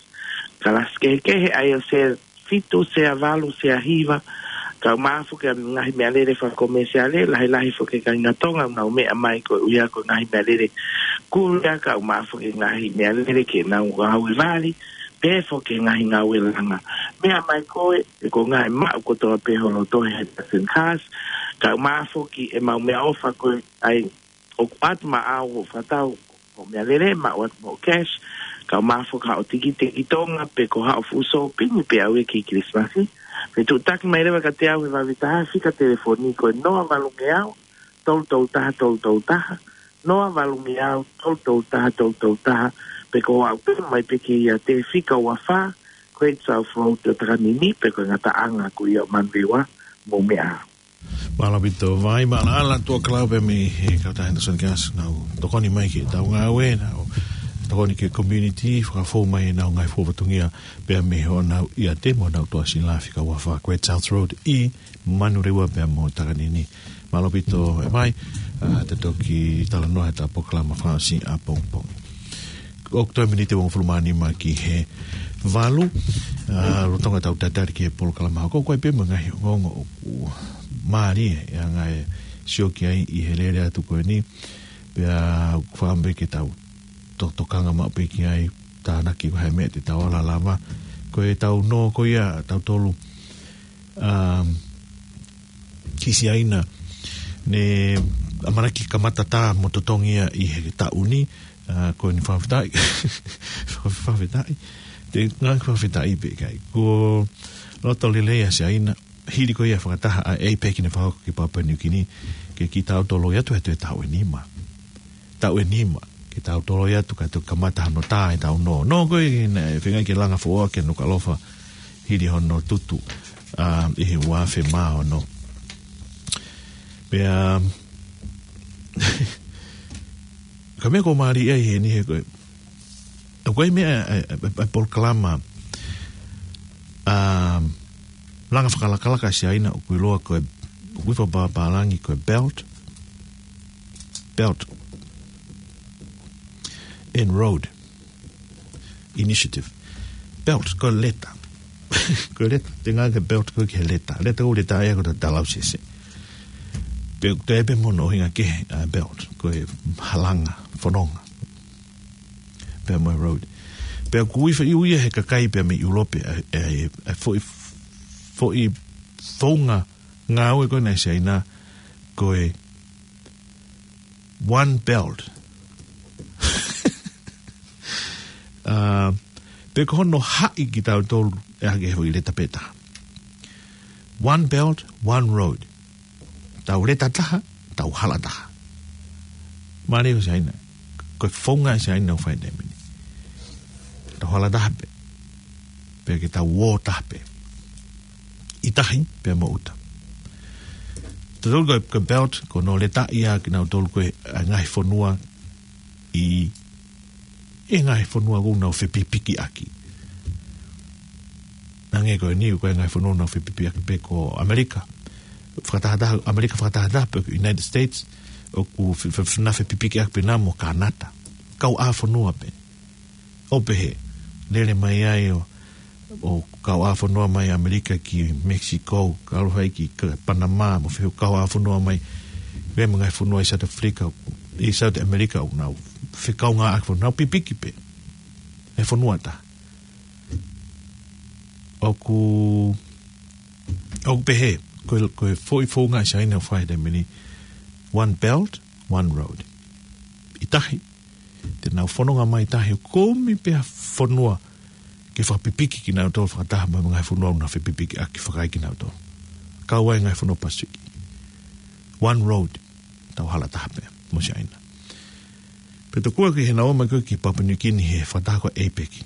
Kalasi kehekehe, ʻa ia ʻo sea fitu, sea valu, sea hiva. Kae ʻumaʻā foki ʻa e ngaahi meʻalele fakakomesiale, lahilahi foki e kāinga Tonga ʻoku nau meʻa mai koeʻuhi ko e ngaahi meʻalele kulia, kae ʻumaʻā foki e ngaahi meʻalele ke nau ngāue vali, pehē foki e ngaahi ngāue langa. Meʻa mai koe, ʻe ko e ngaahi maʻu kotoa pē ho loto ʻe Henderson Gas, kae ʻumaʻā foki ʻemau meʻaʻofa ko ia ʻoku ʻoatu maʻau hoʻo fakatau hoʻo meʻalele, maʻu atu mo e cash, kae ʻumaʻā foki haʻo tikite ki Tonga, pe ko haʻo fuʻu sōpingi pē ʻaʻau ia ki he Kilisimasi. Fetuʻutaki mai leva kiate au he vave taha, fika telefoni ko e noa valu ngeau, tolu tolu taha, tolu tolu taha, noa valu ngeau, tolu tolu taha, tolu tolu taha, pe ko e ʻomai pē ki he ʻiate, fika ua fā, Great South Road ʻo Takanini, pe ko e ngataʻanga ko ia ʻo Manurewa, mou meʻa. Mālō ʻaupito Vai Mālala Tuʻakalau pea mei he kautaha Henderson Gas, nau tokoni mai ki heʻetau ngāue, nau tokoni ki he community, fakafou mai ʻenau ngaahi fuofua fatongia pea mei honau ʻiate mo honau tuʻasila, fika ua fā Great South Road ʻi Manurewa pea mo Takanini. Mālō ʻaupito ʻe Vai, ʻa, te toki talanoa heʻetau polokalama fakaʻosi ʻapongipongi. ʻOku toe miniti ʻe hongofulu mā nima ki he valu, ʻa, lolotonga ʻetau tatali ki he polokalama hoko, ko e pē mo e ngaahi ongoongo ʻoku mālie ʻa e ngaahi sio ki ai ʻi he lele atu ko eni, pea ʻoku fiemaʻu pē ke tau to-, tokanga maʻu pē ki ai, tānaki ko e hā e meʻa te tau ala lava, ko ʻetau nō ko ia ʻa tautolu, um, ki Siaina, ne ʻamanaki kamata tā mo totongi ia ʻi he taʻu ni, ʻa, ko eni fakafetaʻi. Fakafetaʻi. Te ngaahi fakafetaʻi pē ʻikai. Ko e loto lelei ʻa Siaina, hili ko ia fakataha ʻa APEC ne fakahoko ki Papua New Guinea, ke kitautolu ʻi atu he toe taʻu ʻe nima. Taʻu ʻe nima, ke tau toloi atu kae toki kamata hano tā ʻetau nō. Nō ko ē, naʻe feinga ke langa foʻou ʻa Nukuʻalofa hili hono tutu, ʻa, ʻi he ua afe mā ono. Pea, ka meʻa ʻoku mālie ai heni he ko e, ʻoku ʻi ai meʻa, ʻa, ʻa, ʻa, ʻa e polokalama, ʻa, langa fakalakalaka ʻa Siaina ʻoku ʻiloa ko e, ʻoku ui fakapālangi ko e Belt, Belt and Road Initiative. Belt, ko e leta. Ko e leta, te ngāueʻaki e belt ko ē ki he leta. Leta ko e leta ia ko e talau sese. Pea ʻoku toe pē mo hono ʻuhinga kehe ʻa e belt, ko e halanga, fononga. Pea mo e road. Pea ʻoku ui fa-, ui ia he kakai pea mei ʻIulope, ʻa, ʻa, ʻa e foʻi, foʻi founga ngāue ko ena ʻa Siaina, ko e One Belt. ʻA, pea ko hono haʻi kitautolu ʻe hake he foʻi leta pē taha. One Belt, One Road. Tau leta taha, tau hala taha. Mālie ʻa Siaina. Ko e founga ʻa Siaina ʻoku fai he taimi ni. Tau hala taha pē. Pea ke tau ō taha pē. ʻI tahi, pea mo ʻuta. Tautolu ko e, ko e belt, ko hono letaʻi ʻa kinautolu ko e, ʻa e ngaahi fonua ʻi, ʻi he ngaahi fonua ʻoku nau fepipiki ʻaki. Hangē ko eni, ko e ngaahi fonua ʻoku nau fepipiki ʻaki pē ko ʻAmelika. Fakatahataha, ʻAmelika fakatahataha pē ko e United States, ʻoku fe-, fe-, fe-, nau fepipiki ʻaki pē nā mo Kanata. Kauʻāfonua pē. ʻO pehē, lele mai ai ʻo, ʻo kauʻāfonua mai ʻAmelika ki Mexico, kalo hai ki ka-, Panama, mo fē kauʻāfonua mai, pea mo e ngaahi fonua ʻi South Africa, ʻi South America, ʻoku nau fekaungāʻaki fonua, nau pipiki pē. ʻE fonua taha. ʻOku, ʻoku pehē, ko e, ko e foʻi founga ʻa Siaina ʻoku fai he taimi ni, One Belt, One Road. ʻI tahi, te nau fononga mai tahi ʻo kumi pē ha fonua ke fakapipiki kinautolu fakataha mo e ngaahi fonua ʻoku nau fepipiki ʻaki fakaʻi kinautolu. Kau ai e ngaahi fonua Pasifiki. One Road, tau hala taha pē, mo Siaina. Pea tokua ki heʻenau ō mai ko ē ki Papua New Guinea he fakataha ko e APEC.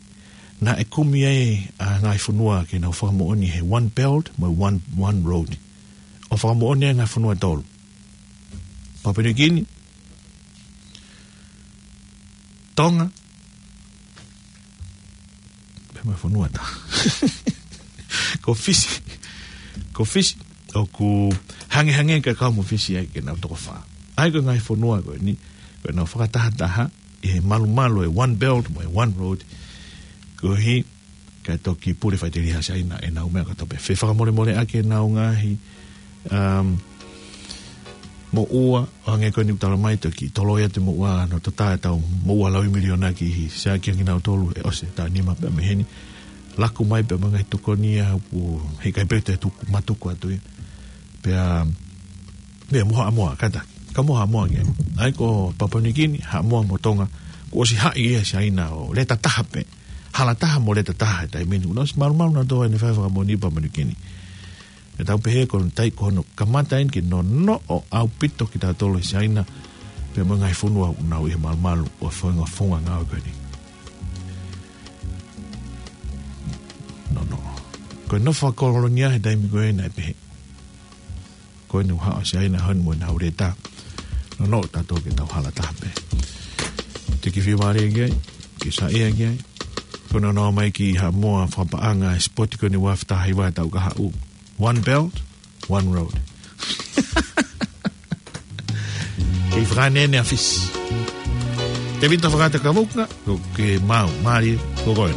Naʻe kumi ai ʻa e ngaahi fonua ke nau fakamoʻoni he One Belt mo e One, One Road. ʻO fakamoʻoni ai e ngaahi fonua ʻe tolu. Papua New Guinea, Tonga, pea mo e fonua taha. Ko Fisi. Ko Fisi. ʻOku hangehangē ka kau mo Fisi ai ke nau toko fā. ʻA ia ko e ngaahi fonua ko eni, ko ʻenau fakatahataha ʻi he malumalu e One Belt mo e One Road. Koeʻuhi kae toki pule faʻiteliha ʻa Siaina ʻenau meʻa kātoa pē. Fefakamolemoleʻaki ʻenau ngaahi, um, moʻua, ʻo hangē ko eni ʻoku tala mai toki toloi atu e moʻua, nau toʻo atu ʻetau moʻua lauimiliona ki he siʻaki kinautolu ʻe ʻosi e taʻu nima pea mei heni. Laku mai pea mo e ngaahi tokoni ia ʻoku heʻikai pē toe tuku, matuku atu ia. Pea, pea mo Haʻamoa, kātaki. Ka mo Haʻamoa ke. ʻA ia ko Papua New Guinea, Haʻamoa mo Tonga, kuo ʻosi haʻi ia ʻe Siaina ʻo leta taha pē. Hala taha mo leta taha he taimi ni. ʻOku nau ʻosi malumalu nautolu ʻi heʻene fai fakamoʻoni Papua New Guinea. ʻE tau pehē ko hono tai ko hono kamata eni ke nonoʻo ʻaupito kitautolu ʻe Siaina, pea mo e ngaahi fonua ʻoku nau ʻi he malumalu ʻo e founga, founga ngāue ko eni. Nonoʻo. Ko e nofo fakakolonia he taimi ko ē naʻe pehē. Ko eni ʻoku haʻu ʻa Siaina heni mo ʻenau leta. Nonoʻo tautolu ke tau hala taha pē. Te ke fiemālie ki ai, ke saiʻia ki ai. Ko hono nofo mai ki Haʻamoa fakapaʻanga e sipoti ko eni ʻoku fetahi ʻi he taʻu ka haʻu. One Belt, One Road. Kei fakaneʻeneʻe ʻa Fisi. Tēvita Fakatavuka, ko ke mau, mālie, ko koe.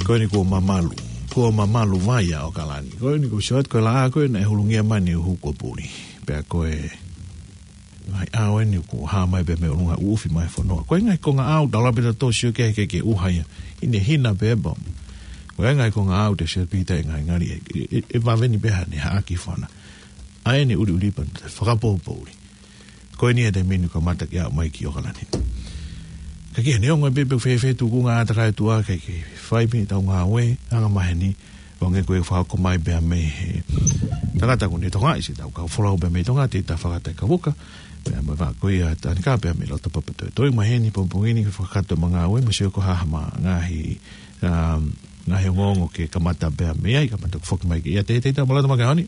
Ko eni kuo mamalu. Kuo mamalu vai ʻa ʻAokalani. Ko eni kuo short ko e laʻā ko ē naʻe hulungia mai ʻi Nukuʻalofa. Pea ko e ngaahi ʻaho eni kuo hā mai pē mei ʻolunga ʻuʻufi mai fonua. Ko e ngaahi konga ʻao, tau lave pē tautolu sio ki he, ki he, ki he ʻuha ia. Hinehina pē pau. Ko e ngaahi konga ʻao te sio pita e ngaahi ngali ʻe, ʻe, ʻe, ʻe vave ni pē hane haʻaki fana. ʻA eni ʻuliʻuli pea te fakapoupou uli. Ko eni e taimi ni kamata ke aʻu mai ki ʻAokalani. Ka ki he neongo pē pe fēfē tukunga ʻa e ʻātakai ʻOtua ke, ke fai pē ʻetau ngāue, anga maheni, ʻo hangē ko e fakahoko mai pea mei he tangata ko eni Tonga ʻi siʻetau kau folau pea mei Tonga, Tēvita Fakatavuka, pea mo e vaʻa ko ia Tanika pea mei loto Papatoetoe. Maheni pongipongi ni ke fakakakato ʻema ngāue, mo sio ko e hā haʻama ngaahi, um, ngaahi ongoongo ke kamata pea mei ai, kamata foki mai ki ai. Tēvita, mālō e tau maʻu ke aoni.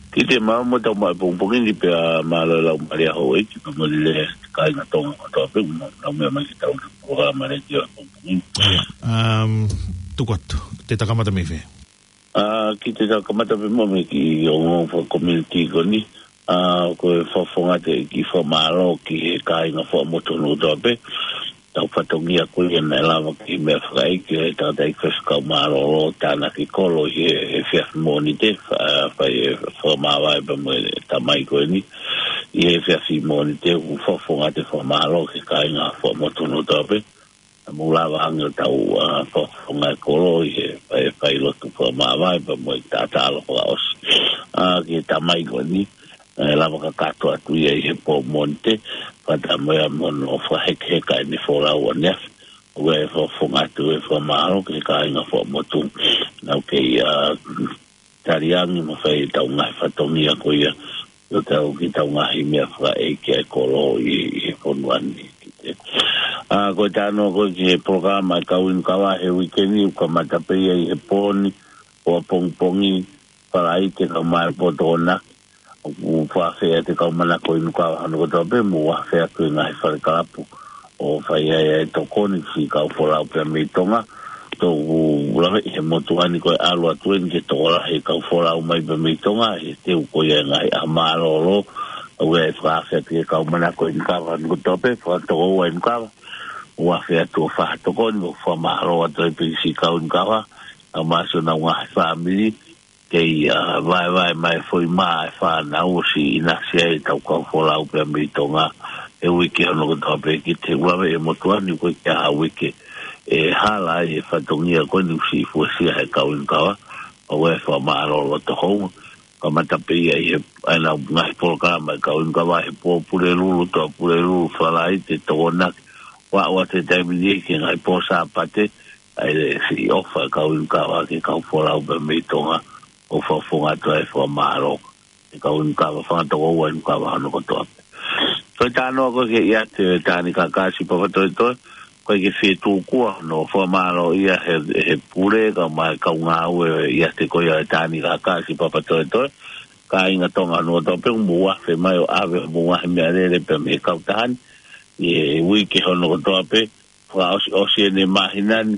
Kiate au mo e tau maʻu pongipongi ni pea mālō e lau mālie ʻa houʻeiki pea mo e lelei kāinga Tonga kotoa pē, mo e lau meʻa mai ki heʻetau polokalama letiō pongipongi ni. ʻIo, um, tuku atu, te ta kamata mei fē? ʻA, kiate au kamata pē mo e kiʻi ongoongo fakakomiunitī ko eni. ʻA, ko e fakafofonga atu e kiʻi fakamālō ki he kāinga fakamotuhā kotoa pē. tau fatongia ko ia naʻe lava ki he meʻa fakaʻeiki ʻo e tangataʻeiki faifekau mālōlō tānaki kolo ʻi he, he efiafi Mōnite, fa-, fai e fakamāvae pea mo e tamai ko eni. ʻI he efiafi Mōnite, ʻoku ou fakafofonga atu e fakamālō ki he kāinga Fuaʻamotu hono kotoa pē. Naʻa mou lava ange ʻo tau, ʻa, fakafofonga e kolo ʻi he fai, fai lotu fakamāvae pea mo e taʻataʻalo fakaʻosi. ʻA, ki he tamai ko eni, ʻe lava kakato atu ia ʻi he pō Mōnite, fakataha mo ia mo hono fakahekeheka ʻene folau ʻaneafi. ʻOku ou fakafofonga atu e fakamālō ki he kāinga Fuaʻamotu. Naʻa ku kei, ʻa, taliangi mo fai ʻetau ngaahi fatongia ko ia, ʻo tau ki heʻetau ngaahi meʻa fakaʻeiki ʻa e kolo ʻi, ʻi he fonua ni. ʻA, ko e talanoa ko ē ki he polokalama ʻa e kau inu kava he uike ni, ʻoku kamata pē ia ʻi he pō ni, ʻo apongipongi, Falaite kae ʻumaʻā e pō Tokonaki. ʻOku fakafeʻao atu e kau manako inu kava hono kotoa pē, mou afe atu ki he ngaahi fale kalapu ʻo fai ai e tokoni ki he kau folau pea mei Tonga. Toki lave ʻi he motuʻa ni ko e ʻalu atu eni ke tokolahi e kau folau mai pea mei Tonga, he teu ko ia e ngaahi ʻaho mālōlō. ʻOku ou fakafeʻao atu ki he kau manako inu kava hono kotoa pē, fakatokoua inu kava. ʻOku afe atu ʻo fakatokoni, ʻoku fakamālō atu ai pē ki he siʻi kau inu kava, ʻa māsio nau ngaahi fāmili, kei, ʻa, vaevae mai foʻi mā e fānau ʻosi ʻinasi ai ʻetau kau folau pea mei Tonga he uike hono kotoa pē. Ki he ʻuluaki e motuʻa ni ko e kiʻi ʻaho uike ʻe hala ai e fatongia ko eni ʻosi fuesia he kau inu kava, ʻoku ou fakamālō loto hou. Kamata pē ia ʻi he, ʻa e nau ngaahi polokalama e kau inu kava he pō Pulelulu, Toa Pulelulu, Falaite, Tokonaki, ʻo aʻu atu he taimi ni ki he ngaahi pō Sāpate, ʻa e siʻi ʻofa e kau inu kava ki he kau folau pea mei Tonga, ʻoku fakafofonga atu ai e fakamālō ki he kau inu kava, fakatokoua inu kava hono kotoa pē. Ko e talanoa ko ē ki he ʻiate ʻo e Tānaki Kākā Siʻi Papatoetoe, ko e kiʻi fetuʻu kuo ʻosi fakamālō ia he, he pule kae ʻumaʻā e kau ngāue ʻiate ko ia ʻo e Tānaki Kākā Siʻi Papatoetoe, kāinga Tonga hono kotoa pē, mou afe mai ʻo ʻave homou ngaahi meʻalele pea mei he kautaha ni ʻi he uike hono kotoa pē, fakaʻosiʻosi eni e māhina ni,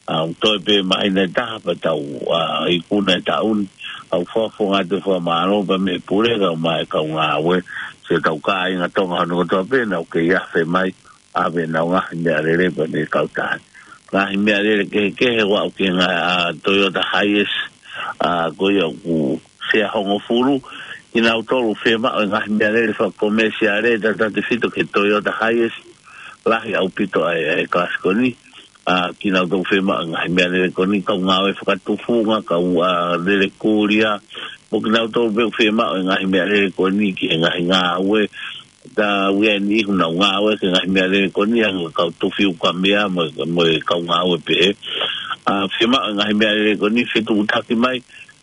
ʻa, toe pē māhina ʻe taha pea tau, ʻa, ikuna e taʻu ni. ʻOku ou fakafofonga atu e fakamālō pea mei he pule kae ʻumaʻā e kau ngāue, siʻetau kāinga Tonga hono kotoa pē, naʻa nau kei afe mai, ʻave ʻenau ngaahi meʻalele pea mei he kautaha ni. Ngaahi meʻalele kehekehe, ʻo aʻu ki he ngaahi, ʻa, Toyota Hiace, ʻa, ko ia ʻoku sea hongofulu, kinautolu fiemaʻu e ngaahi meʻalele fakakomesiale, tautautefito ki he Toyota Hiace, lahi ʻaupito ʻa e, ʻa e kalasi ko eni, ʻa, kinautolu fiemaʻu e ngaahi meʻalele ko eni, kau ngāue fakatufunga, kau, ʻa, lele kulia, mo kinautolu pē ʻoku fiemaʻu e ngaahi meʻalele ko eni ki he ngaahi ngāue, ta uia ni ihu nau ngāue ki he ngaahi meʻalele ko eni, ʻa e kau tufi ukamea mo, mo e kau ngāue pehē. ʻA, fiemaʻu e ngaahi meʻalele ko eni, fetuʻutaki mai,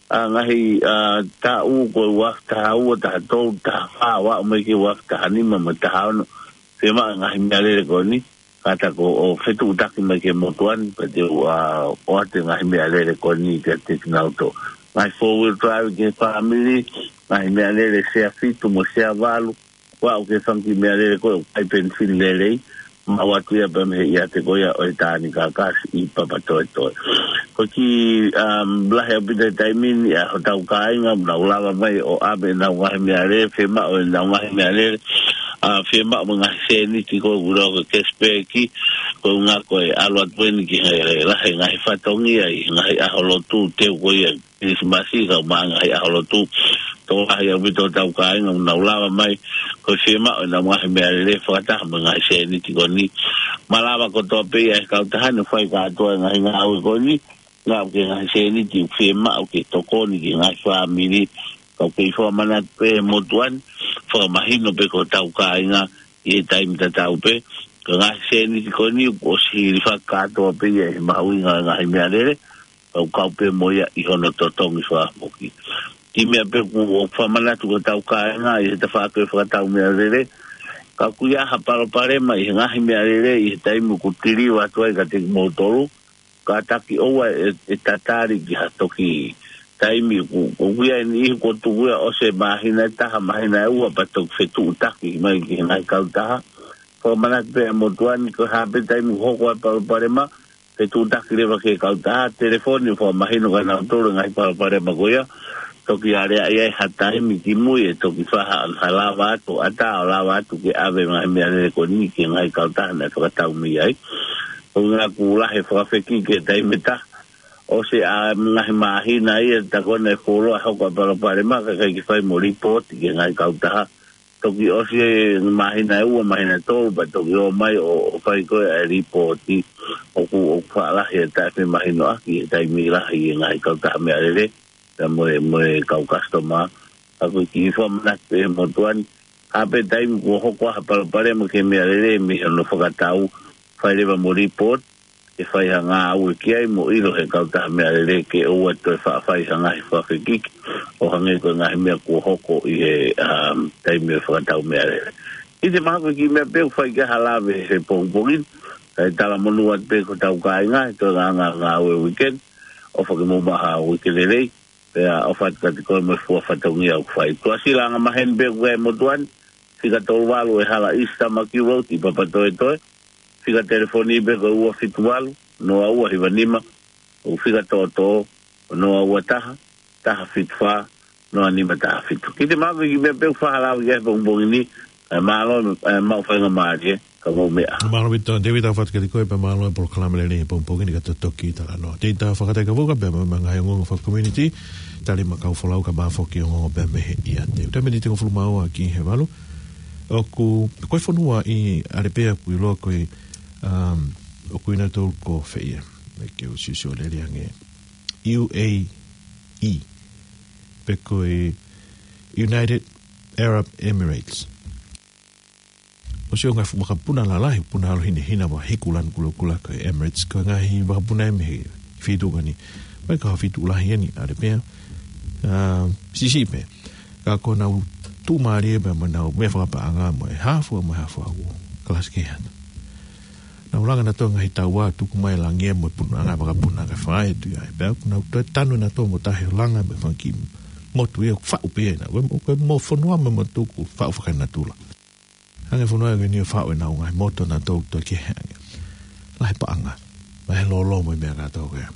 ʻa, ngaahi, ʻa, taʻu ko e ua afe taha ua, taha tolu, taha fā, ʻo aʻu mai ki he ua afe taha nima mo e taha ono. Fiemaʻu e ngaahi meʻalele ko eni, kātaki ʻo fetuʻutaki mai ki he motuʻa ni, pea te u, ʻa, ʻoatu e ngaahi meʻalele ko eni kiate kinautolu. Ngaahi four wheel drive ki he fāmili, ngaahi meʻalele sea fitu mo sea valu, ʻo aʻu ki he fanga kiʻi meʻalele ko ē ʻoku ʻikai penifini lelei, maʻu atu ia pea mei he ʻiate ko ia ʻo e Tānaki Kākā Siʻi Papatoetoe. Ko e kiʻi, um, lahi ʻaupito e taimi ni ʻa hotau kāinga, nau lava mai ʻo ʻave ʻenau ngaahi meʻalele, fiemaʻu ʻenau ngaahi meʻalele, ʻa, fiemaʻu mo e ngaahi sēniti ko ē ʻoku lau ko e cashback, ko e ʻuhinga ko e ʻalu atu eni ki he lahi e ngaahi fatongia ʻi he ngaahi ʻaho lotu, teu ko ia Kilisimasi kae ʻumaʻā e ngaahi ʻaho lotu. Tokolahi ʻaupito hotau kāinga ʻoku nau lava mai, ko e fiemaʻu ʻenau ngaahi meʻalele fakataha mo e ngaahi sēniti ko eni. Malava kotoa pē ia ʻe he kautaha ni ʻo fai kātoa e ngaahi ngāue ko eni, ʻo aʻu ki he ngaahi sēniti ʻoku fiemaʻu ke tokoni ki he ngaahi fāmili. Ka ʻoku kei fakamanatu pē ʻe he motuʻa ni, fakamahino pē ki hotau kāinga ʻi he taimi tatau pē, ko e ngaahi sēniti ko eni kuo ʻosi hilifaki kātoa pē ia ʻi he mahuʻinga ʻo e ngaahi meʻalele, ʻoku kau pē mo ia ʻi hono totongi fakafoki. Kiʻi meʻa pē ʻoku ou fakamanatu ki hotau kāinga ʻi he tafaʻaki ʻo e fakatau meʻalele, ka ʻoku ʻi ai ha palopalema ʻi he ngaahi meʻalele ʻi he taimi ʻoku tiliva atu ai kiate kimoutolu, kātaki ʻoua ʻe, ʻe tatali ki ha toki taimi ʻoku, ʻoku ʻi ai e niʻihi kuo tuku ia ʻosi e māhina ʻe taha, māhina ʻe ua pea toki fetuʻutaki mai ki he ngaahi kautaha. Fakamanatu pē ʻe he motuʻa ni ko e hā pē taimi ʻoku hoko ai e palopalema, fetuʻutaki leva ki he kautaha, telefoni ʻo fakamahino kia nautolu e ngaahi palopalema ko ia. toki aleaʻi ai ha taimi ki mui ʻe toki fai ha, ha lava atu, ʻatā ʻo lava atu ke ʻave ngaahi meʻalele ko eni ki he ngaahi kautaha naʻe fakatau mei ai. Ko e ngaahi kula he fakafekiki ki he taimi ʻe taha. ʻOsi ʻa e ngaahi māhina ia, tā ko ē naʻe fuoloa hoko ʻa e palopalema, ka ʻikai ke fai mo lipooti ki he ngaahi kautaha. Toki ʻosi e māhina ʻe ua, māhina ʻe tolu, pea toki ō mai ʻo, ʻo fai ko ē ʻa e lipooti. ʻOku, ʻoku faʻa lahi e taʻefemahinoʻaki he taimi lahi e ngaahi kautaha meʻalele, pea mo e, mo e kau customer. Ka ko e kiʻi fakamanatu pē motuʻa ni, haʻu pē taimi kuo hoko ha palopalema ki he meʻalele mei hono fakatau, fai leva mo lipooti, ke fai ha ngāue ki ai mo ʻilo he kautaha meʻalele ke ʻoua toe faʻa fai ha ngaahi fakafekiki ʻo hangē ko e ngaahi meʻa kuo hoko ʻi he, um, taimi ʻo e fakatau meʻalele. ʻIte mahalo ko e kiʻi meʻa pē ʻoku fai ki ai ha lave he pongipongi ni, kae talamonū atu pē ki hotau kāinga he toe ngā, ngā, ngāue weekend, ʻofa ke mou maʻu ha uike lelei, pea ʻofa atu kiate koe mo e fua fatongia ʻoku fai. Tuʻasila Angamaheni pē ʻoku ʻi ai e motuʻa ni, fika tolu valu ʻe Hala East Tamaki Road ʻi Papatoetoe, fika telefoni pē ko e ua fitu valu, noa ua hiva nima, ʻo fika toʻotoʻo, noa ua taha, taha fitu fā, noa nima taha fitu. Kiʻi mahalo ko e kiʻi meʻa pē ʻoku fai ha lave ki ai he pongipongi ni, ʻe mālō, ʻe maʻu faingamālie, ka mou meʻa. Mālō ʻaupito, David, ʻofa atu kiate koe pea mālō e polokalama lelei he pongipongi ni ka toki talanoa. Tei ta fakataikavuka pea mo e ngaahi ongoongo fakacommunity, tali ma kau folau ka mafoki ongoongo pea mei he ʻiate. Taimi ni tengofulu mā ua ki he valu. ʻOku, ko e fonua ʻi ʻAlepea ʻoku ʻiloa ko e, um, ʻoku ʻi ai nautolu ko fē ia, me ke u siosio lelei ange. U A E, pe ko e United Arab Emirates. ʻOsi ʻo e ngaahi fuʻu vakapuna lalahi, puna ʻalu hinehina ʻo hiku lanu kulokula ko e Emirates, ko e ngaahi vakapuna ʻe mei he feituʻu ko eni. Mai ka feituʻu lahi eni ʻAlepea. Ah, siʻisiʻi pē. Ka ko ʻenau tuʻumālie pē mo ʻenau meʻa fakapaʻanga mo e hā fua mo e hā fua ʻoku kalasi kehe atu. Nau langa nautolu ngaahi taua tuku mai langi ia mo e puna, ngaahi vakapuna kae fai atu ia. Pea ʻoku nau toe tanu nautolu mo tahi ʻo langa mo e fanga kiʻi motu ia ʻoku faʻu pē ia ʻi ai. Ko e, ko e mo fonua mo e motu ʻoku faʻu fakaenatula. Hangē e fonua ko eni ʻoku faʻu ʻenau ngaahi motu nautolu toe kehe ange. Lahi e paʻanga, lahi e lōlō mo e meʻa kātoa ko ia.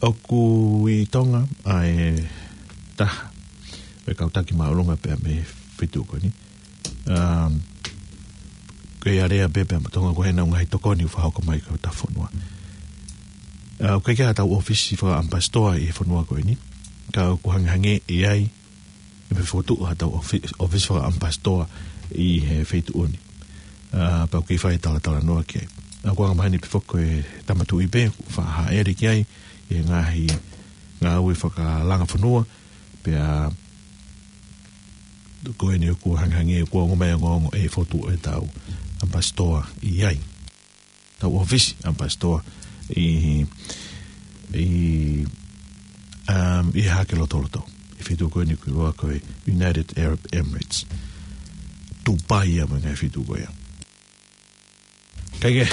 ʻOku ʻi Tonga ʻa e taha ʻo e kau taki māʻolunga pea mei he feituʻu ko eni. Um, ko e alea pē pea mo Tonga ko ē ʻenau ngaahi tokoni ʻoku fakahoko mai ki hotau fonua. Uh, ʻoku ʻikai ke ʻi ai haʻatau ʻōfisi fakaʻamipasitoa ʻi he fonua ko eni. Ka ʻoku hangehangē ʻe ʻi ai, ʻe meimei fokotuʻu haʻatau ʻōfi-, ʻōfisi fakaʻamipasitoa ʻi he feituʻu ni. Uh, pea ʻoku kei fai e talatalanoa ki ai. Uh, ʻoku angamaheni pē foki ko e Tama Tuʻi pē, ʻoku faʻa hāʻele ki ai, ʻi he ngaahi ngāue fakalanga fonua, pea ko eni ʻoku hangehangē ʻoku ʻomai e ongoongo ʻe fokotuʻu ʻetau ʻamipasitoa ʻi ai. Tau ʻōfisi ʻamipasitoa ʻi, ʻi, um, ʻi Haʻake Lotoloto. ʻI he feituʻu ko eni ʻoku ʻiloa ko e United Arab Emirates. Dubai ia mo e ngaahi feituʻu ko ia. Kae kehe,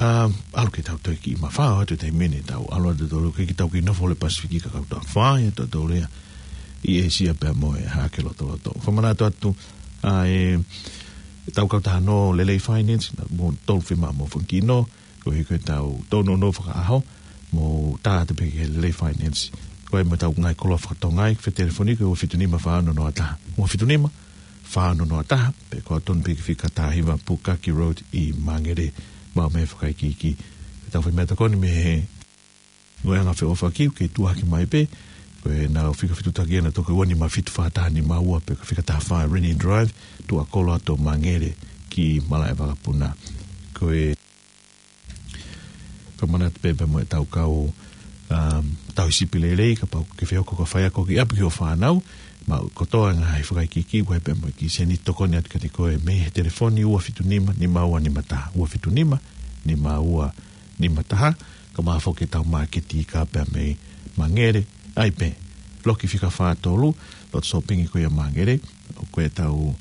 um, ʻalu ke tau toe kiʻi mafao atu he taimi ni, tau ʻalu atu tautolu ke tau kiʻi nofo ʻi he Pasifiki ka kau tau fai atu tautolu ia ʻi ʻĒsia pea mo e Haʻake Lotoloto. Fakamanatu atu, ʻa e, ʻetau kautaha nō Lelei Finance, naʻa mo tolu fima mo fungino, ko e ko ʻetau tōnounou fakaʻaho, mo tā atu pē ki he Lelei Finance. Ko e mo ʻetau ngaahi koloa faka-Tonga ʻi he telefoni ko e ua fitu nima fā ono noa taha. Ua fitu nima fā ono noa taha, pe ko e tonu pē ki he fika taha hiva Pukaki Road ʻi Mangere, maʻu mei he fakaikiiki. Tau fai meʻatokoni mei he ngaahi anga feʻofaʻaki, ke tuʻu hake mai pē, ko ʻenau fika fetutakiʻanga toki ua nima fitu fā taha nima ua, pe ko e fika taha fā Rennie Drive, tuʻa kolo atu ʻo Mangere ki Malaʻevakapuna. Ko e fakamanatu pē pea mo ʻetau kau, um, tauhi sipi lelei, kapau ʻoku ke fie hoko ko e faiako ki ʻapi ki hoʻo fānau, maʻu kotoa e ngaahi fakaikiiki, ʻoku ʻi ai pē mo e kiʻi sēniti tokoni atu kiate koe mei he telefoni ua fitu nima nima ua nima taha, ua fitu nima nima ua nima taha, kae ʻumaʻā foki ʻetau māketi kā pea mei Mangere, ʻa ia pē, loki fika fā tolu, loto sōpingi ko ia Mangere, ʻoku ʻi ai ʻetau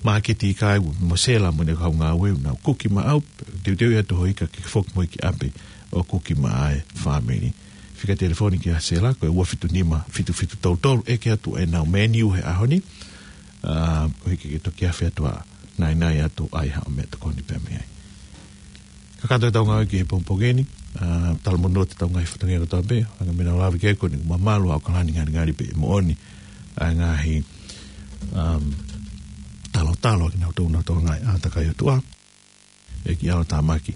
māketi kā ʻoku mo Sela mo ʻene kau ngāue ʻoku nau kuki maʻau, teuteu ia atu hoʻo ika ke foki mo ia ki ʻapi ʻo kuki maʻa e fāmili. Fika telefoni kia Sela, ko e ua fitu nima fitu fitu tolu tolu, ʻeke atu ʻenau menu he ʻaho ni, ʻa, koeʻuhi ke ke toki afe atu ʻo naʻinaʻi atu ʻai haʻo meʻatokoni pea mei ai. Kakato ʻetau ngāue ki he pongipongi ni, ʻA, talamonū atu ki he ngaahi fatongia kotoa pē, ʻa e meʻa naʻa ku lave ki ai ko eni, mamalu ʻa ʻAokalani ngalingali pē moʻoni, ʻa e ngaahi, um, talotalo kinautolu naʻa nau ngaahi ʻātakai ʻOtua. ʻEiki ʻalotāmaki,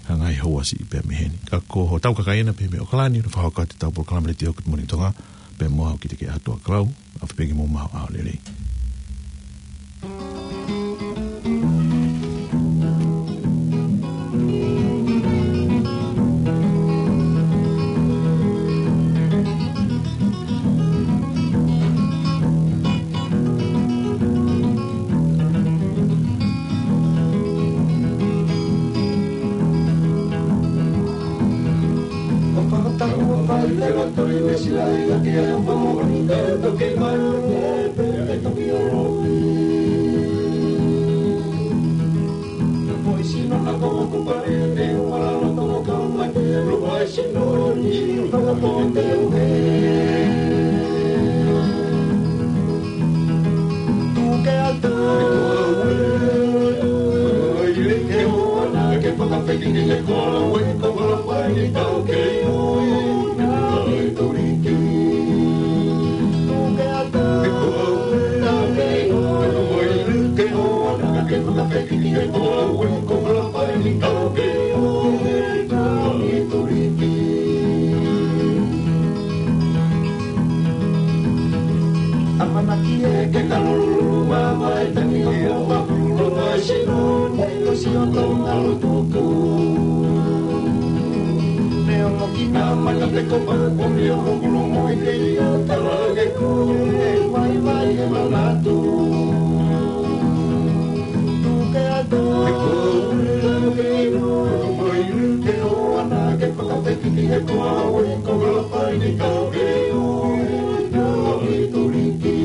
ha ngaahi houa siʻi pē mei heni. Ka ko hotau kakai ena pē mei ʻAokalani, ʻoku fakahoko atu ʻetau polokalama letiō ko e Moʻoni Tonga, pea mo au Kiteke ʻAtuʻakalau, ʻofa pē ki he mou maʻu ʻaho lelei. ʻAmanaki ē ke kalululu mamae tani o makululu mai sino nei o sio tau ngalo tuku. Neongo ki nā mana te ko maku ni o mokulu mo i te ia tala ke ku e vai vai e manatu. Tuke atu e ko e tau ke ino mai ke o ana ke fakapeki ki he ko au e ko ngalo pai ni tau ke o e tau i tuliki.